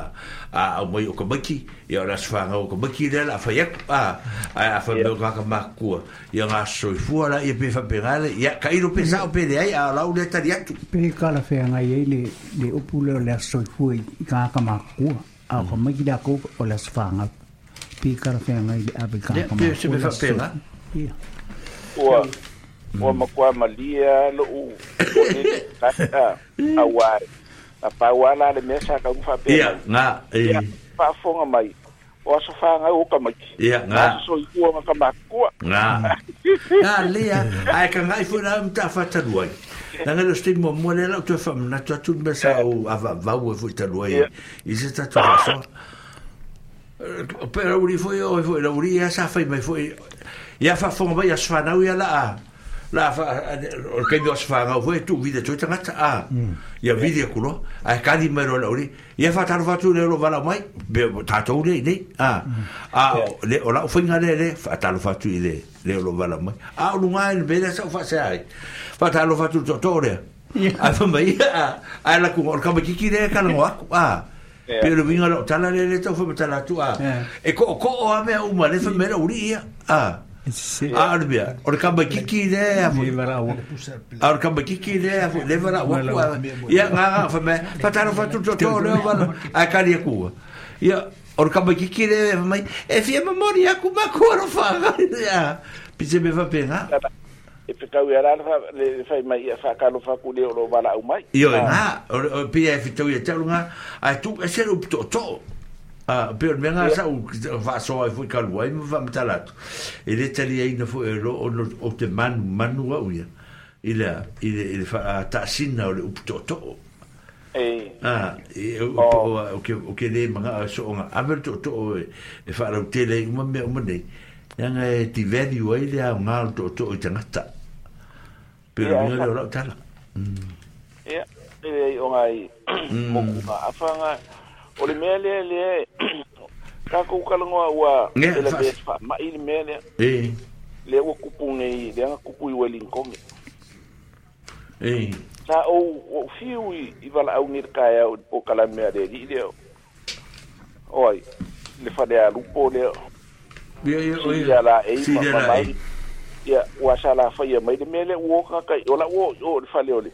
a au mai o ka maki, ia o aso whangau o ka maki lea la whai aku, a, a, a whai ia mea o ngā ka makua. Ia ngā soifua la ia pe whapea ngā le, ia ka iro pe sao pe le ai, a lau le tari atu. Pe kala whea ngai ei le, le upu leo le aso soifua i i kāka makua. A o ka mai ki lako o le aso whangau. Pe kala whea ngai le ape Ia, kāka pe se makua me le aso whapea ngā. soifua. Ia. ua ua makuā malia lo'u o le a auā na pauā la le mea sa kauga faapea Ia, mai ngā, ia e, faafofoga mai o aso fagau o ka maiki ia, ma ngā. aso soifua ma ka makua Ngā. Ngā lea, ai ka ngai fo na mta whataluai. Nanga le sti mo mo le la tu fa na tu tu me sa o ava vau e fo taluai. ia I se tatu fa Pero uri fo o fo la uri ia sa fai mai fo. Ia fa fo mai ia sfanau ia la a. La fa o ke mi sfanau fo tu vida tu tangata a. Ia vidi kulo. Ai kali mai ro la uri. Ia fa talu fa tu le ro vala mai. Be tatou le nei. A. A ia le o la fo le le fa talu fa tu le le ro vala mai. A o lunga ni be sa fa se ai. Fa talu fa tu to to le. Ia. A fa mai a a la ku o ka makiki le ka ngo aku a. ia Pe le winga lo tala le le tau fa tala tu a. Ia. E ko ko o a mea uma le fa mera uri ia. A. Se. A le mea. O le kamba kiki le a fo. Me wara o. A o le kamba kiki le a fo le wala Wala waku a. Ia ngā ngā fa mea. Fa tala fa tu to to le wala. A kari aku. Ia o le kamba kiki le fa mai. E fia mamori aku ma ko ro fa. Ia. Pise me fa penga. tala e pekau ia la le fa- le fai mai ia faakalofa aku le o lo valaau mai Io e a ngā, o, o pia e whitau ia tau ngā, ai tu, e se upu to to. A, pe o le mea ngā ia sa u whaasoa e fui kalua ai ma whamatala atu. E le tali ai na fo e lo o, no- o te manu, manu au ia. I le, i le, i le wha, a, taasina o le upu to to. e A, e, o, o o, o, ke, o ke le mga a so o ngā ame to to o e, e whaarau tele i uma mea uma nei. Ia e ti value ai le au ngā o to to i tangata. Pe o ia le e mea sa le o lau tala. ia e leai o ngai moku nga afaga o le mea lea lea takou kalagoa ua Ia, e fa- lavea faama'i le mea lea E, lea ua kupu nei lea ga kupu i Wellington e. sa ou ou fiu i i valaau nei le kaeao i le polokalame a le alii lea oi le falealupo lea Ia, ia, o sili ia. ala ei ma Sili ma ala mai ei. ia ua sa lafaia mai le mea lea ua oka kai o la'u o o le fale o le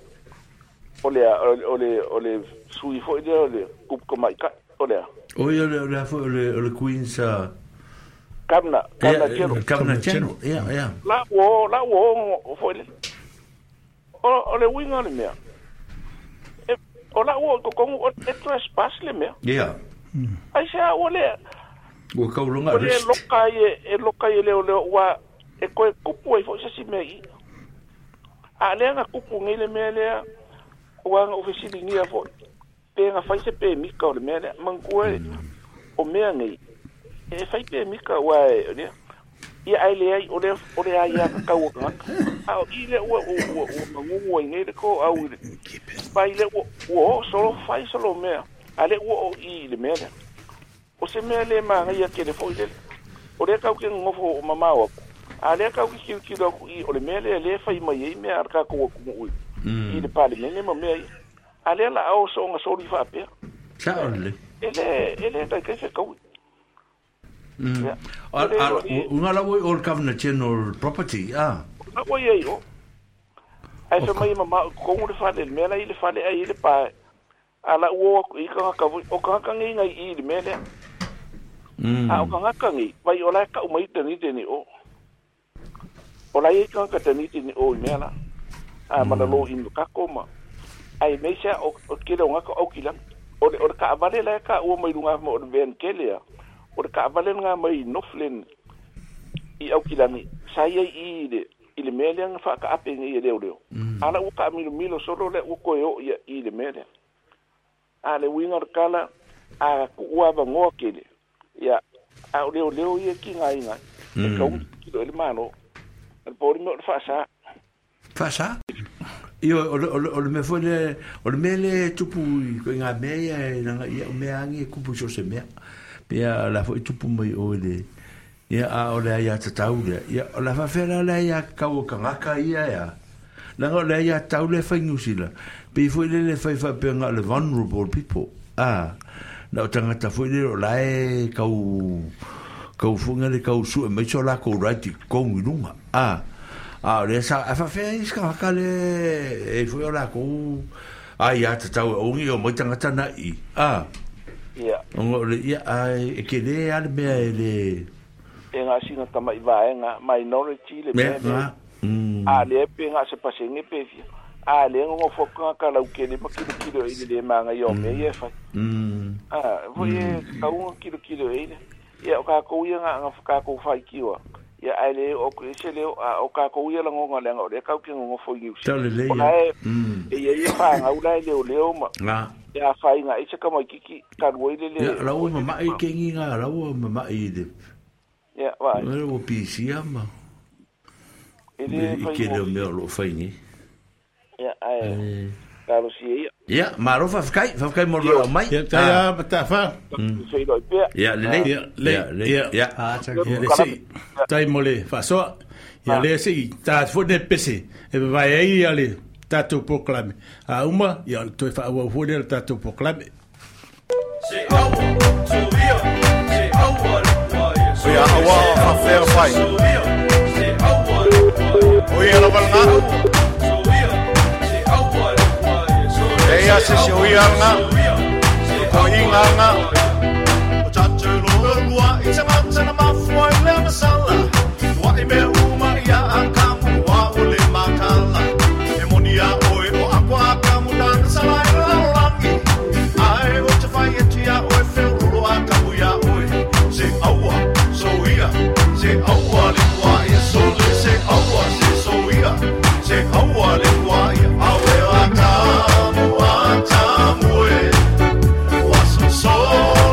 o le o le o le o le sui fo'i lea o le kupu kamaʻikaʻi o lea O ia, o le, o le, o le, o le Queen's, uh, kamna kamna ia, telo Governor General. Ia, ia. la ua o la ua o fo'i le o o le uiga o le mea e o la'u o i kokogu o e trespass le mea Ia. ai se a ua lea Ua kaulonga o le arrest. loka ai e e loka ai e leo leo ua e koe kupu ai fo'i se si mea i a lea na kupu nei le mea lea ua na ofesiligia fo'i pe na fai se pemika o le mea lea manatua e o mea nei E fai pe mika ua e lea. Ia ai le ai o le o le ai a kau ka. A o ile ua ua ua mangungu ai nei le ko au ile. Pai le ua ua solo fai solo mea. A le ua o i le mea lea. O se mea le manga ia ke le foi le. O le kau ke ngofo o mamao aku. A le kau ke kiu kiu aku i o le mea le le fai mai ei mea ar ka ko ku ui. I le palemene ma mea i. A le la au so nga soli fa pea. Sa o le. Ele ele tai ke se kau. Mm. Unga la oi all Governor General property, ah. Na oi ai o. Ai fa mai mama ko le fale le mea i le fale ai le pa. Ala o i ka ka o ka ka ngi ngai i le mea. Mm. A o ka ka ngi vai o la ka mai te ni te ni o. O la i ka ka te ni te ni o i mea la. A mana lo i ka koma. Ai me sia o ke le nga ka o kila. O le o ka vale la ka o mai lunga mo o ven kelea. O le kaavale ngā mai Northland i Aukilangi, sa ia i le, i le mea lea nga whaakaape ngai e leo leo. Mm. Ala ua ka milo milo solo le ua koe o ia i le mea lea. A le winga le kala, a kuua vangoa kele. Ia, a o leo leo ia ki ngā inga. Mm. E kaungi kilo e le malo. A le pōri mea o le whaasa. Whaasa? Io, o le, o le, o le mea foi le, o le mea le tupu i ko ngā mea ia, e nanga ia o mea angi e kupu so se mea. Pea la foi tupu mai o le ia a o le ia tatau le ia o la fafela le ia kau kangaka ia ia la o le ia tau le fai New Zealand pe foi le le fai fa pe nga le vulnerable people ah na o tangata foi le o la e kau kau funga le kau su e mai so la ko right ko ngunga ah a le sa a fa fe is ka ka le e foi o la ko a ia tatau o ngi o mai tangata na i ah Ia. Ngo le ia ai e ke le ale mea e le E ngā singa tama i vaenga minority le mea mea. Mm. A le pe ngā se pasenge pe fia. A le ngo foka ka lau ke le makilo kilo i le manga i o mea ia fai. Mm. A voi e kaunga kilo kilo e le. Ia o ka kou ia ngā ngā whakako whai kiwa. Ia ai le o ko ese le o ka kou ia la ngonga le ngā o le kau ke ngongo fo i Tau le le O la e Mm. e ia ia whanga ula e leo leo ma. Ngā. Ia whainga i se kama kiki ka rua i le le. Ia la o mama i kengi ngā la o mama i le. Ia vai. Ua o pisia ma. E le I whai ke leo mo. mea o lo whai ni. Ia ai. Karo si ia. Ia, maro whawhakai, whawhakai mo lo mai. Ia, tai a matafa. Sei loi pea. Ia, le le. Ia, le, Ia, le. ia. Ia. Ah, tau. Ia le sei, tai mo le whasoa. Ia le sei, tā fone pese. E vai ai ia le tātou proclame. A uma, ia toe whaawau fone le tātou proclame. Se aua, soia, se aua le waia. O ia awa whawhea whai. Soia, se aua le waia. O ia lava ngā. Soia, se aua le waia. Soia, E ia se se o ia ngā. soia, se Ko i ngā ngā. O tātou loro lua i te mautana mafua i le masala. Tua i mea uma ia a kamu wa o le makala. E moni a oe o akwa a kamu nana sala i laolangi. Ai o te whai e tia oe wheururo a kamu ia oe. Se aua, so ia, se aua le kua ia sole. Se aua, se so ia, se aua le kua ia. Awe a kamu a tamu e. Waso sole.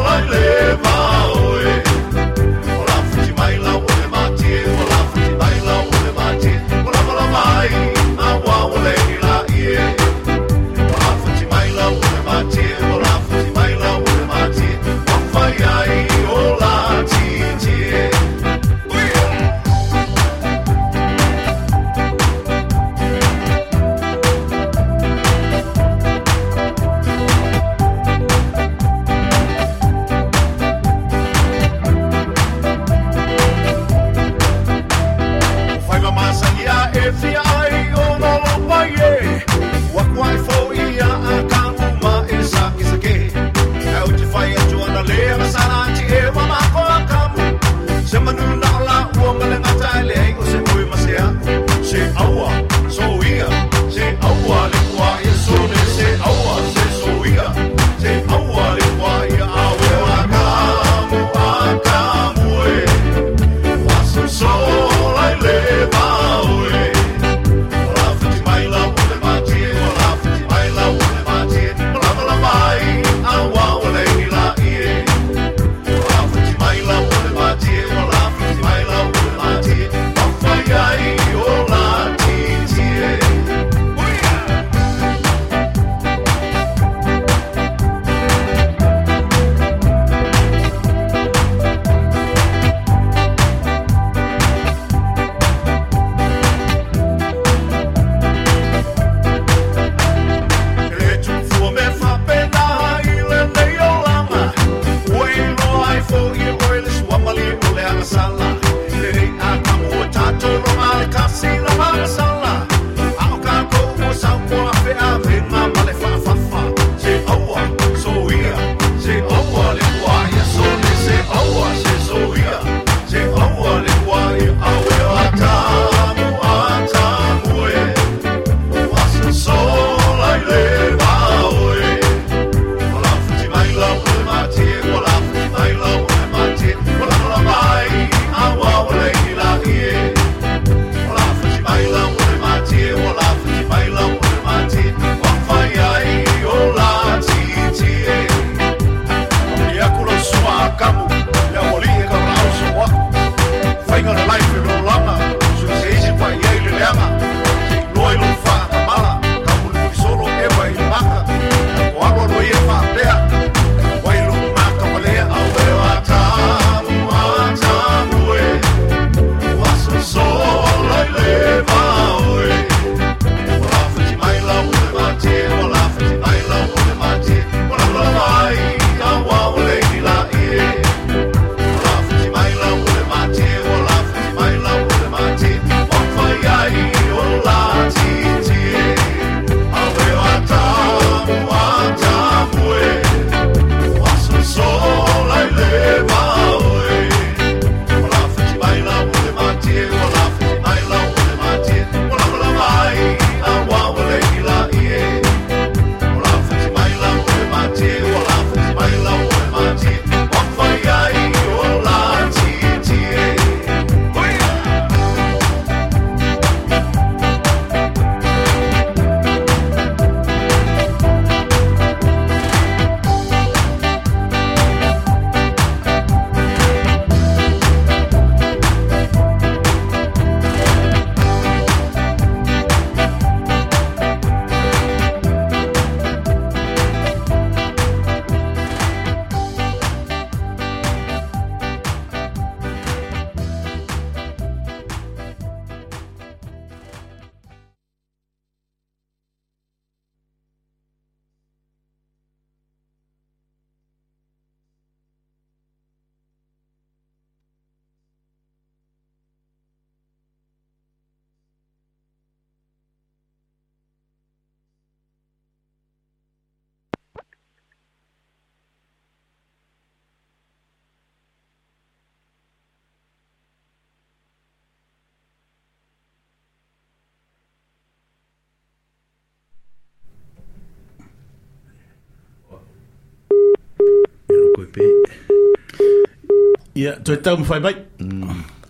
Ia, toe tau mawhai mai.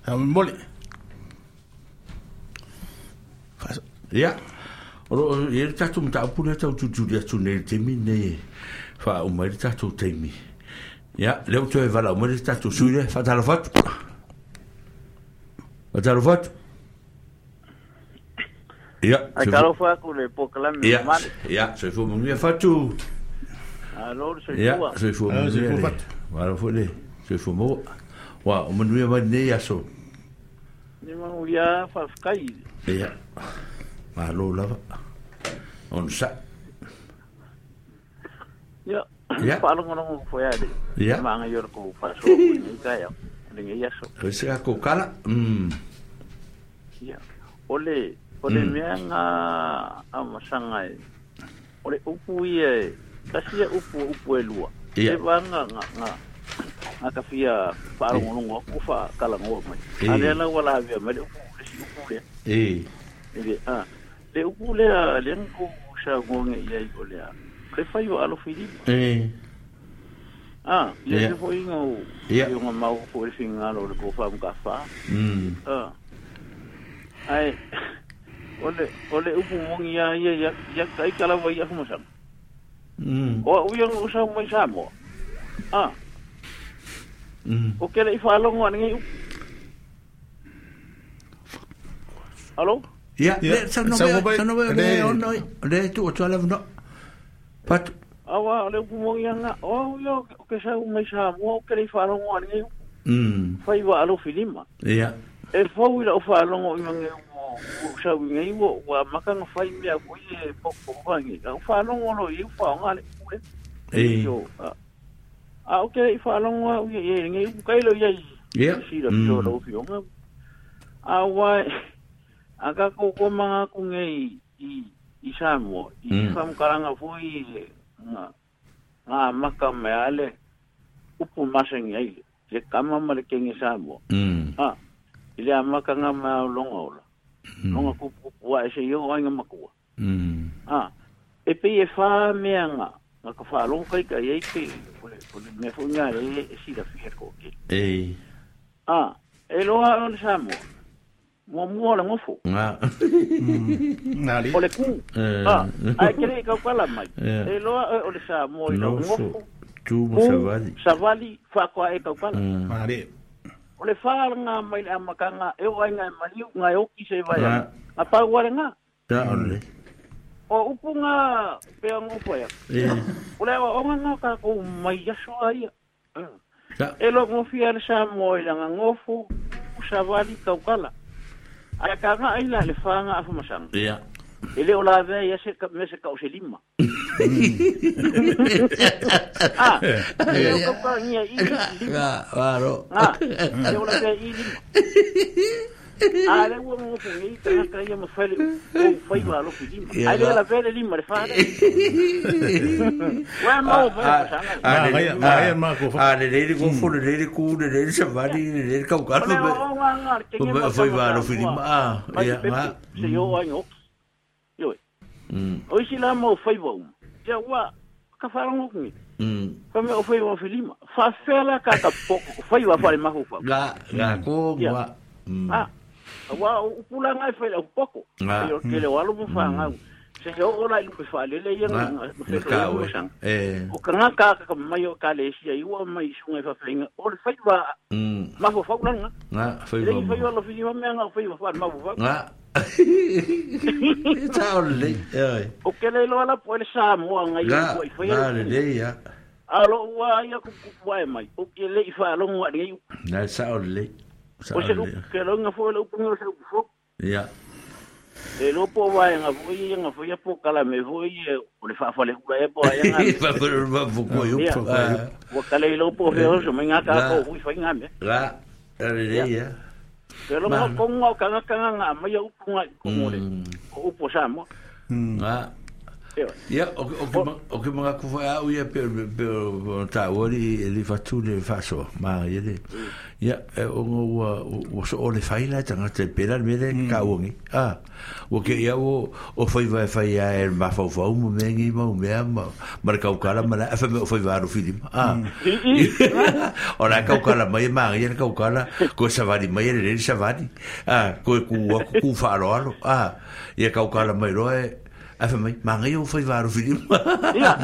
Ha mole. Ia. Oro ia le tatou mataupu lea tau tutuli atu nei le taimi nei faauma ai le tatou taimi. Ia, lea ua toe valaau mai le tatou sui lea, faatalofa atu. Faatalofa atu. Ia, Ai talofa atu le polokalame ia, mamalu. Ia, soifua manuia Fatu. Alo le Ia, soifua. soifua Ah, manuia soifua le. Fatu. Malo foi le soifua maua. Ua, o manuia mai lenei aso. Ni manuia faafetai. Ia, malo lava. Ona sa. Ia, Ia. faalogologo foi a le. Ia. Maga i o le kou faasoa foi nei taeao. Lenei aso. O se ka kala. Mm. Ia. O le o le Mm. mea nga amasaga e o le upu ia e tasi ia upu upu e lua. Ia. E vanga nga nga nga ka fia faalogologo aku faakalagoa mai. Eh. A lea la ua lavea mai le upu le si upu lea. E. E le a le upu lea lea na kou saunoaga i ai o lea. Le fai o alofi lima. E. Ah, ia Ia. se foi ngau Ia. ia nga mau foi le fingalo o le kou faamukafa. Mm. Ah. Ai o le o le upu mongi ia ia ia ia kai kala vai ia fumasanga. Mm. O u ia o sa mai Samoa. Ah, Mm. o ke le i faalogo ane ngai upu. Alo? Ia, Ia, le sa no sa me mo sa no me le- le ono le tu o tuala no. Fatu. Awa o le upu mongi ia nga o ia o ke sa mai Samoa o ke le i faalogo ane ngai upu. Mm. Fai wa alofi lima. Ia. E fau i lau faalogo i mange ua ua sau i ngai ua ua maka nga fai mea foi e poko wangi. Au faalogo lo i upa o ngā le upu le. E. So, a a o ke i faalogo au ia ia ngai upu kai lo ia i Ia. sila Mm. pio lo fionga. A wa a ka ko ko manga ku ngai i i Samoa i Mm. whamukaranga foi nga nga maka me ale upu masengi ai le kama ma le kenge Samoa. Mm. Ah, i le amaka ngā mea o longa ola. Longa kupu kupu a e se i o ainga makua. Mm. Ah, e pei e whā mea ngā, ngā ka whaalongo kai kai ei pe, o le, o le mea fo ngā le e sila fia ko ke. E. Ah, e loa o le Samoa. Mua mua o le ngofo. Nga. Nā li. O le ku. Eh. Ah, ai kere i kaukala mai. Eh. E loa o le Samoa i le Nofo. ngofo. Tu mo Ku, savali. savali, whakoa e kaukala. Mm. Nā li. O le whā ngā mai le amakanga, e o ai ngā maliu, ngā oki se vai. Ngā. Ngā pau wale ngā. Ta ole. O upu ngā pea ngō ia. E. O le awa onga ngā ka kou mai aso a ia. Ta. E lo ngō le Samoa i langa ngōfo, usavali kaukala. Ai ka ngā ai la le whā ngā afumasanga. Ia. E le o la vea ia se ka, me se kau se lima. Ah, e le o kauka ngia i lima. Nga, varo. Ngā, e o la vea i lima. A le ua ngō ngi tangata ia ma whele o whai wa alofi lima. Ia, Ai le nga. la vea le lima le whā le. Ua mau mai masanga. A le Nga, nga, nga, ko fa. A le le ngofo le le ku le le savali le le kaukala. O le o ngā ngā le kenge Ma ma fai va alofi lima. Ah, Mai ia te nga. pepe, se yo ai ngoki. Ioi. Mm. O isi la mau whai wa uma. Ia ua, ka wharongo ngi. Mm. Fa me o whai wa filima. Fa fela ka ka poko, whai wa whare mahu wha. Nga, nga ko Ia. nga. Mm. Ah, wa upula ngai whai au poko. Nga. Ia ke le walu mo wha ngau. Se yo ola i lupe wha lele ia Nga. nga Nga ka we. Eh. O ka ngā ka ka mai o ka le sia i ua mai sunga i whawhenga. O le whai wa Mm. mahu whau langa. Nga, fai Le va. i whai wa lo filima mea ngā whai wa wha mahu whau. Nga. Ta ole. Eh. O ke le loa la po le Samoa ngai Nga, ua i whai nga le le ya. Alo ua ia kupu ai mai. O ke le i whalongo a ngai Na sa ole. Sa O se ole. upu ke longa fo le upu ngaro se upu fo. Ia. E lopo wa nga fo ia nga fo ia po kala me fo ia o le whaafale ula e po ai nga. Fa fa fa ko yo. Ia. Wa kala i lopo fe oso mai nga ka Nga. ko hui whai nga me. Nga, le le ya. Ke longa Ma. ko nga ka nga ka nga mai upu nga ko ngore. Mm. O upu Samoa. Nga. Ia, o ke mga kufa au ia pe pe ta ori e le fatu le faso ma ia le. Ia o ua ua so o le faila tanga te pera me le ka uangi. Ah, o ke ia o o fai vai fai ia e ma fau fau mo me ngi mo me ma ma ka ukala ma la fa me o fai varu fili. Ah. O la ka ukala mai ma ia ka ukala ko savani mai le le savani. Ah, ko ku ku fa alo alo. Ah, ia ka ukala mai roe afa mai manga yo fai varu fili. Ia.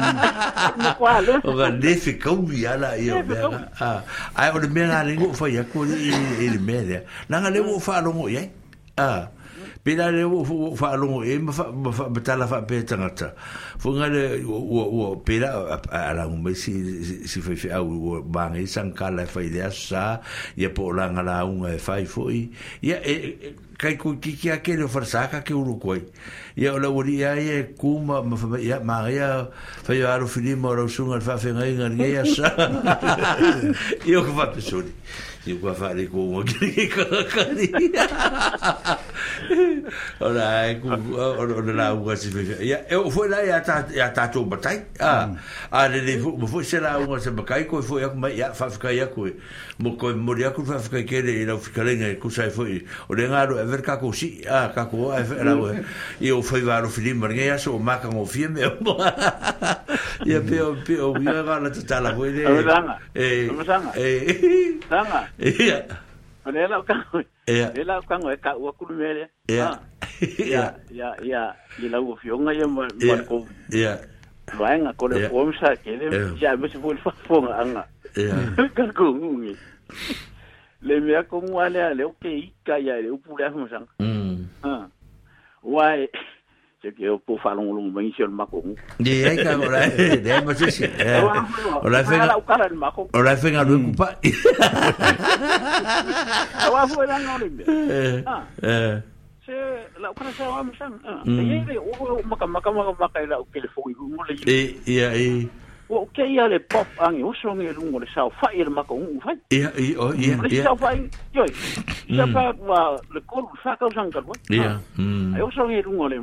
O ga le fi kau ia la ia mea. Ah, ai o le mea le ngo fai aku i i le mea le. Nanga le wo fa longo ia. Ah. Pela le wo fa longo e ma fa ma tala fa pe tangata. Funga le wo wo pela ala ngo si si fai fi au wo manga i sankala fai le sa ia po la ngala unga e fai foi. Ia e kai ku kiki a ke le farsaka ke uru koi. Ia o la uri ia e kuma ma fa ia ma ia fa ia aro fili mo ro sunga fa fa ngai ngai ia sa. Ia ko fa pesori. Ia ko fa le ko mo ki ka ka ni. Ora ku o la u si fa. Ia e foi la ia ta ia ta to batai. Ah a le le mo foi se la u se bakai ko foi ia mai ia fa fa ia ko mo ko mo ia ku fa fa ke le la fi ka le ku sai foi. O le ngaro e ver ka ko si a ka ko e la e o foi varo fili mar ngai so ma ka ngo fie me. Ia pe o pe o ia ga la tala foi le. Eh. Eh. Sanga. Ia. Ole la ka. Ia. Le la ka ngo ka u ku me le. Ia. Ia ia ia i la u fionga ia ma ko. Ia. Vainga ko le form sa ke le ia me se foi fa fonga anga. Ia. Ka ko ngi. Le mea ko ngwa le le o ke ika ia le upu le afu sang. Mm. Ah. Wai se ke o po fa longo longo mai se mako. Ye ai ka ora de ma se se. Ora fe la ukala el mako. Ora fe ngalu ku pa. Wa fu la no le. Eh. Eh. Se la ukala sa wa sang. Ye le o maka maka maka maka la o ke le fo i mo le. E ia e. O ke ia le pop angi o songi lungo le sao fa i le mako u fai. Ia ia o ia ia. Sao fa yo. Sa fa wa le kolu fa ka sang ka. Ia. Mm. Ai o songi lungo le.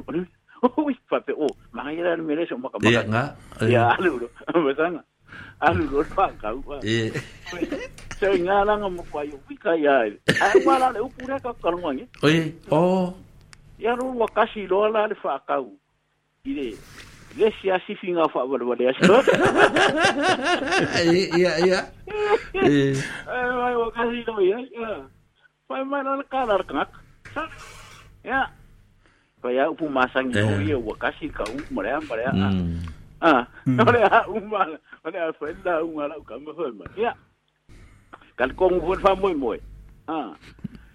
Ui fa pe o manga ia le mele so maka maka. Ia nga. Ia alu ro. Ma sanga. Alu ro fa ka u. Ia. Se nga la nga mo kwa yo wika ia. Ai wa la le upura ka ka ngi. Oi o. Ia ro wa kasi lo la le fa ka u. Ile le si asi finga fa wale wale aso. Ia ia. Eh. Ai wa kasi lo ia. Fa ma la ka la ka. Ya. Kaya upu masang o ia wa kasi ka u mare mare. Ah. Ore a uma ore a fenda uma la ka mo ma. Ya. Kal kong fu fa moi moi. Ah.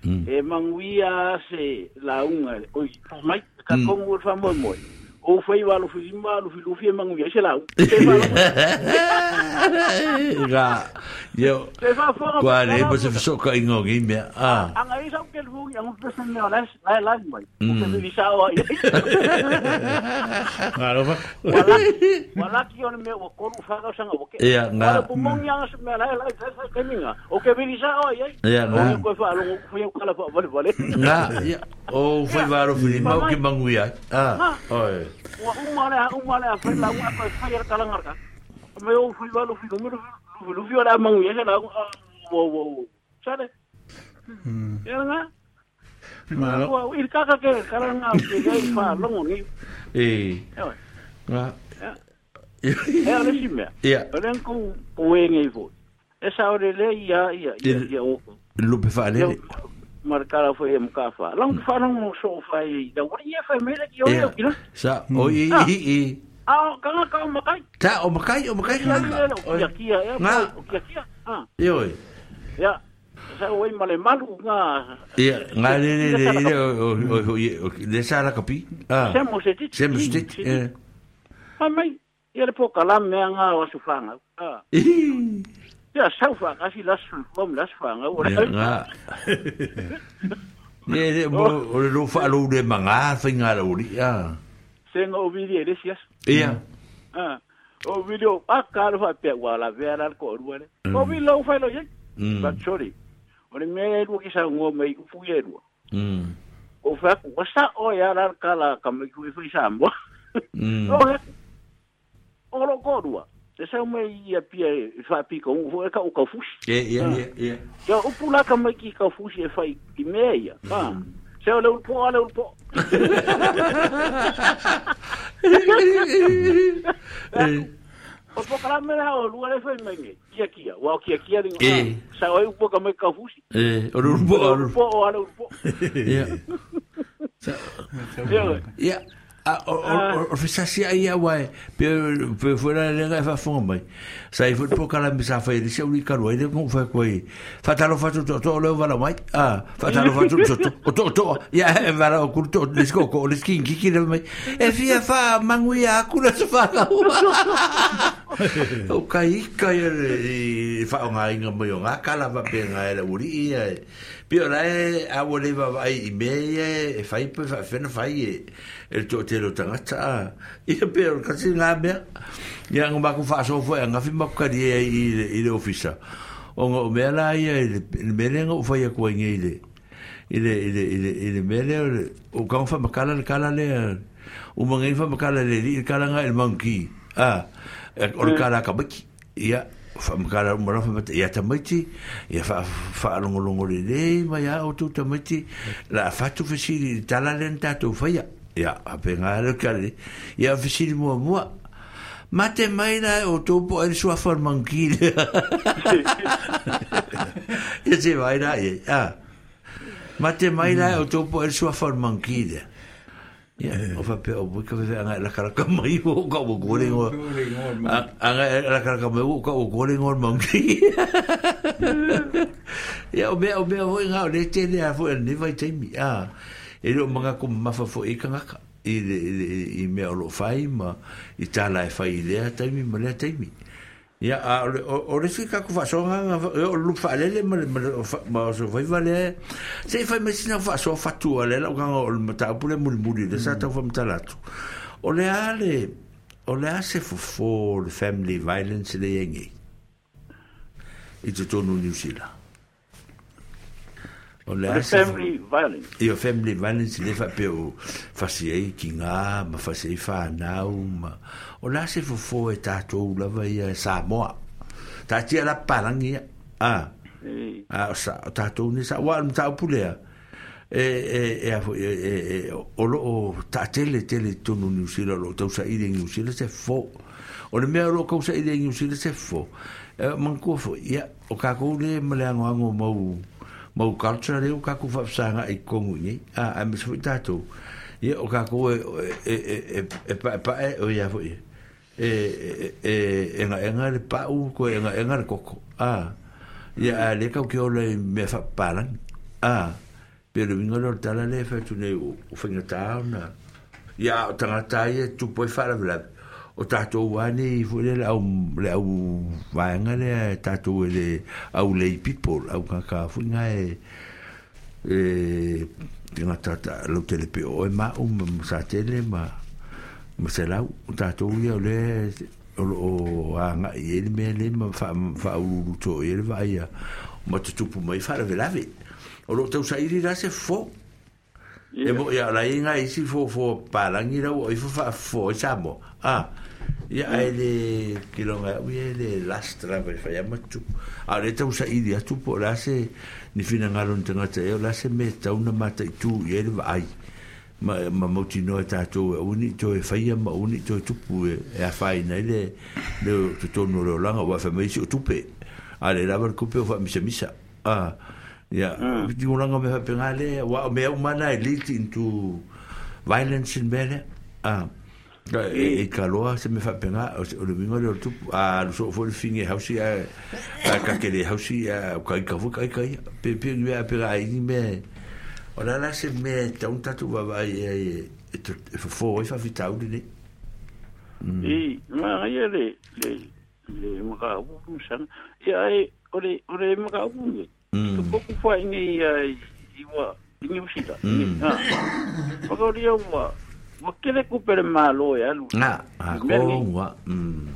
E manguia se la unga oi mai ka kong fu fa moi moi. O foi wa lo fi ma lo fi lo fi manguia se la. Ga. Yo. Kwa le pa se so ka ingo gi me. Ah. Anga isa ke lu yang pe se me ola la la mai. O ke vi sa o. Ngaro fa. Wala wala ki on me o koru fa ga sanga o ke. Ia nga. Wala pumong yang se me la la ke minga. O ke vi sa o ia. Ia nga. O ko fa lo ko fa kala fa vale vale. Nga. Ia. O foi varo fi ma ke manguia. Ah. Oi. Wa uma le uma le fa la uma fa fa kala ngarka. Me o fi va lo fi lo lo fi la manguia la wo wo. Sale. Mm. Ya nga. Malo. Wa il kaka ke kala nga ke le fa longo ni. Eh. Nga. E ale si me. Ia. Ole ku ku e ngi fo. E sa ore le ia ia ia ia o. Lupe fa le. Marcala foi em ka fa. Long fa long so fa i da wa ia fa me le ki o le. Sa o i i i. Ah, ka ka o makai. Ta o makai o makai nga. O kia kia o kia kia. Ah. Io. Ya. Sa o male malu nga. Ia, nga le le le o o o le sa la kapi. Ah. Se mo se ti. Se mo se ti. Eh. Pa mai ia le poka la me nga o su fanga. Ah. Ia sau fa ka si la su fom la su fanga. Ia nga. Ne le mo o le lo fa lo le manga fa nga lo ri. Ah. Se ngo vidi ele sias. Ia. Ah. O video a ka lo fa pe wa la vera ko ru le. O vi lo fa lo ye. Ba chori. O le me lu ki sa ngo mai ufu ye lu. Mm. O fa ku sa o ya la ka la ka me ku fi sa mo. O o lo korua. Te sau mai ia pia e whaapika ungu e ka o kaufusi. Ia, ia, ia, ia. Ia upu laka mai ki kaufusi e whai i mea ia. Ah. Se o le ulpo, a le ulpo. O pokalame la o lua le whai mai nge. Kia kia. Wa o kia kia ringo. Sa o e upo ka mai kaufusi. E, o le ulpo, o le ulpo, o a le ulpo. Ia. Ia. O o fesasia ia wai pe pe fuera le ga fa fonga mai sai fu po kala mi sa fa ile se uli kalu ile ko fa ko fa talo fa to to le vala mai ah fa talo fa to to to to ya vala o kulto le sko ko le skin kiki le mai e fia fa manguia akula se fa ka o kai kai le fa o ngai ngai o ngakala va pe ngai le uri ia pe ora e a wo le va i me e fai pe fa fena fai e to te lo tangata ia pe o kasi ngā mea ia ngā maku whaasofu e ngā whima kukari e i le ofisa o ngā mea la ia i le mele ngā uwhai a kua inge i le i le i le i le i le mele o ka ngā whamakala le kala le o mga i whamakala le li le kala ngā i le mangi a o le kala ka maki ia whamakala umara whamata ia tamaiti ia whaalongolongo le le mai a o tū tamaiti la whatu whasiri tala le tātou whaia ia ape ngā le kare ia whasiri mua mua mate mai la o tōpo e sua wharmangi le ia te vai la ia mate mai la o tōpo e sua wharmangi le ia o whapea o wika whewhe anga e lakaraka mai o ka o kore ngoa anga e lakaraka mai o ka o kore ngoa mangi ia o mea o mea hoi ngā o le tele a fo e ne vai taimi a e leo manga ko mafa fo e kangaka i le i mea o lo whai ma i tāla e whai i lea taimi ma lea taimi ia a o le sui kaku whaasonga o lup whaalele ma ma o so whai wale se i whai mai sina whaasoa whatua le lau kanga o le mataupule muli muli le sa tau whamatala atu o le a le o le a se fofo le family violence le iengi i te tonu New Zealand o le a se family violence ia family violence le whapea o whasi ei ki ngā ma whasi ei whanau ma o la se fofo e tātou lava ia Samoa tātia la parangi ia a a o sa o tātou ni sa wa mtaupulea e e e e e o lo o tātele tele tonu New Zealand o tausa i le New Zealand se fo o le mea o lo kausa i le New Zealand se fo mangkua fo ia o kākou le ma le ango ango mau mau culture leo kākou whaafsanga i kongu nei a a me sui tātou ia o kākou e e e e pa pa e o ia foi e e e nga nga le pau ko e nga nga le koko a ia a le kau ke ole me fa palan a pero vingo lo tala le fa tu ne o whainga tāuna ia o tangata ia tupo e wharawela o tātou wani fo le au le au vaenga le tātou le au lay people au kaka fuinga e e tinga tata lo tele pe o e ma o sa tele ma ma se lau tātou ia le o o anga i le me le ma fa fa ulu to e le vai ma te tupu mai fa le lave o lo tau sa iri la se fo e mo ia la inga isi fo fo palangi la o ifo fa fo samo ah ia ai le kilonga ui le lastra vai fa matu a le tau sa iri atu po la se ni fina ngalo tangata e la se me tau na mata i tu i le vai ma ma mauti no e tātou e uni to e whaia ma uni to e tupu e a whai nei le le tonu le olanga wa fa mai si o tupe a le lava le kupe o fa misa misa ah ia ti olanga me fa le wa me o mana e lead into violence in mele ah e e kaloa se me fa penga o le winga le tupu a lo so fo le finge hausi a ka ke le hausi a ka ka fu ka ka pe pe me a pe ai me o la la se me tau tatu va vai e e fo e fa fitau ni e ma ia le le le maka u sang ia e o le o le maka u ni to poku fa ni i wa ni usita ah o ri wa wa kele ku per malo ya lu na a ko wa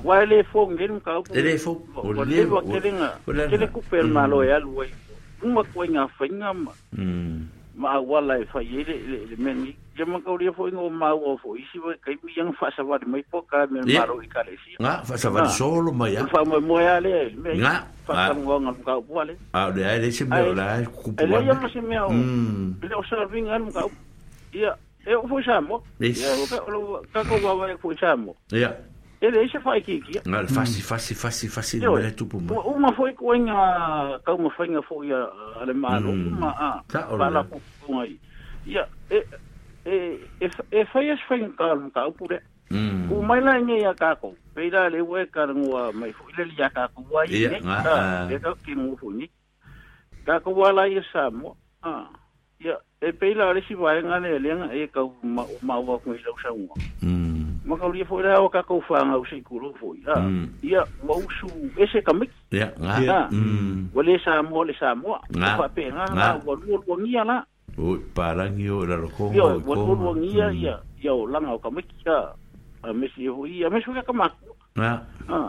wa le fo ngin ka ku le fo o le wa kele nga kele ku per malo ya lu uma ko nga fainga ma ma wala e fa le le meni Te makaulia foi ngo maua foi isi wa kaimi yang faasavali mai po ka me malo i kalesia. Nga faasavali solo mai a. Fa mo mo ya le me. Nga faasavali nga ka po ale. A le ai le se me la kupu. Ele ya ma se me o. Le o serving an ka. Ia e o foi samo. Ia o ka ka ko wa wa foi samo. Ia. Ele se fai ki. Nga fasi fasi fasi fasi le tupu mai. Uma foi ko nga ka uma foi nga foi a le malo uma a. Fala ko ngai. Ia e e e fai as fai ka ka upure. Ku mai la nge ya ka ko. Peira le we ka ngua mai fu le ya ka ko wa i. E ka ki mu fu ni. Ka ko wa la i sa mo. Ah. Ya e peira le si wa nga le le e ka ma ma wa ku i lo sa ngua. Ma ka lia foi la o ka ko fa nga o se ku ro foi. Ah. Ya wa usu ese ka miki. Ya nga. Wa le sa mo le sa mo. Fa pe nga wa lu lu ngia la. O parangi o la lokongo o ko o ngia ia ia o langa o kamiki a mesi ho ia mesi ka kamaku na ah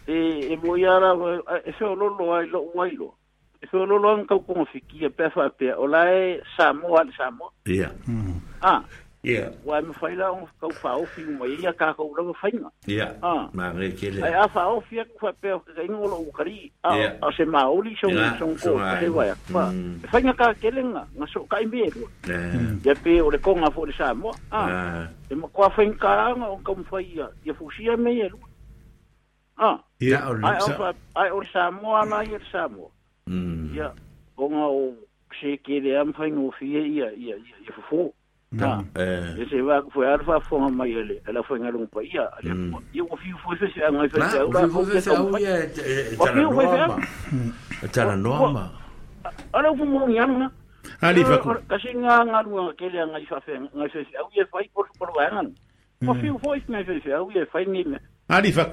e e mo ia ra e se o lolo ai lo ai lo e se o lolo an ka ko fikia pe fa pe o la e Samoa le Samoa ia ah ia wa me fai la o ka fa o fi mo ia ka ko lo fainga ia ah ma re kele ai a fa o fi ku fa pe ka ingo lo kari a se maoli so so ko te wa fa fainga ka kele nga nga so ka imbe ya pe o le konga fo le Samoa ah e mo kwa fainga nga o ka mo fai ia ia fusia me ia ah ia ai o ai o Samoa na ia Samoa ia o nga o se kele am fainga o fi ia ia ia fofo. Ah, eh, se va foi alfa fonga mai ele, ela foi ngalung pa ia, ia o fiu foi se ngai foi se ula foi se ia tala tala norma. Ala fu mo ngan na. Ali fa ko. Kasi nga ngalunga kele ngai fa fe ngai se au ia fai por por wa ngan. O fiu foi ngai se se au ia fai ni. Ali fa.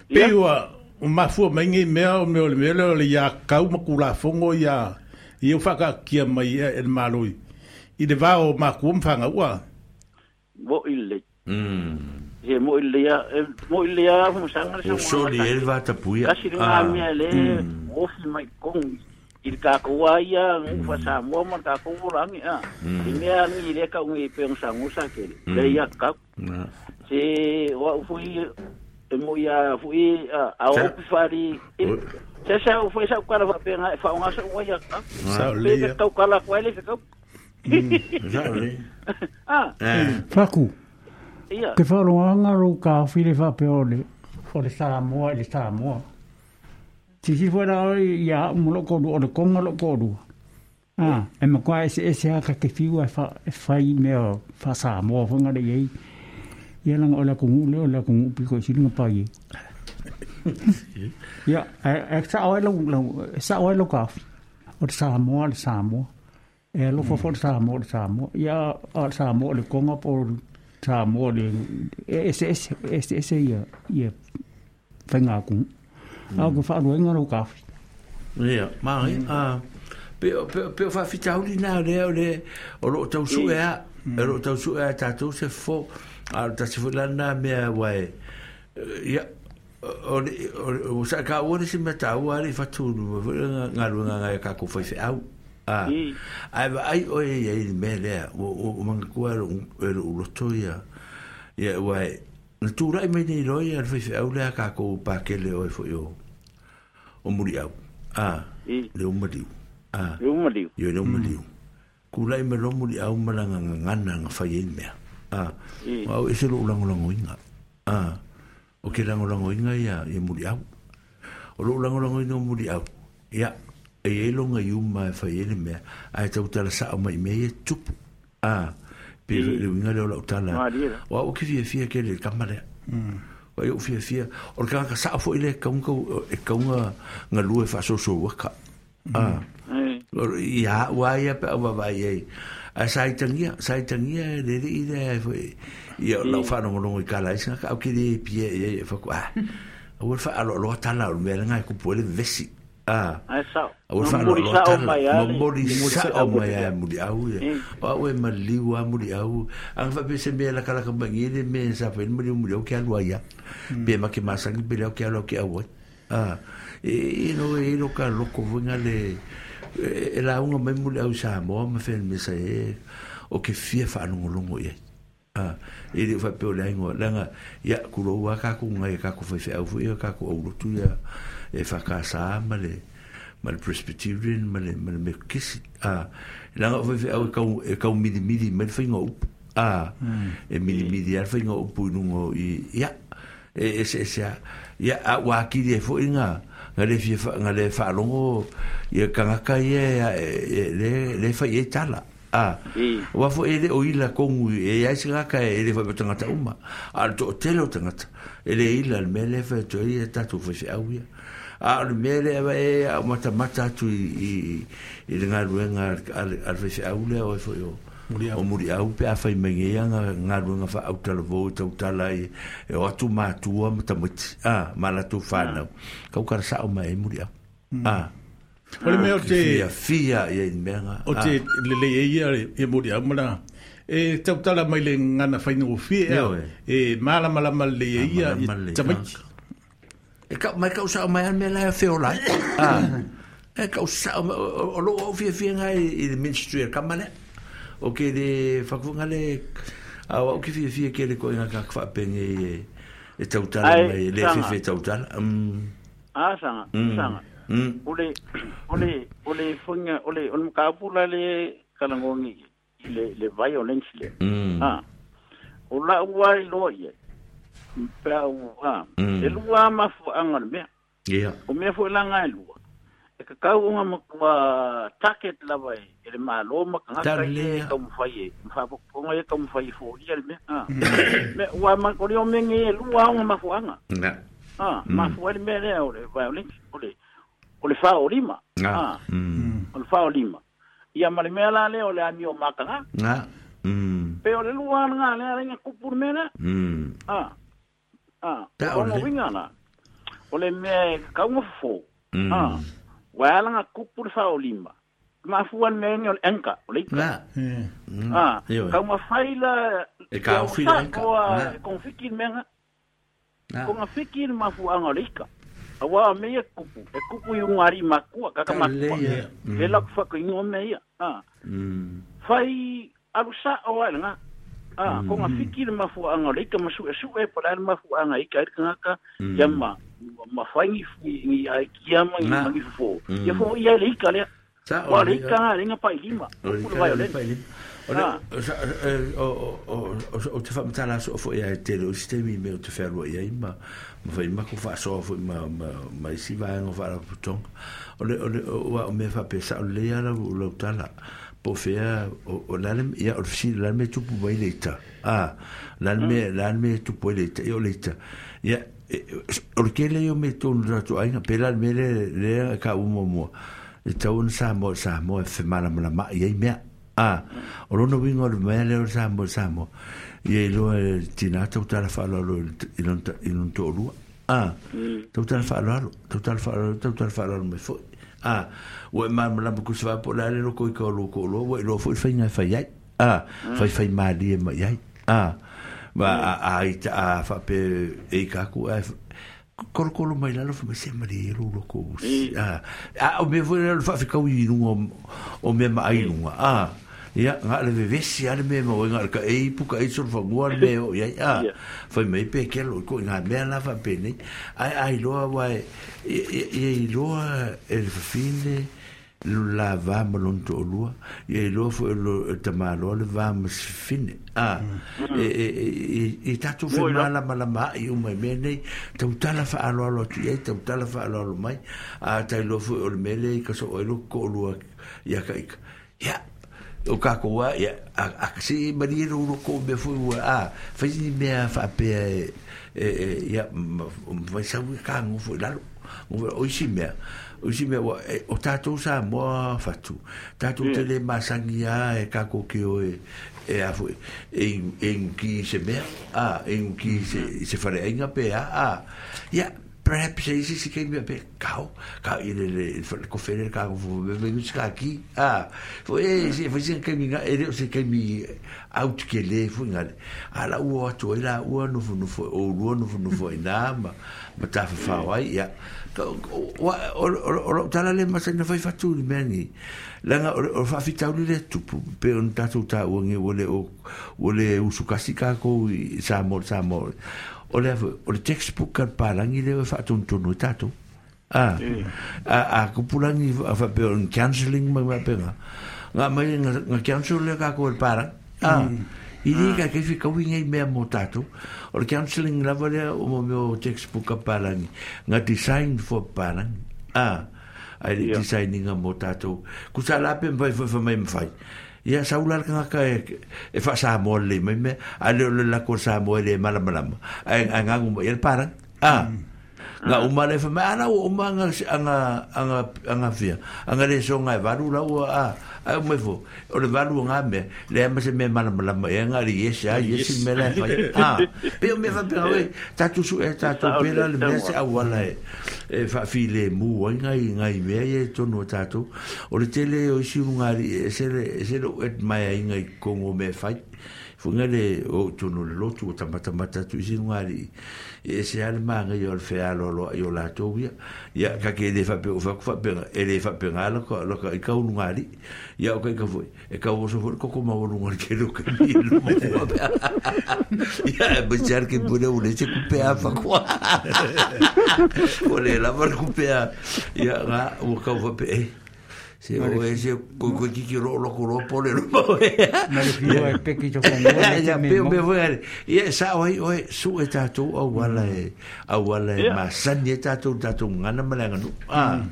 Pe ua o mafua mai ngai mea o mea o le mea le ia kau makula fongo ia ia fa ka kia mai e maloi. I le vao maku mfanga ua. Mo ile. Mm. He mo ile ya mo ile ya mo sanga sa. Soli elva tapuia. Kasi nga mea le o fi mai kong il ka ko ia ngu fa sa mo ma ka ko rangi a. I mea ni le ka ngi pe sa ngu sa ke. Le ia ka. Se wa fui mo ia fui a o fari. Se sa foi sa ka fa pe nga fa nga sa wa ia ka. Sa le. Ka ka la ko le ka. Ah. Faku. Ia. Ke wharonga ro ka while whape o le o le Samoa le Samoa. Tisi wera ia mo ko o le konga lo ko ru. Ah, e mo kwa ese ese ha ka ke fiu e fa e fai me o fa Samoa whanga le ei. Ia langa o la kongu le o la kongu pi ko silinga pa i. Ia, e sa o lo sa o lo ka. O le Samoa le Samoa. E lo fo fo Samoa le Samoa. Ia o Samoa le konga po Samoa le ese ese ese ese ia ia whainga ku. Au ko wharuenga ro ka. Ia, mai a pe pe pe fa fitauli na le o le o lo tau su e a o lo tau su e ta tu se fo a ta se fo la na me wai ia o o sa ka o se me ta o ari fatulu nga nga nga ka ko foi fe au. Ah, ai ai o e e me le o o manga ko ro ro lo ia ia wai natura me ni ro ia foi fe au le ka ko pa ke le o foi o o muri au. Ah, le o muri. Ah, le o muri. Yo le o muri. Ku lai me lo muri au malanga ngana nga fai e mea. Ah, au e se lo lango lango inga. Ah, o ke lango lango inga ia ia muri au. O lo lango lango inga muri au. Ia e e longa iuma e fai ele mea ai tau tala sao mai mea e tupu. Ah, pe le winga le o lau tala. O au ki fia fia ke le kamarea. O au fia fia o le kanga sao fo ile kaunga e kaunga ngalue fa so so waka. Ah. Ia wa ia pe wa vai e. A sai tangia, sai tangia le le ile foi. Ia lau fa no no i kala isa ka au ki le pie e fa ko ah. O fa alo lo tala o mea ngai ku po le vesi. Ah. Ai sao. O fa lo tala. Mo sa o mai a muri au ia. O e maliu a muri au. Ang fa pe se me la kala ka bangi le me sa fe muri muri o ke alua ia. Pe ma ke masangi pe le o ke alua ke au. Ah. E no e no ka loko vinga le e la unga mai muri au Samoa ma fe me sa e. o ke fia whaalongolongo i ai. Ah, e le whapeo le aingoa, langa, ia, kuro ua kako ngai kako whaiwheau fo ia, kako aulotu ia, e whakasa ma le, ma le Presbyterian, ma le, ma le Mekisi. Ah, langa o whaiwheau e kau, e kau miri miri, ma le whainga upu. Ah, mm. E miri miri a le whainga upu i nungo i, ia, e ese ese a, ia, a wākiri e fo inga, nga le fia, nga le whaalongo, ia kangaka ia, e, le, le whai e tala. Ah, wa fo ele o ila kongu e ai se ka e le fa tangata uma a to tele o tangata ele ila le mele fa to ia tatu fa se au ia a le mele e a mata mata tu i i le ngaluenga al fa se au le o fo yo o muri au pe a fai menge ia ngaluenga fa au tala vo tau tala e o atu matua mata mati a mala tu whanau kau kara sa o mai muri au a O le mea o te... Fia, fia, ia i mea. O te lele e ia e muri au mala. E tautala mai le ngana whaingo fia e malamalama le e ia i tamaiti. E kau mai kau sao mai an mea lai a feo lai. E kau sao mai, o lo au fia fia ngai i le ministry a kamale. O ke le whakufunga le, au au ki fia fia ke le koe ngā kaka whaapenge e tautala mai, le fia fia tautala. A, sanga, sanga. Mm. Ole ole ole fonga ole ole mkapula le kalangongi le le violence le mm. Ah ola ua lo ye pa u ah mm. E lua mafu anga le mea yeah o mea fo langa e lua e ka kau nga makua target lava e le malo makanga e ka mfai e mfa ponga e ka mfai fo ia le mea ah me ua ma o le o menge e lua nga mafu anga na ah mafu le mea le ole violence ole o le whao lima. Ah. Mm. O le whao lima. Ia ma le mea la le o le amio makanga. Ah. Mm. Pe o le lua ngā le ala inga kupu le mea la. Mm. Ah. Ah. Ta o o le. Winga la. O le mea kaunga fofo. Mm. Ah. Wa ala ngā kupu le whao lima. Mafua le mea o le enka. O le ika. Na. Mm. Ah. Ioe. Kaunga whaila. E ka ufi le enka. O konfiki le mea nga. Ah. Konga fiki le mafua anga o le ika. Awa me ia kupu, e kupu i ungari makua, kaka makua. Mm. E laku whaka ingo me ia. Ah. Mm. Whai arusa o ai ngā. Ah, Mm. ko ngā whiki le mafua anga o le ika masu e su e pala le mafua anga ika e ngaka Mm. ia ma, ma whai ngi ngi ai kia ma ngi Ngā. ngi fufo. Mm. Ia fo ia le ika lea. Sa Wa le ika ngā le ngā pai lima. O le Kupu le ika le violence. pai lima. O le o o o o te whamatala so fo ia e tele o sistemi me o te whenua ia i ma ma whai mako whaasoa fo ma ma ma isi vaenga whaarapotonga. O le o le o o me whape sa o le ala o lau tala. Po whea o o lale ia o le fisili lale me tupu mai le ita. Ah, lale me lale me tupu mai le ita ia o le ita. Ia o le kele o me tonu ratu ainga pe lale me le le ka umo mua. E tau na Samoa Samoa e whemalamalama i ei mea. Ah, o lona winga o le mea leo Samoa Samoa. Ia i loa e tina tau tala whaaloalo i lona to'olua. Ah, tau tala whaaloalo, tau tala whaaloalo, tau tala whaaloalo mai foi. Ah, ua e malamalama kusa wā po la le loko i ka o loko o loa, ua i loa foi whainga e whai ai. Ah, whai whai maali e mai ai. Ah, ma a a i ta a whape e i kaku a kolokolo mai lalo fa se mari e lo loko. Ah, a o me foi le whawhikau i runga o mea ma ai runga. Ah, ia ngā le vevesi ale me mo ngā ka e ipu ka e solo fangua le me o ia ah fai mai pe kelo ko ngā mea la fa pe nei ai ai loa wa e i loa e le fine la va ma lonto o lua ia i loa fo lo tamalo le va ma fine ah e e e tatu fe mala mala ma i uma me nei tau tala fa alo alo tu ia tau tala fa alo alo mai a tai loa fo o le mele ka so o lo ko lua ia ka ia o kako wa ia a si marie ro ko me fu a fa ni mea fa pe e ia vai sa ka ngo fu lalo o isi mea o isi mea o tātou sa moa fatu tātou te le masangia e kako ki o e e a fu e e ki se mea a e ki se se whare ainga pe a a ia Perhaps se isi se kaimi pe kau ka i le le le kofere ka ko me me ka ki ah fo e se fo se kaimi nga e le se kaimi out ke le fo nga ala ua atu ai la ua no fo no fo o ua no fo no fo ina ma ma ta fa fa ai ya o o o tala le ma se na fai fatu ni meni langa o fa fitau le tupu pe on tatu ta ua nge o le o le usukasi ka ko sa mo sa mo o le o le textbook ka palangi le fa tontonu tato ah a a kupulangi fa pe on counseling ma ma penga nga mai nga counsel le ka ko para ah i ka ke fi ka winga me mo tato o le counseling la vale o mo mo textbook ka palangi nga design for palangi ah ai le designing mo tato ku sa la pe vai fa mai mai ia saula ka ka e fa sa mo le me me ale le la ko sa mo le mala mala ai nga ngu el para ah nga uma le fa ma ana o uma nga nga nga nga fia nga le so nga valu la o a ai me fo o le valu nga me le ma se me mala mala e nga ri yes a yes me la fa ah pe me fa pe we ta tu su e ta tu pe la le me se awala e fa fi le mu nga nga me e to no ta tu o le tele o si nga ri se le se lo et mai nga kongo me fa funga le o tunu le lotu o tamata mata tu isi ngari e se ale manga yo le fealo lo yo la to ia ia ka ke le fa pe o fa fa pe e le fa pe ngala ko lo ka ka unu ngari ia o ka ka foi e ka o so foi ko ko ma o ngari ke lo ke ni lo ia be jar ke bule o le se ku pe a fa kwa o le la var ku pe a ia nga o ka fa pe se o ese ko ko ki ro lo ko ro pole lo mo na le fio e peki to ko ya pe me foi ia sa oi oi su e tatu o wala e a wala e ma san ye tatu tatu ngana mala nganu ah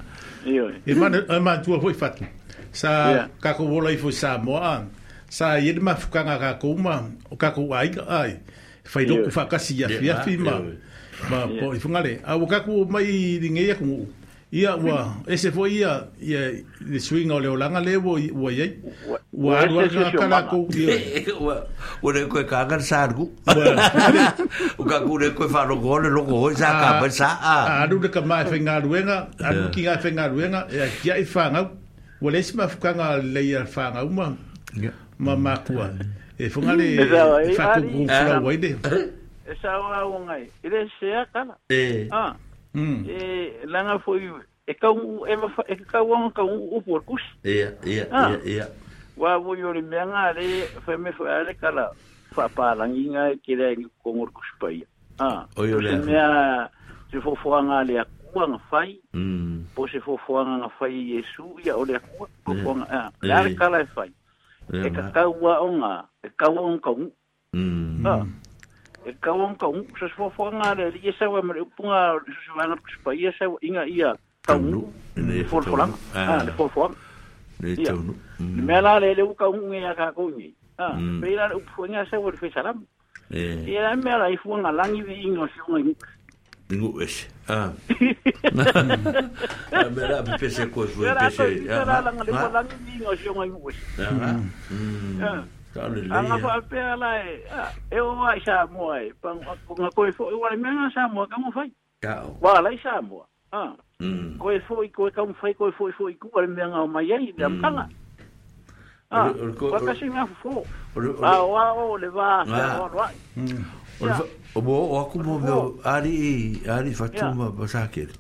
io e man e man tu foi fatu sa ka ko wola i foi sa mo a sa ye ma fukanga ka ko ma o ka ko ai ai fai do ku fa kasi ya fia fi ma ma po i fungale a o ka ko mai ringe ya ku ia ua ese foi ia ia le swing o le olanga le ua ua iai ua alu alu kala ko ua ua le koe kaga sargu o ka ku le koe wharo ko le loko hoi sa ka pa sa a alu le ka mai whengaruenga alu ki ngai whengaruenga e kia i whangau ua le isi mafukanga le ia whangau ma ma makua e whanga le whakuku whau ai le e sa o ngai ile sea kala ah Mm. E langa foi e kau e e kau ang kau o porcus. Ia ia ia ia. Wa wo yo le menga le foi me foi ale kala fa pa langinga ke le kongor kuspai. Ah. O yo le. Mea se fo fo anga le akua nga fai. Mm. Po se fo fo anga nga fai Yesu ia o le akua fo fo anga. Ah, le kala e fai. E ka kau wa onga, e kau ang kau. Mm. Ah. E kau kau se fo fo nga le ia sa wa me punga se va na pa ia sa inga ia kau le fo fo la ah le fo fo le tonu me la le le kau ngi ka ko ngi ah pe la u fo nga sa wa fe salam eh ia me la i fo nga langi vi ingo si ngi ingo es ah a me la pe se ko fo pe se ah la le fo langi vi ingo si ngi ah ah Anga fa pe ala e e o ai sa mo ai pa nga ko fo o le mena sa mo ka mo fai wa la sa mo ah ko fo ko ka mo fai ko fo fo ku le mena o mai ai le amkanga ah ko ka singa fo ah wa o le va sa wa o mo o ku mo mo ari ari fatuma basake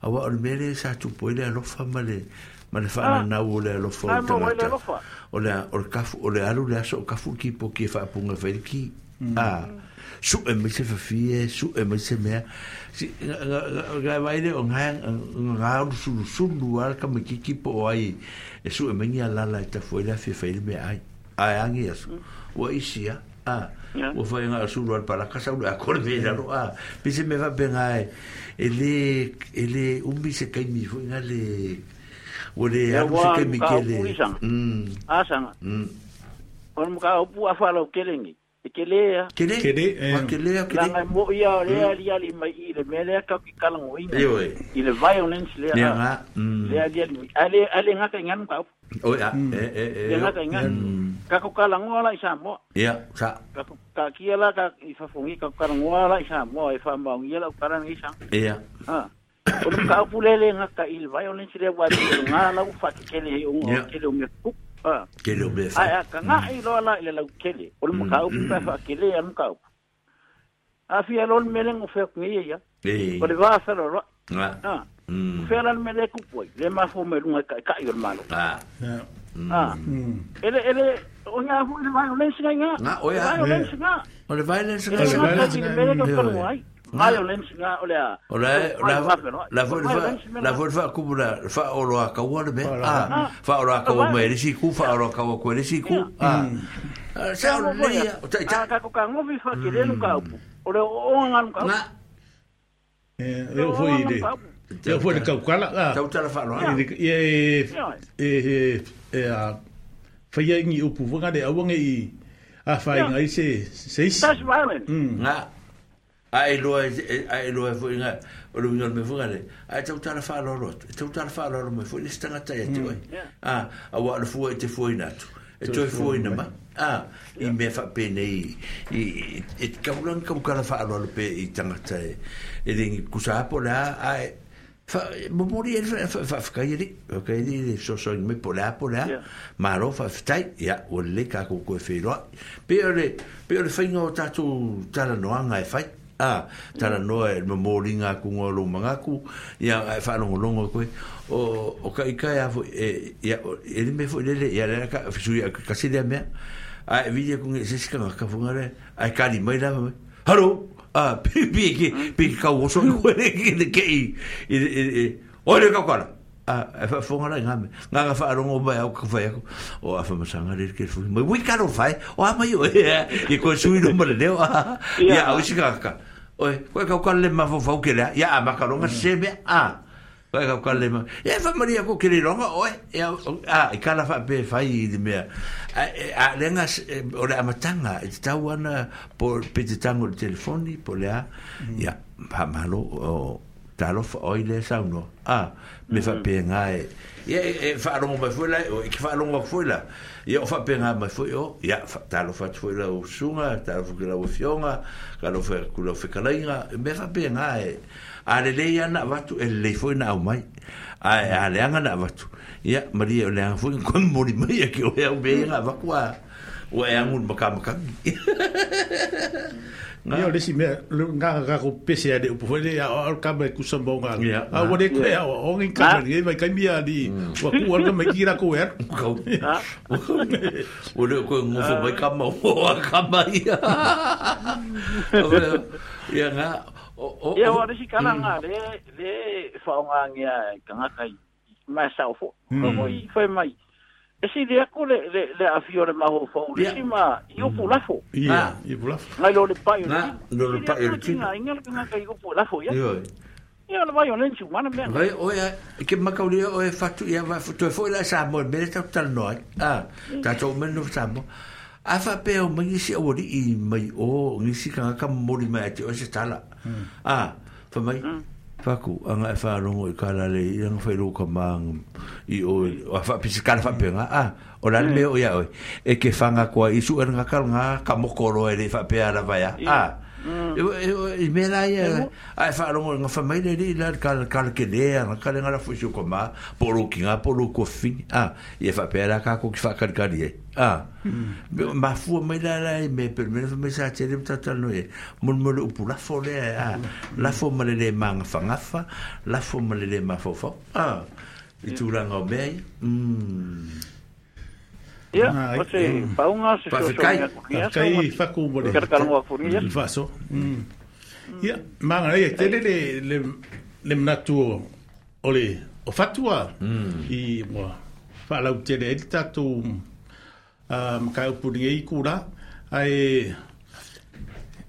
awa o mele sa tu po le alofa male ma le whaana nau o le alofa o tangata o le o le kafu o le alu le aso o kafu ki po ki e whaapunga whairiki ah su e mai se whawhie su e mai se mea si ngai waile o ngai ngā uru sulu sulu ala ka makiki po o ai e su e mai ngia lala e tafu e le awhi whairi mea ai ai angi aso ua isi a ah ua whai ngā sulu ala palaka sa ulu a kore me lalo ah pise me whapenga e e le e le umi se kaimi fo ngā le o le alu se kaimi kele mm asanga mm o mo ka opu a fala o kelengi E ke lea. Kele. Kele. Kele. Kele. Langa mo ia le ali ali mai i le mele ka ki kalango ina. Ioe. I le violence lea. Lea nga. Le ali ali. Ale ale nga ka nganu ka. O ia. E e e. Le nga ka nganu. Ka ko kalango ala i Samoa. Ia, sa. Ka ka kia la ka i fafongi ka kalango ala i Samoa e fa maungi la karanga i sa. Ia. Ha. O le ka pulele nga ka i le violence lea wa nga la u fa kele he o kele o me ku. Kele o me fa. Ai ka nga i lo la le lau kele. O le makau pa fa kele an kau. A fi alon mele ngo fe ngi ya. E. O le va fa lo. Nga. Ah. Fe ala mele ku poi. Le ma fo me lunga ka ka i o malo. Ah. Ah. Ele ele o nga fu le violence nga. Nga o ya. Violence nga. O le violence nga. O le violence nga o le. O le la la vo la vo fa ku la fa o lo ka wa le me. Ah. Fa o lo ka wa me le si ku fa o lo ka wa ku le si ku. Ah. Sa o le ya. O ta ta ka ka ngo vi fa ke le no ka o le o nga no ka. Nga. Eh, eu fui de. Eu fui de kaukala. Ah. Tau tala fa lo. E e e a faia ngi upu vanga de awanga i a fa ngai se se. That's violent. Nga. Ai loa ai loa foi nga o le me foi le ai tau tala fa lo lo tau tala fa lo me foi le stanga tai te oi ah a wa le foi te foi na tu e toi foi na ma ah i me fa pene i i ka ulang ka kala fa lo le pe i tanga tai e le kusa po la ai fa mo i fa fa fa kai ri okay ri so so me po la po la ma lo fa tai ya o le ka ko ko fe lo pe le pe le fa ngo tatu tala no anga e fai ah tala noa e moringa ku ngolo mangaku ia e whalongolongo koe o o ka ika ia fo e ia e le me fo le ia le ka fisu ia ka se le mea a e vidi ku se se ka ka fonga le ai kali mai la mai halo ah pi pi ki pi ka wo so ko le ki ke i e o le ka kala ah e fa fonga la ngame nga fa rongo ba au ka fa o a fa masanga le ke fu mai wi ka ro fai o a mai o e ko sui no mo le leo ia o si ka ka oi ko ka ka le ma fo fo ke le ia ma ka ronga se me a ko ka ka le ma e fa maria ko ke le ronga oi a i kala fa pe fai i me a le nga o le amatanga e tau ana po pe te tango le telefoni po le a ia pa malo o talo fa oi le sauno a me fa pe ngai ia e fa longo mai foi la e fa longo foi la ia fa pe ngai mai foi o ia talo fa foi la o sunga talo fa la o fionga ka lo fa ku lo fa kalainga me fa pe ngai a le le ia na vatu e le foi na au mai a a le anga na vatu ia maria le anga foi ko mori mai ke o ia be nga va kwa o e angu maka maka Ia le si me nga ka ko pese ale upu foi le a ka me ku sambonga a wo le ke o ngi ka me mai ka mi ali wa ku wa me kira ko er ko o le ko ngo fo mai ka ma o ka mai ia nga o ia wa le si kana nga le le fa nga ngia ka nga kai ma sa fo ko i foi mai e si le ko le le le afio le maho fo le si ma i o pulafo ia i pulafo ngai lo le pa yo lo le pa yo ti ngai ngai ngai kai o pulafo ia ia le vai o le chu mana me vai o ia ke makauri o e fatu ia va to fo la sa mo me ta tal no ah ta to me no sa mo a fa pe o mai si o ri mai o ngi si ka ka mo ri mai te o se tala ah fa mai Faku anga e whaarongo i kala le i anga whairu ka maang i o a wha pisi kala whapenga a o la me o ia oi e ke whanga koa i su nga kala ngā ka mokoro e le whapea la vaia a i me la ia a e whaarongo nga whamai le li la kala kala ke lea nga kala nga la fuisu ko maa poro ki ngā poro ko whini a i e whapea la ka ko ki whakarikari e a ma fua mai la la i me per me me sa tele tata no e mon mo upu la fo le a la fo ma le manga fangafa la fo ma le ma fo fo a i turanga o mea mm ia o se paunga se so kai faku mo le faso ia manga e tele le le le mnatu o le o fatua i mo fa la tele e tatu um ka upu ni kura ai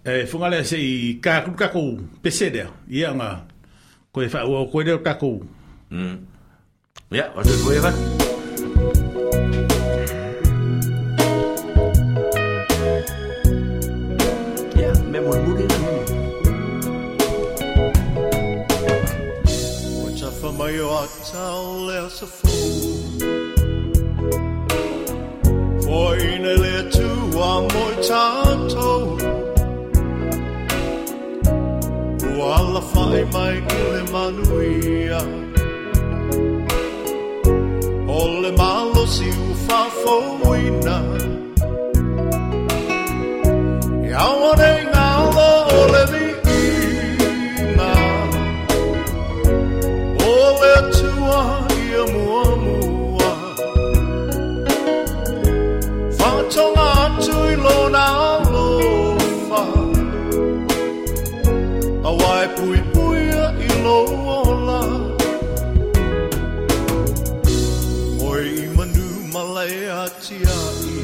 e funga le se i ka ku ka ku pese de ia nga ko e fa o ko le ka ku mm ia o te ko e va Thank you. mulimuli. Ua tafa mai o atau le asa fou Foina le atua mo i tātou Ua ala whai mai i le manuia O le malosi ua whafouina E aua nei ngalo o le viiga O le atua ia muamua Whakatonga atu i lona alofa A wai pui puia i lo ola Oi i manu malai atiai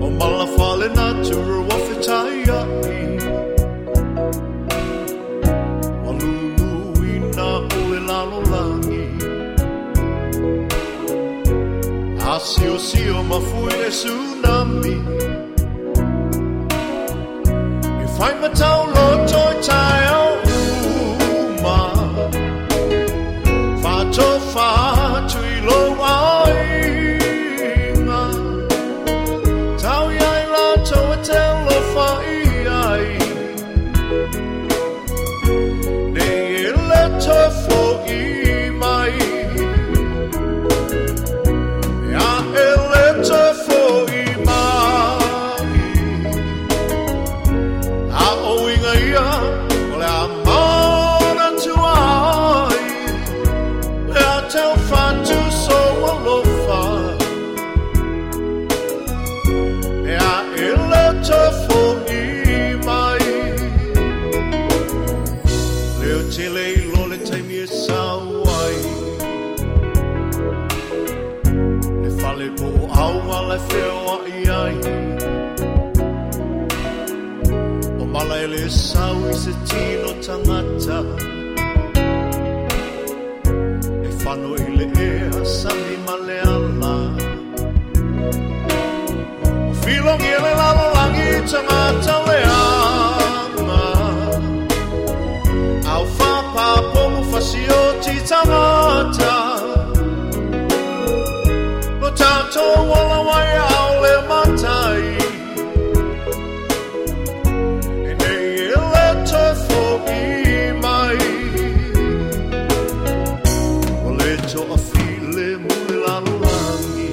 O mala fale natura wa whitai ai Walulu ina o le lalo langi A sio sio mafui e tsunami E whai matau loto i tai au uma Whato whatu i lo ainga Tau iai lato e te alofa i ai Nei e le tofo i mai E a e le tofo i mai A o inga ia o le a mana tuai Le a tau whatu so alofa E a e le tofo i mai Leo tele i lo le taimi e sau ai Le fale po o au ala e wheo ai ai O mala e le sau i se tino tangata E whano i le ea sami ma le ala O filongi e le lalo langi tangata le anga Au whapapomu whasio ti tangata Lo tātou wala wai au le matai E nei e le tofo i mai O le toa file mule lalo langi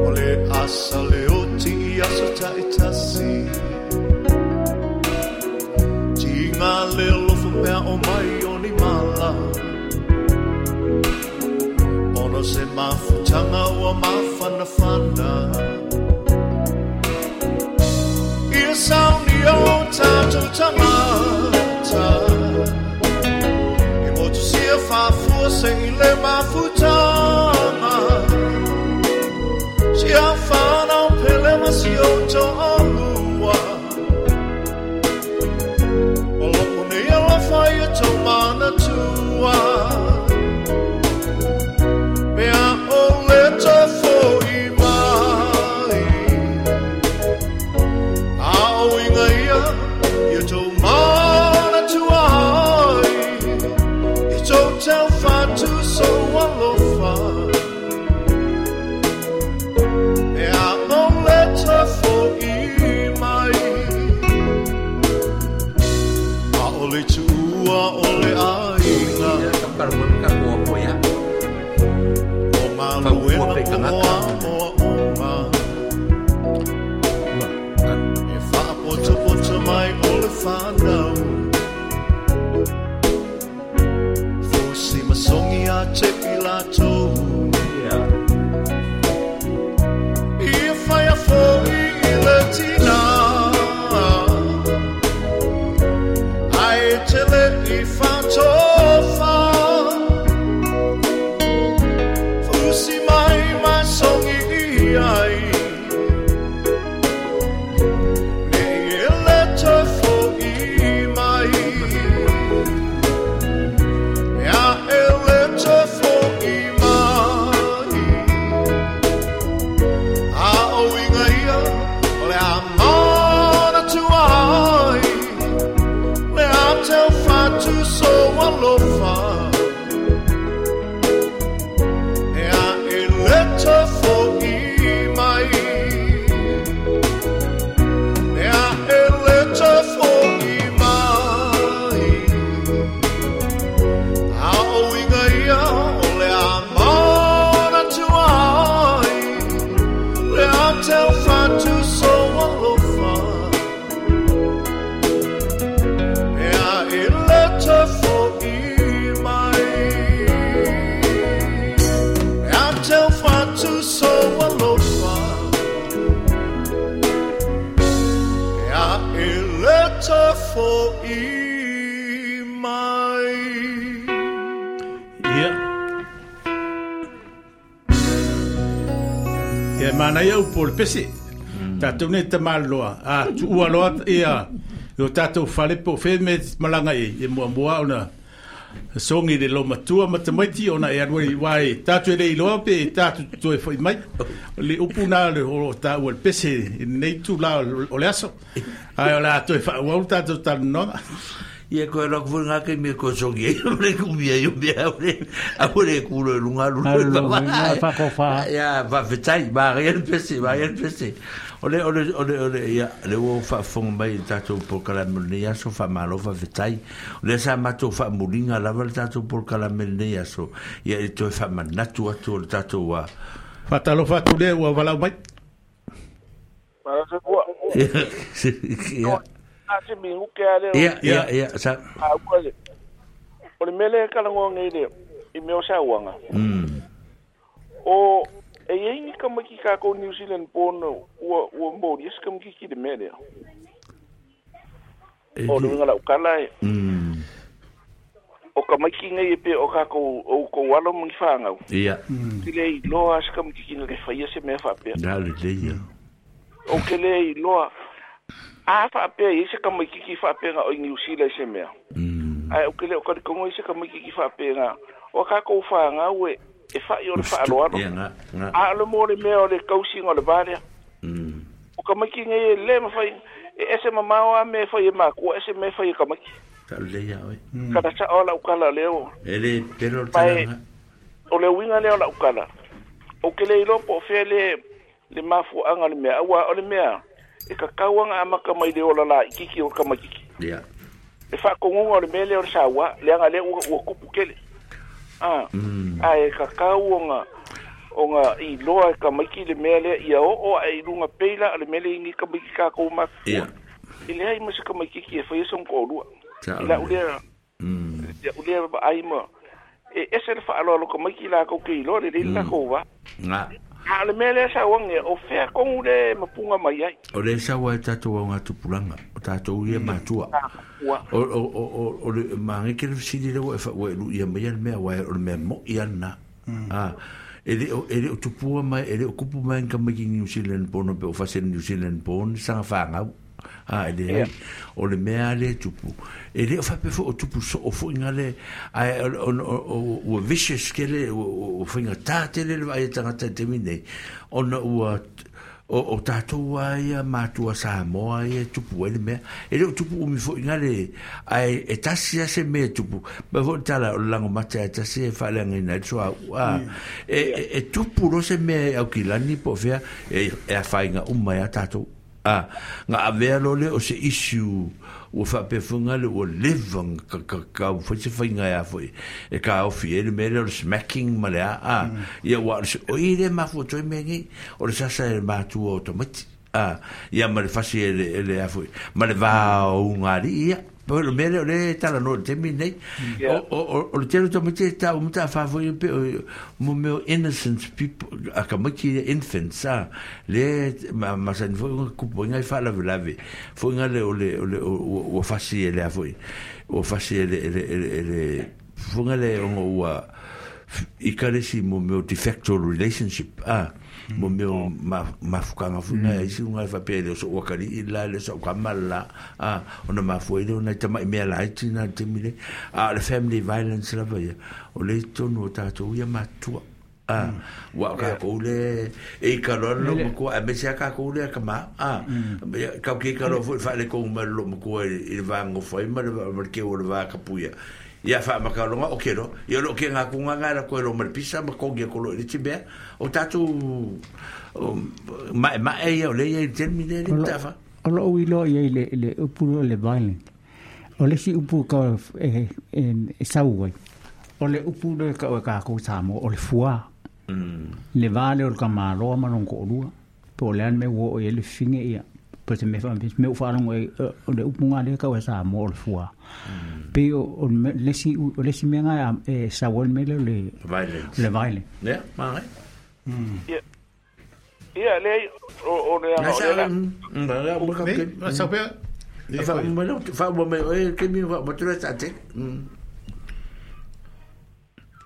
O le asa le oti i aso taitasi Ti ngā le lofo pea o mai o ni mala Ono se mafutanga ua mawhanawhana Ia sauni o tātou tangata E motu sia whafua se i le mafutanga Sia whanau pele ma si o toa lua O loko nei alofa ia tō mana tua Mea o le tofo i mai A o inga ia, ia tō mana tua ai I tō tau whatu so alofa Mea o le tofo i mai A o le tuua o le aiga O ngā luena o a moa uma E whaapotopoto mai o le whanau Fusi masongi a te pilato Ia whaia fo i le tina Ai tele i whatofa Fusi mai masongi i ai Nei e le tofo i mai E a e le tofo i mai A o inga ia Ai manaia upu o le pese. Tātou nei tamaloa. A tuua loa ia o tātou fale po fe me malanga e e muamua ona songi le lo matua ma tamaiti ona e alu i wai tātou e le iloa pe tātou toe foi mai. Le upu nā le o tāua le pese i nei tū la o le aso. Ai o la toe whaau tātou talanoga. Ia koe lako fo ngā kei mea koe songi ei, o le kumia i o mea au le, au le kulo e lunga lulu. Ia, whawhetai, maa le pese, maa le pese. O le, o le, o le, o le, ia, le ua whaafonga mai i tātou polokalame lenei aso, whaamalo whawhetai. O le sa mātou whaamulinga lava le tātou polokalame lenei aso. Ia, e toe whaamanatu atu o le tātou wā. Whatalofa atu le ua walau mai. Ia. Se mi uke ale ia ia ia sa a ua le o le mele kala ngonga ile i meo sa uanga mm o e ei ni ka maki ka ko New Zealand pono ua ua mori es ka maki ki de mele o le ngala ukala e mm o ka maki ngai pe o ka ko o ko walo mo fanga ia ti le loa se ka maki ki le faia se me fa pe na le le ia o ke le loa a fa pe i se ka maki ki fa pe nga o New Zealand se mea. Mm. Ai o ke le o ka kongo i se ka maki ki fa pe nga o ka ko fa nga we e fa i o le fa alo alo. Ia nga nga. A le mo le mea o le kausi ngo le vale. Mm. O ka maki ngai le ma fa e ese mamao a me fa i ma ko ese me fa i ka maki. Ka le ia oi. Ka ta o la ukala leo. E le pero tala. O le winga le o la ukala. O ke le ilo po fe le le mafu anga le mea ua o le mea. E ka kauanga amaka mai le ola la ikiki o ka makiki. Ia. E fa kongonga o le mele o le sawa, le anga le ua, ua kupu kele. Ah. Mm. A e ka kauanga onga i loa e ka maiki le mele ia o o e lunga peila le mele ingi ka maiki ka kou maku. Ia. I le hai masa ka maikiki e whai son ko lua. Sa I la ulea. Mm. Ia ulea ai ma. E ese le whaaloa lo ka maiki la kau ke iloa le le la kou wa. Nga. A le mele sa wange o fea kongu le mapunga mai ai. O le sa wa tātou au ngā tupuranga, o tātou ia matua. O, o, o, o, o le maange ke le fisili le wa e wha ua e lu ia mai le mea wa e o le mea mo ia na. Ah, e le o, e le o tupua mai, e le o kupu mai nga mai ki New Zealand pono pe o fase New Zealand pono, sanga whangau. Ah, e le o le mea le tupu. E le o whape fo o tupu so o fo inga le, ai, o, o, o, o, o vicious ke le, o, o whainga tā tele le vai e tangata te minei. Ona ua, o, o tātou ai mātua Samoa ai tupu ai le mea. E le o tupu umi fo inga le, ai, e tasi ase mea tupu. Ma fo tala o lango mata e tasi e whaaleanga ina e soa, ah, e, e, e tupu ro se mea au kilani po fea, e, e a whainga umai a tātou. Ah, nga avea lo le o se issue ua whaapefunga le ua leva ka ka ka fo se whainga ia foi e ka ofi e le mele o le smacking ma le a ah, ia ua o i le mafu toi me ngi o le sasa e matua o tamati ah, ia ma le fasi e le, e le a foi ma le vā o ngari ia po le mele o le tala no te mi nei o o o le tele tamati ta o mta fa foi pe mo meo innocent people a ka maki infants a le ma ma sa fo ku ngai fa la lave fo ngai le o le o le o fasi le a foi o fasi le le le fo ngai le o ua i ka le si mo meo de facto relationship a mo meo ma mafukanga funa e si unga fa pele so wakari i la le so kamala a ona mafue le ona tama mea la tina te mile a le family violence la va o le tonu tātou ia matua a wa ka ko le e ka lo lo ko a me se ka ko le ka ma a ka ke ka lo fa le ko ma lo ko e va ngo foi ma le ke o le va ka puia ia fa makalonga o kero ia lo ke nga kunga nga ko lo malpisa ma ko ge ko lo le tibea o tatu ma ma e ia le ia termine le tafa o lo i lo ia le le upu le violent o le si upu ka e e sau o le upu le ka ka ko sa mo o le fua le vale o ka malo ma non ko lua po le an me wo e le finge ia po se me fa me o fa longo o le upu nga le ka o sa mo o le fua pe o le si o le si me nga e sa wo me le le violence le violence ya ma ya ya le o o le o le la o ka ke sa pe fa mo fa mo me e ke mi va mo tu sa te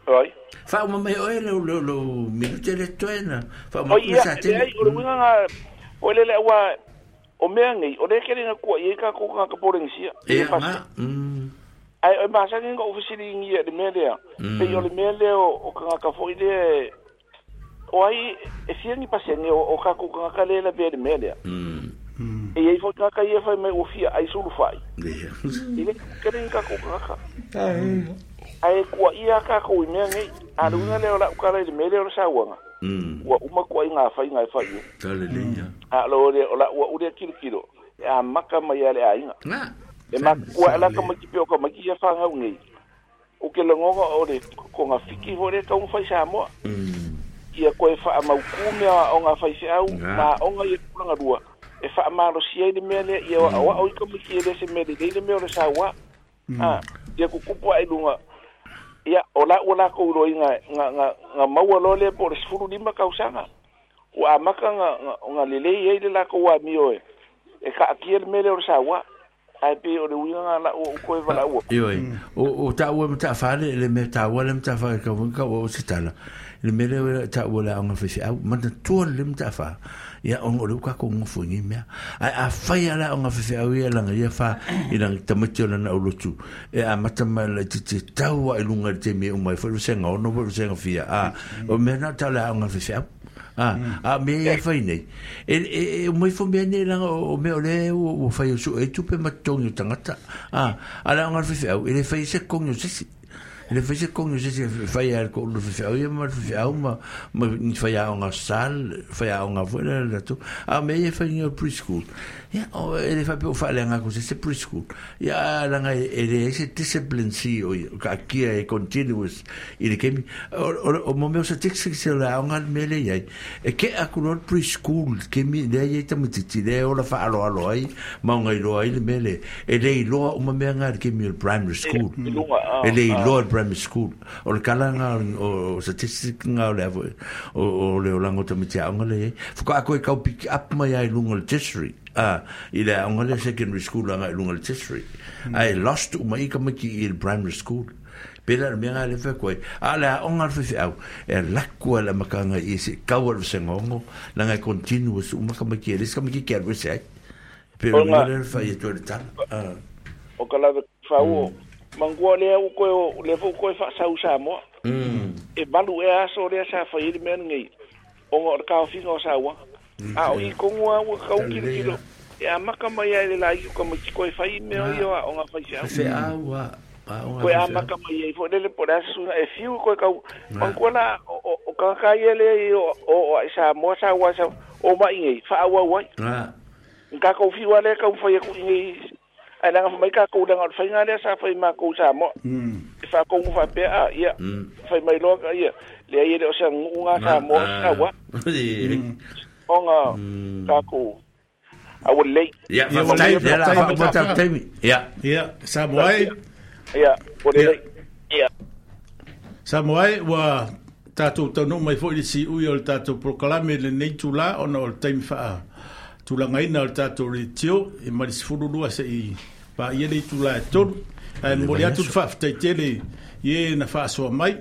Oi. Faauma mai oe le le le minute le toe na faauma O atu ia, sa tele. leai, o le uiga ga o le le ua o mea nei, o le kele na kua i ka ko ka Polenisia. Ia nga. Mm. Ai o masani ngo ofisili ngi le mea lea. Mm. Pe o le mea lea o ka ka foi le o ai e fia ni pasenge o o ka ko ka ka le la be le mea lea. Mm. E i foi ka ka ia fai mai o fia ai sulu fai. Ia. I le kele ka ko ka ka. Ai kua ia ka ko i mea nei. A le uiga lea o la ukala i le mea lea o le sauaga. Mm. Ua uma kua i ngā whai ngā whai. Tale le ia. A lo le o la ua ule kilo kilo. E a maka mai a le ainga. Nga. E ma kua ala ka mai ki peo ka mai ki sia whangau nei. O ke longonga o le ko ngā fiki fo le kaunga whai Samoa. Mm. Ia koe wha mau kumea o ngā whai whiau, Nga. ma o ngā ia kulanga rua. E wha malo sia i le mea lea, ia wa o i ka mai ki e le se mea le le mea o le saua. Ah, ia kukupu ai lunga. Ia, o la ua la kou roi ngā, ngā, ngā, ngā maua loa lea po o le sefulu lima kausaga. Ua amaka ngā, ngā, ngā lelei ai le la kou a mio e. E ka akia le mea lea o le saua. Ai pe o le uiga ngā la ua uko e wala ua. Ioe. O o taua ma taafale le mea taua le ma ka ka o se tala. Le mea lea taua le aoga faifeau manatua le ma taafa. Ia ona o le uka ko ngofo ni mea. Ai a fai ala aoga faifeau ia langa ia fa i langa tamaiti o lana aulotu. E a mata mai le titi taua i lunga i te mea umai fo le senga ono fo le senga fia. A o mea na tau le aoga faifeau. Ah, a me e fai nei. E e e mai fo mea nei langa o mea o le o fai o su e tupe ma tongi o tangata. Ah, ala aoga faifeau e le fai se kongi o sesi. Le fai se kongi o sesi fai al ko le faifeau ia ma le faifeau ma ma ni fai aoga sal, fai aoga foi le la tu. A me e fai ni preschool. Ia o e le fai pe o fa le nga ko se preschool. Ia langa e le se discipline si o ka kia e continuous i le kemi o o mo meo se tiksi se le aoga le mele iai. E ke aku lo preschool kemi le ia tamatiti le ola fa alo alo ai ma ngai lo ai le mele e le iloa uma mea nga le kemi o le primary school. E lunga, ah, E le ah. iloa le primary school. O le kalanga o statistic nga o le avo o o le olango tamiti aoga le iai. Fuka ako e kau pick up mai ai lunga le tertiary. Ah, i le aoga le secondary school anga i lunga le tertiary. Ai lost uma i ka maki i le primary school. Pela le mea nga le whakoe. A le aoga le faifeau, e lakua le makanga i se kaua le sengongo, langa e continuous uma ka maki e le ka maki kia rwese ai. Pela O le mea ngā- le whai e toi le tala. Ah. O ka lawe whau. Mangua lea u koe o le fo koe wha sau Samoa. Mm. E malu e aso lea sa whai i le mea nei. O ngā o le kaofinga o saua. A o i kongua ua kau kilo kilo. E a maka mai ai le lai ka mai koe whai mea o ia o ngā whai seau. Faifeau a aoga Koe a faifeau. maka mai ai fo lele po le aso suna e fiu koe kau. Mangua la o o- o kaka ia le i o o o ai Samoa saua sa o mai nei wha au au ai. Ah. Nga kau fiu a le kau whai aku i nei. Ai langa mai ka kou langa o le whainga lea sa whai mā kou Samoa. E wha kou wha pea a ia. Whai mai loa ka ia. Lea ia le o sa ngu ngā Samoa saua. O ngā ka kou. A ua lei. Ia, Ia, whafetai, ua lei, ia la, whafetai, whafetai taimi. Ia. Ia, Samoa e. Ia, ua Ia. lei. Ia. Samoa e, ua tātou taunuu mai foi le siui o le tātou prokalame le nei tula ona o le taimi faa tulangaina o le tātou retio e ma le sefulu lua se i paia le itulā e tolu. Ae momoli atu le faafetai tele i e na faasoa mai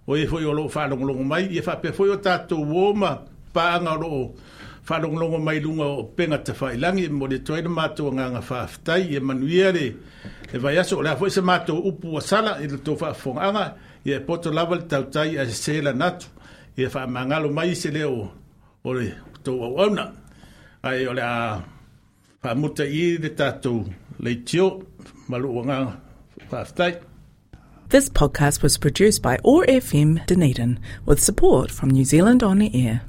o e foi o loo faalogologo mai ia faapea foi o tātou uō ma paaga o loo faalogologo mai luga o pega tafailagi e momoli atu ai le matou agaga faafetai ia manuia le le vaiaso o le a foi se matou upu ua sala i le tou faafofogaaga ia e poto lava le tautai ae sesē lana atu ia faamagalo mai se leo o le tou auauna ae o le a faamuta i le tatou leitio ma lou agaga faafetai. This podcast was produced by O R F M Dunedin with support from New Zealand On Air.